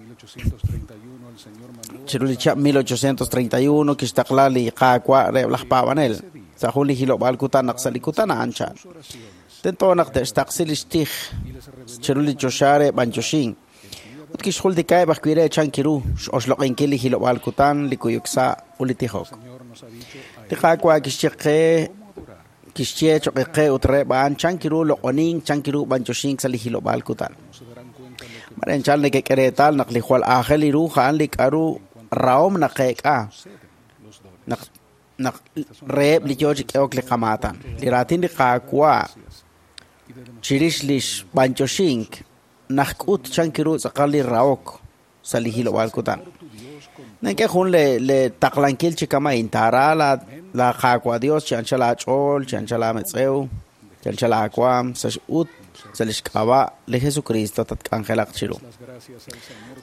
chiru li chihab' 1831 kixtaqla li Qaawa' reheb' laj paab'anel sa' jun li hilob'aal kutan naq sa' li kutan a'an chal. Tento naq te'xtaqsi li xtij chiru li choxa re b'anyoxink ut kixjultikaheb' ajwi' re chan kiru x'oxloq'inkil li hilob'aal kutan, li kuyuk sa' ut li tijok. Li Qaawa' kixye qe kixye choq' qe ut reheb' a'an chan kiru loq'onink, chan kiru b'anyoxink sa' li hilob'aal kutan. Mare anchal nekek'e reetal naq li jwal aajel li ru a'an li k'aru rahom naqeek'a naq naq reheb' li yoo chi k'ehok li qamaatan. Li raatin li Qaawa' chirix li xb'anyoxink najk'ut chan kiru tz'aqal li rahok sa' li hilob'aal kutan. Nink'e jun le taqlankil chi kama'in taara la Qaawa' Dios chi anchal aach'ool, chi anchal aametz'ew, chi anchal aawaam sa' ut sa' lix k'ab'a' li Jesucristo tatk'anjelaq chiru.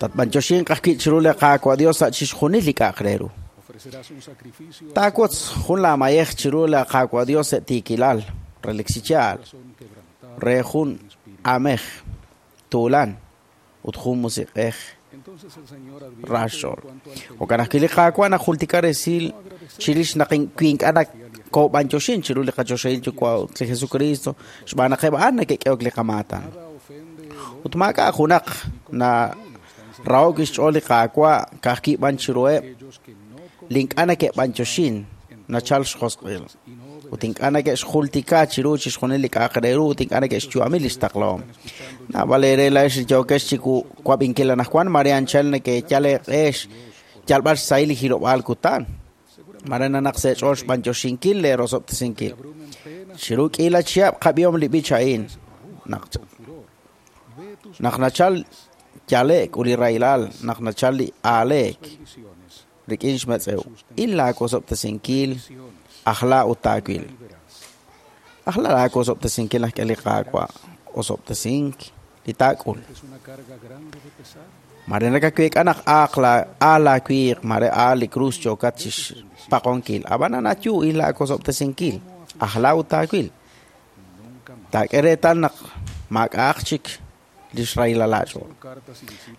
Tatb'anyoxinq ajwi' chiru li Qaawa' Dios sa' chixjunil li k'a'aq re ru. Taawotz jun laamayej chiru li Qaawa' Dios sa' tiikilal, relik chi yaal, re jun amej tuulan ut jun musiq'ej ra xch'ool. Jo'kan ajwi' li Qaawa' najultika resil chirix naq wi ink'a' nakoob'anyoxin chiru li qachoxahil Yuwa' ut li Jesucristo xb'aan naq eb' a'an neke'k'ehok li qamaatan. Ut maak'a' junaq na rahok xch'ool li Qaawa' ka'ajwi' b'an chiruheb' li ink'a' neke'b'anyoxin nachal xjosq'il. Ut ink'a' neke'xjultika chiru chixjunil li k'a'aq re ru ut ink'a' neke'xyu'ami li xtaqlahom. Naab'al eere laa'ex li yookex chi wab'inkil anaqwan mare anchal nekeyal eeq'ex yalb'al xsahil li hilob'aal kutan. Mare nanaq sa' eech'ool xb'anyoxinkil lee rosob'tesinkil. Chiru k'iila chihab' qab'ihom li b'ich a'in. Naq nachal yale'k ut li rahilal, naq nachal li aaleek rik'in xmetz'ew. Il laawosob'tesinkil ajla ut taawil. Ajla laawosob'tesinkil naq k'e li Qaawa' osob'tesink li taak'ul. Mare nakaweek'a naq aaq aal laawiiq, mare aal li krus yookat chi xpaqonkil. Ab'anan ayu il laawosob'tesinkil, ajla ut taawil. Taak'e reetal naq maak'a'aq chik li xrahilal aach'ool.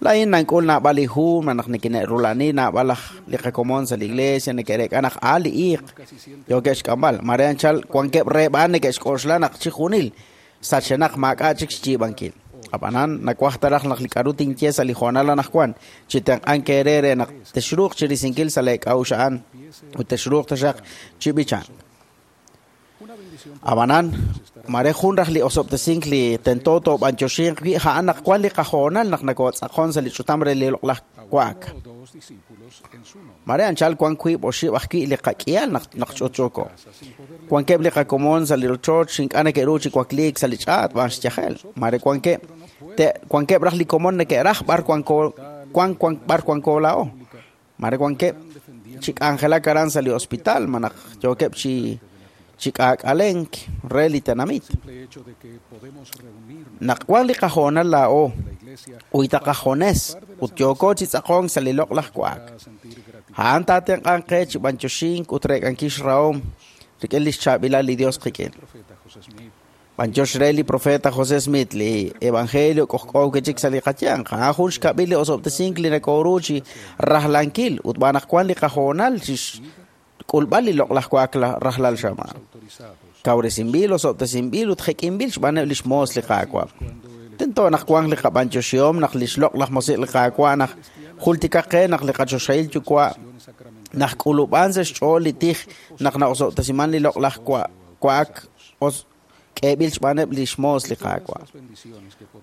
Laa'in nank'ul naab'al li hu naq nikine'rula'ani naab'al laj li qakomon sa' li iglesia neke'reek'a naq aal li iiq yookeb' xk'amb'al. Mare anchal wankeb' reheb' a'an neke'xk'oxla naq chi junil sachenaq maak'a' chik xyiib'ankil. Ab'anan nawaj ta raj naq li k'aru tinye sa' li hoonal anaqwan chi tenq'ank eere re naq texruuq chirisinkil sa' lee k'a'uxl a'an ut texruuq taxaq chi b'ichank. Ab'anan mare jun raj li osob'tesink li tento toob'anyoxinq wi' a'an naq wan li qahoonal naq nakootz'aqon sa' li ch'utam re li loq'laj wa'ak. Mare anchal wan wiib' oxib' ajwi' li qak'ihal naq ch'utch'uuko. Wankeb' li qakomon sa' li rochoch ink'a' neke'ru chi wakliik sa' li ch'aat b'an xyajel. Mare wankeb' Wankeb' raj li komon neke'raj b'ar wanko wan wan b'ar wanko laa'o. Mare wankeb' chi k'anjelak aran sa' li hospital malaj yookeb' chi chi k'aak'alenk re li tenamit. Naq wan li qahoonal laa'o uyta qajones ut yooko chi tz'aqonk sa' li loq'laj wa'ak. A'an taatenq'anq qe chi b'antioxink ut reek'ankil xrahom rik'in li xchaab'ilal li Dios qik'in. B'antiox re li profeta José Smith li evangelio k'ojk'o kichik sa' li qayanq. A'an jun xkab'il li osob'tesink li nakoru chi rajlankil ut b'an naq wan li qahoonal chi k'ulb'al li loq'laj wa'ak rajlal xamaan. Kawresinb'il, osob'tesinb'il ut jek'inb'il xb'aaneb' li xmoos li Qaawa'. Tento naq wanq li qab'antioxihom naq li xloq'laj musiq li Qaawa' naq jultikaq qe naq li qachoxahil yuwa' naq k'ulub'an sa' xch'ool li tij naq na'osob'tesiman li loq'laj wa'ak k'eeb'il xb'aaneb' li xmoos li Qaawa'.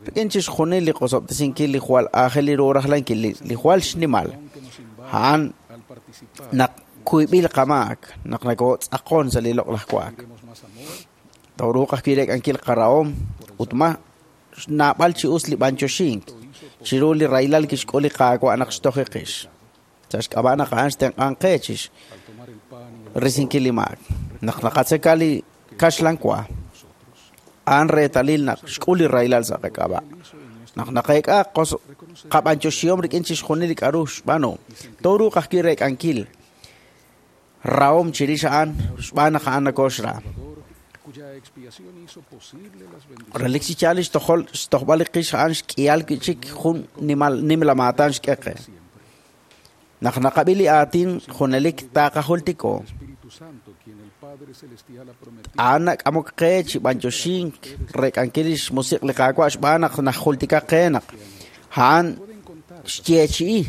Rik'in chixjunil li qosob'tesinkil li jwal aajel li ru rajlankil li jwal xnimal. A'an naq kuyb'il qamaak naq nakotz'aqon sa' li loq'laj wa'ak. Tooruuq ajwi' reek'ankil qarahom ut ma naab'al chi us li b'antioxink chiru li rahilal kixk'ul li Qaawa' naq xtojiqix. Sa' xk'ab'a' naq a'an xtenq'anq qe chi risinkil li maak. Naq naqatzeka li kaxlan wa, a'an reetalil naq xk'ul li rahilal sa' qak'ab'a'. Naq naqeek'a qab'antioxihom rik'in chixjunil li k'a'ru xb'aanu. Tooruuq ajwi' reek'ankil rahom chirix a'an xb'aan naq a'an nakoxra. Relik chi yaal li xtojb'al li qix a'an xk'ihal wi'chik jun nimla maatan xk'e qe. Naq naqab'i li aatin junelik taaqajultiko. A'an nak'amok qe chi b'antioxink reek'ankil li xmusiq li Qaawa' xb'aan naq najultika qe naq a'an xyeechi'i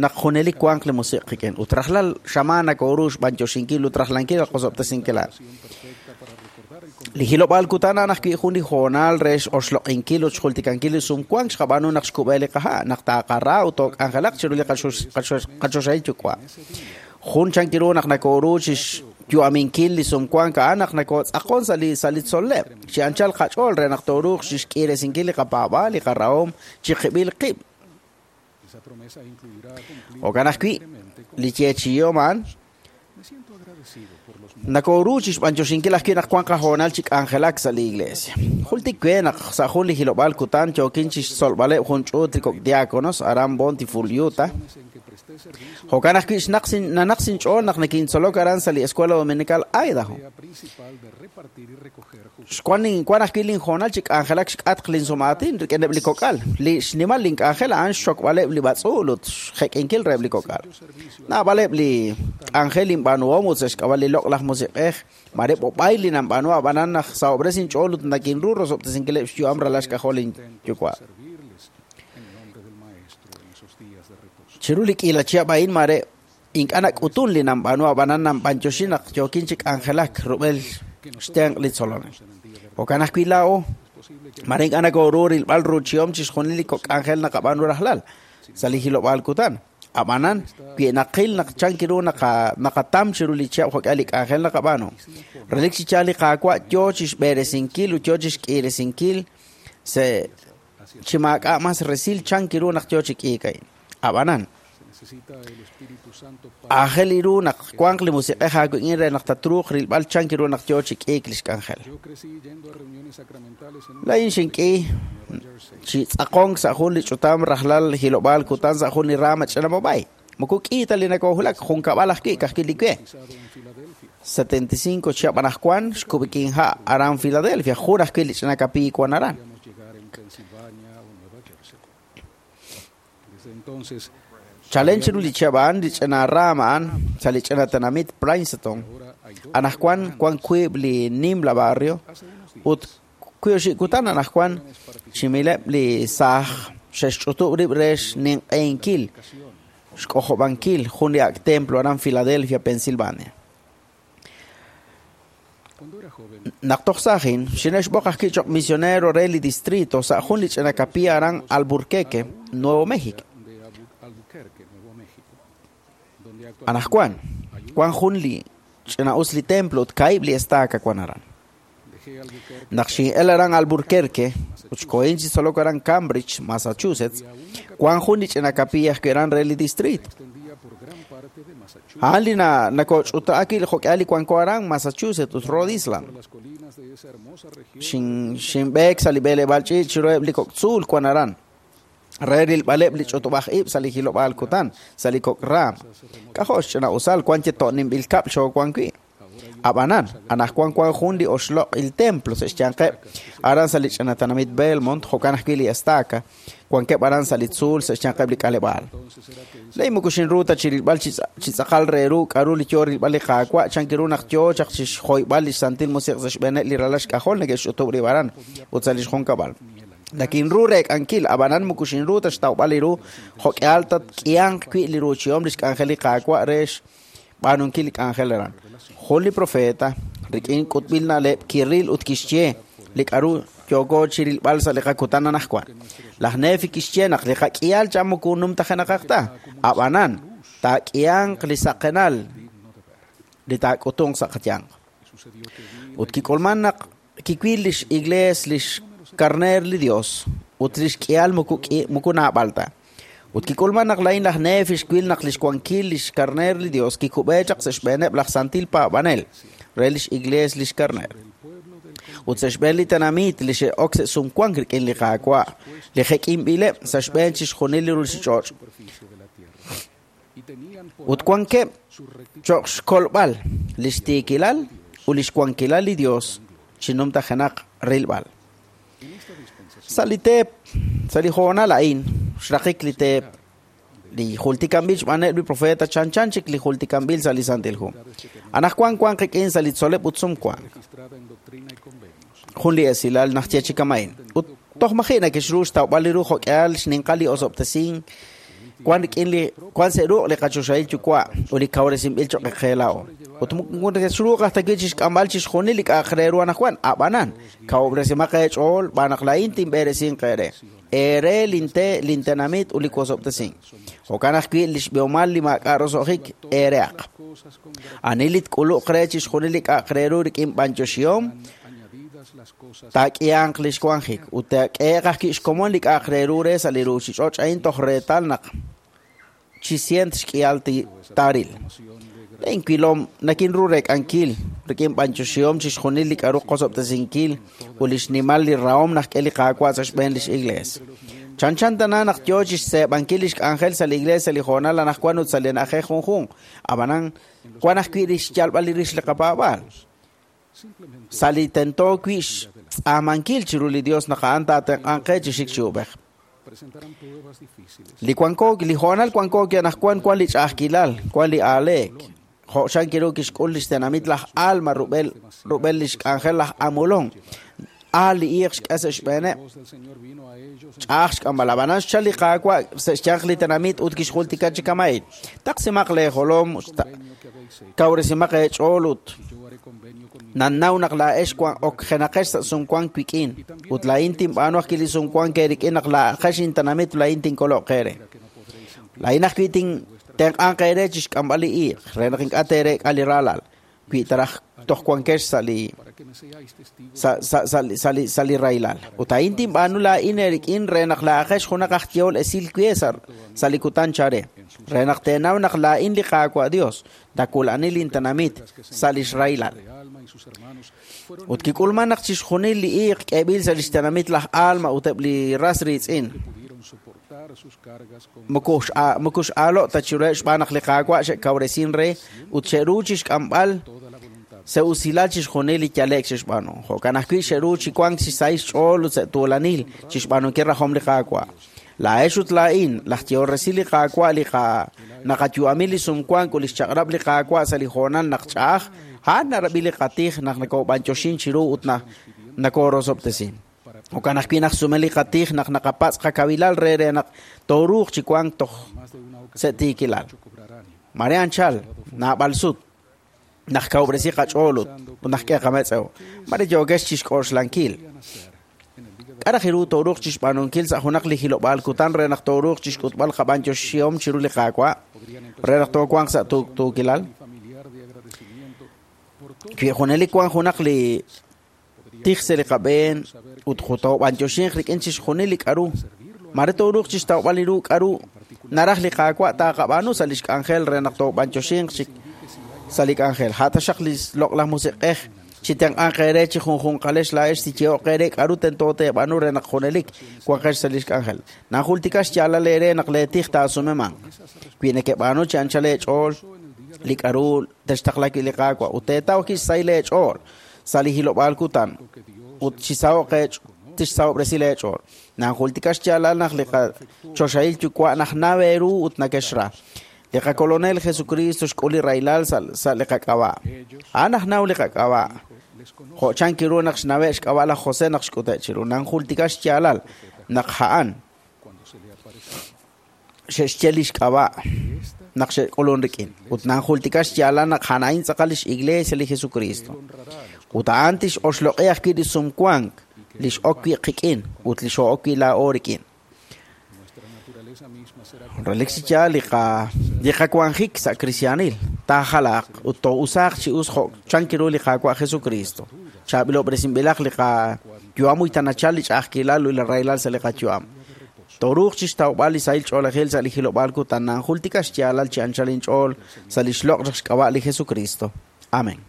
naq junelik wanq li musiq qik'in. Ut rajlal xamaan nakoru xb'antioxinkil ut rajlankil qosob'tesinkil a'an. Li hilob'aal kutan a'an ajwi' jun li hoonal re x'oxloq'inkil ut xjultikankil li sumwank xqab'aanu naq xkub'e li qaha' naq taaqara ut took'anjelaq chiru li qachoxahil yuwa'. Jun chankiru naq nakoru chi xyu'aminkil li sumwank a'an naq nakotz'aqon sa' li tzol'leb' chi anchal qach'ool re naq tooruuq chi xk'iiresinkil li qapaab'aal li qarahom chi qib'il qib'. Jo'kan ajwi' li yeechi'ihom a'an nakoru chi xb'antioxinkil ajwi' naq wan qahoonal chi k'anjelak sa' li iglesia. Jultik we naq sa' jun li hilob'aal kutan yookin chi xtzolb'aleb' jun ch'uut li kok' diáconos aran Bountiful, Utah. Jo'kan ajwi' nanaq sinch'ool naq nakintzolok aran sa' li Escuela Dominical Idaho. Wan ajwi' linhoonal chi k'anjelak xk'atq linsumaatin rik'ineb' li kok'al. Li xnimal link'anjel a'an xxokb'aleb' li b'atz'uul ut xjek'inkil reheb' li kok'al. Naab'aleb' li k'anjel inb'aanuhom ut sa' xk'ab'a' li loq'laj musiq'ej mare b'ob'ay li nanb'aanu ab'anan naq sahob'res inch'ool ut nakinru rosob'tesinkileb' xyu'am ralal xk'ajol linyuwa'. Chiru li k'iila chihab' a'in mare ink'a' nak'utun li nanb'aanu ab'anan nanb'antioxi naq yookin chi k'anjelak rub'el xtenq' li tzolonel. Jo'kan ajwi' laa'o mare ink'a' nakoru rilb'al ruuchihom chixjunil li kok' k'anjel naqab'aanu rajlal sa' li hilob'aal kutan. Ab'anan wi naqil naq chankiru naqatam chiru li chihab' jo'k'ihal li k'anjel naqab'aanu. Relik chi yaal li Qaawa' yoo chi xb'eresinkil ut yoo chi xk'iiresinkil se chi maak'a' mas resil chankiru naq yoo chi k'iik a'in. Ab'anan aajel ru naq wanq li musiq'ej aawik'in re naq tatruuq rilb'al chankiru naq yoo chi k'iik li xk'anjel. Laa'in xink'i chi tz'aqonk sa' jun li ch'utam rajlal hilob'aal kutan sa' jun li rama ch'ina mob'ay. Moko k'iita li nakohulak jun kab'al ajwi' ka'ajwi' li we. 75 chihab' anaqwan xkub'ikin ha' aran Philadelphia jun ajwi' li ch'ina kapiiy wan aran. Chalen chiru li chihab' a'an li ch'ina rama a'an sa' li ch'ina tenamit Princeton. Anaqwan wan wiib' li nimla barrio ut wiib' kutan anaqwan chimileb' li saaj xe'xch'utub' rib' re xninq'ehinkil xk'ojob'ankil jun li ak' templo aran Philadelphia, Pensilvania. Naq toj saajin xine'xb'oq ajwi' choq' misionero re li distrito sa' jun li ch'ina capilla aran Albuquerque, Nuevo México. Anaqwan wan jun li ch'ina us li templo ut kaahib' li estaca wan aran. Naq xin'el aran Albuquerque, ut xkohin chi tzolok aran Cambridge, Massachusetts, wan jun li ch'ina capilla ajwi' aran re li distrito. A'an li nakoch'uta'ak li jo'k'ihal li wanko aran Massachusetts ut Rhode Island. Xinb'eek sa' li b'eleb'aal ch'iich' chiruheb' li kok' tzuul wan aran. Re rilb'aleb' li ch'utub'aj ib' sa' li hilob'aal kutan, sa' li kok' raam. K'ajo' xch'ina'usal wan che to'ninb'il kab'l xoowan wi'. Ab'anan, anaqwan wan jun li oxloq' il templo sa' xyanqeb' aran sa' li ch'ina tenamit Belmont, jo'kan ajwi' li estaca, wankeb' aran sa' li tzuul sa' xyanqeb' li k'aleb'aal. Lay moko xinru ta chi rilb'al chi tz'aqal re ru k'aru li yo rilb'al li Qaawa' chan ru naq yo chaq chi xjoyb'al li Santil Musiq' sa' xb'eeneb' li ralal xk'ajol neke'xch'utub' rib' aran ut sa' li xjunkab'al. Nakinru reek'ankil, ab'anan moko xinru ta xtawb'al li ru jo'k'ihal ta k'ihanq wi' li ruuchihom li xk'anjel li Qaawa' re xb'aanunkil li k'anjel aran. Jun li profeta rik'in k'utb'il na'leb' kiril ut kixye li k'aru yooko chi rilb'al sa' li qakutan anaqwan. Laj Nefi kixye naq li qak'ihal chan moko numtajenaqaq ta, ab'anan taak'ihanq li saqenal li taak'utunq sa' qayanq. Ut kik'ulman naq kiwil lix iglees lix karneer li Dios ut lix k'ihal moko naab'al ta. Ut kik'ulman naq laa'in laj Nefi xwil naq lix wankil lix karneer li Dios kikub'e chaq sa' xb'eeneb' laj santil paab'anel re lix iglees lix karneer. Ut sa' xb'een li tenamit li xe'ok sa' sumwank rik'in li Qaawa' li jek'inb'ileb' sa' xb'een chixjunil li ruuchich'och'. Ut wankeb' cho'q xkolb'al lix tiikilal ut lix wankilal li Dios chi numtajenaq rilb'al. Sa' li teep, sa' li hoonal a'in, xraqik li teep, li jultikanb'il xb'aaneb' li profeta chanchan chik li jultikanb'il sa' li Santil Hu. Anaqwan wan qik'in sa' li tzoleb' ut sumwank. Jun li esilal naq ye chi kama'in. Ut toj maji' nakexru xtawb'al li ru jo'k'ihal xninqal li osob'tesink wan rik'in li wan sa' ruq' li qachoxahil yuwa' ut li kawresinb'il cho'q qe laa'o. Ut nakexruuq aj ta wi' chixk'amb'al chixjunil li k'a'aq re ru anaqwan, ab'anan kawob'resimaq eech'ool b'aan naq laa'in tinb'eresinq eere. Eere linte lintenamit ut li wosob'tesink. Jo'kan ajwi' li xb'ihomal li maak'a' roso'jik eereaq. Ani li tk'uluq re chixjunil li k'a'aq re ru rik'in b'anyoxihom taak'ihanq li xwanjik ut taak'ehe'q ajwi' xkomon li k'a'aq re ru re sa' li ruuchich'och' a'in toj reetal naq chi sient xk'ihal taaril. Laa'in wilom nakinru reek'ankil rik'in b'anyoxihom chixjunil li k'aru qosob'tesinkil ut li xnimal li rahom naq k'e li Qaawa' sa' xb'een lix iglees. Chanchan tana naq yo chixseeb'ankil lix k'anjel sa' li iglees sa' li hoonal anaqwan ut sa' li na'ajej junjunq. Ab'anan wan ajwi' li xyalb'al li rix li qapaab'aal. Sa' li tento wi' xtz'aamankil chiru li Dios naq a'an taatenq'anq qe chi xik chi ub'ej. Li wanko li hoonal wanko anaqwan wan li ch'a'ajkilal, wan li aaleek. Jo' xan kiru kixk'ul lix tenamit laj Alma rub'el lix k'anjel laj Amulon. Aal li iiq xk'e sa' xb'eeneb'. Ch'a'aj xk'amb'al. Ab'anan xchal li Qaawa' sa' xyanq li tenamit ut kixjultika chi kama'in. Taqsimaq leejolom, kawresimaq eech'ool ut nannaw naq laa'ex wan okjenaqex sa' sumwank wik'in. Ut laa'in tinb'aanu ajwi' li sumwank eerik'in naq laa'aqex intenamit laa'in tinkoloq eere. Laa'in ajwi' tintenq'anq eere chi xk'amb'al li iiq re naq ink'a' teereek'a li raalal. Wi' taraj toj wankex sa' li sa' li rahilal. Ut a'in tinb'aanu laa'in eerik'in re naq laa'aqex junaq aj yehol esil we sa' li kutan chare. Re naq teenaw naq laa'in li Qaawa' Dios nakula'ani lintenamit sa' lix rahilal. Ut kik'ulman naq chixjunil li iiq k'eeb'il sa' lix tenamit laj Alma ut eb' li ras riitz'in. Moko x'aalo' ta chiruheb' xb'aan naq li Qaawa' xe'kawresin re ut xe'ru chixk'amb'al sa' usilal chixjunil li yale'k xe'xb'aanu. Jo'kan ajwi' xe'ru chi wank chi sahil xch'ool ut sa' tuulanil chixb'aanunkil rajom li Qaawa'. Laa'ex ut laa'in, laj yehol resil li Qaawa' li naqayu'ami li sumwank ut li xchaq'rab' li Qaawa' sa' li hoonal naq ch'a'aj, a'an narab'i li qatij naq nakob'anyoxin chiru ut nakorosob'tesin. Jo'kan ajwi' naq sume li qatij naq naqapatz' qakawilal re re naq tooruuq chi wank toj sa' tiikilal. Mare anchal, naab'al sut, naq kawob'resi qach'ool ut naq k'e qametz'ew. Mare yookex chixk'oxlankil. K'a raj ru tooruuq chixb'aanunkil sa' junaq li hilob'aal kutan re naq tooruuq chixk'utb'al qab'anyoxihom chiru li Qaawa' re naq toowanq sa' tuukilal? Wi junelik wan junaq li tij sa' li qab'een ut toob'antioxinq rik'in chixjunil li k'a'ru. Mare tooruuq chixtawb'al li ru k'a'ru naraj li Qaawa' taaqab'aanu sa' lix k'anjel re naq toob'antioxinq chik sa' li k'anjel. Ha' taxaq li loq'laj musiq'ej chi tenq'anq eere chi junjunqalex laa'ex siyeho'q eere k'a'ru tento teeb'aanu re naq junelik wanqex sa' lix k'anjel. Najultika xyaalal eere naq leetij taasumemanq. Wi nekeb'aanu chi anchal eech'ool li k'a'ru textaqla wi' li Qaawa' ut teetaw kixsahil eech'ool sa' li hilob'aal kutan ut chisaho'q tixsahob'resi leech'ool. Najultika xyaalal naq li qachoxahil yuwa' naq naw eeru ut nakexra. Li qakolonel Jesucristo xk'ul li rahilal sa' li qak'ab'a'. A'an aj naw li qak'ab'a'. Jo' chan kiru naq xnawe' xk'ab'a' laj José naq xk'ute' chiru. Najultika xyaalal naq a'an xe'xye li xk'ab'a' naq xe'k'ulun rik'in. Ut najultika xyaalal naq a'an tz'aqal lix iglesia li Jesucristo. Ut a'an tix'oxloq'i ajwi' li sumwank li x'ok wi' qik'in ut li xo'ok wi' laa'o rik'in. Relik chi yaal li qawanjik sa' kristianil taajalaq ut too'usaaq chi us jo' chan kiru li Qaawa' Jesucristo. Chaab'ilob'resinb'ilaq li qayu'am uy tanachal li ch'a'ajkilal ut li rahilal sa' li qayu'am. Tooruuq chixtawb'al li sahil ch'oolejil sa' li hilob'aal kutan nanjultika xyaalal chi anchal inch'ool sa' li xloq' xk'ab'a' li Jesucristo. Amén.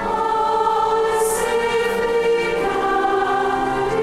All safely guarded.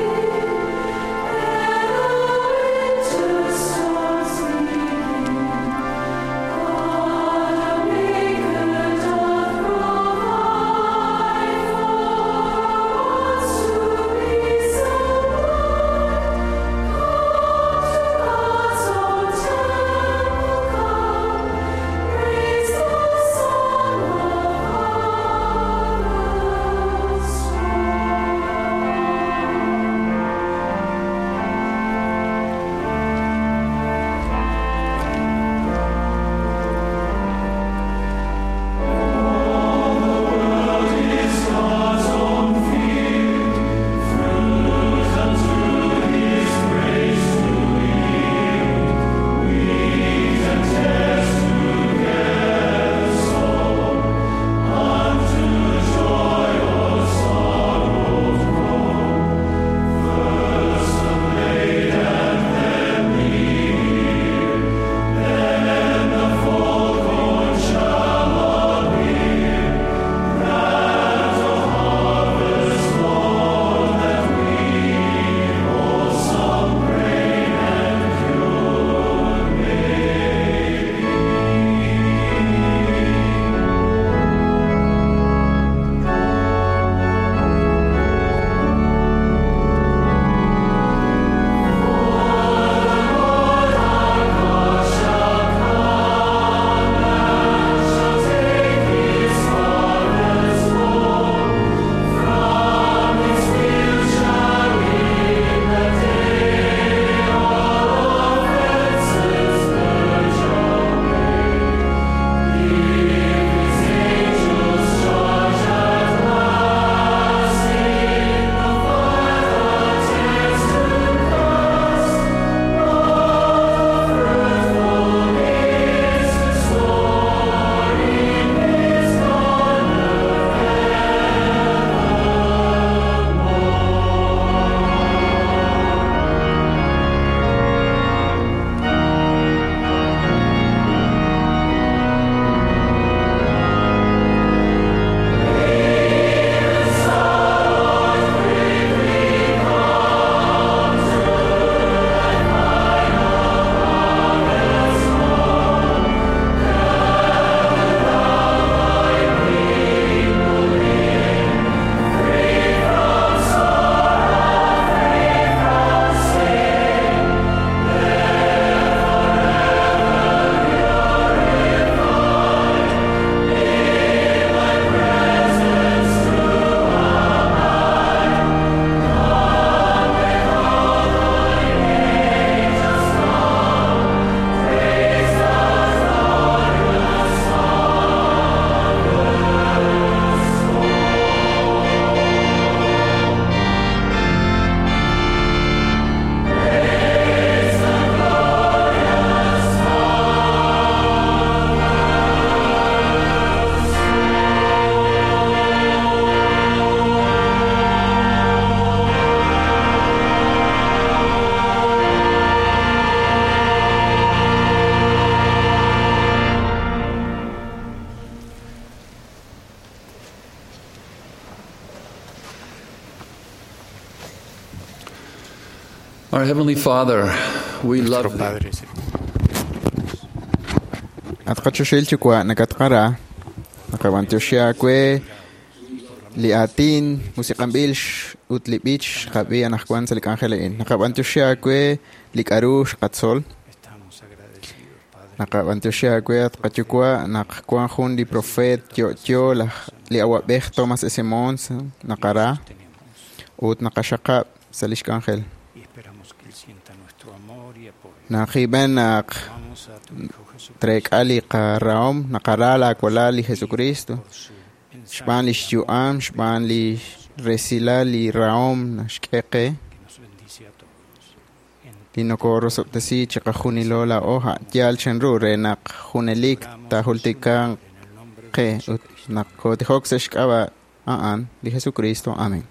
Our Heavenly Father, we love Padre At qachoxil yuwa' nakatqara naqab'antioxi aawe li aatin musiq'anb'il ut li b'ich xqab'i anaqwan sa' li k'anjel a'in. Naqab'antioxi aawe li k'aru xqatzol. Naqab'antioxi aawe at qayuwa' naq wan jun li profeet yo'yo laj li awab'ej Thomas S. Monson naqara ut naqaxaqab' sa' lix k'anjel. Naqib'en naq treek'a li qarahom naqara laawalal li Jesucristo xb'aan lix yu'am xb'aan li resilal li rahom naxk'e qe li nokorosob'tesi chiqajunilo laa'o yaal chanru re naq junelik taajultikanq qe ut naq kootijok sa' xk'ab'a' a'an li Jesucristo. Amén.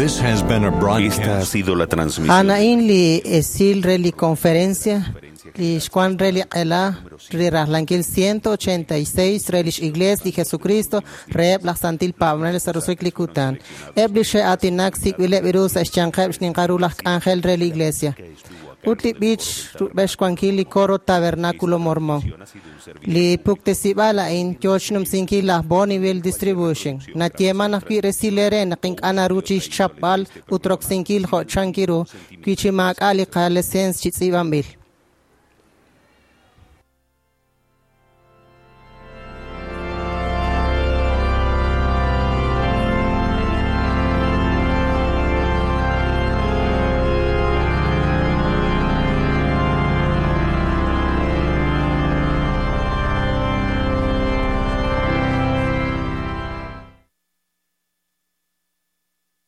This has been a Esta ha broadcast. sido la transmisión. A'an li esil re li conferencia li xwan re li q'ela li rajlankil 186 re lix Iglesia li Jesucristo reheb' laj Santil Paab'anel sa' roso'jik li kutan. Eb' li xe'aatinak sik'b'ileb' ru sa' xyanqeb' xninqal ru laj k'anjel re li Iglesia. Ut li b'ich rub'el xwankil li coro Tabernáculo Mormón. Li puktesib'al a'in yoo xnumsinkil laj Bonneville Distribution. Nayeeman ajwi' resil eere naq ink'a' naru chixchapb'al ut roksinkil jo' chankiru wi chi maak'a' li qalicencia chi tz'iib'anb'il.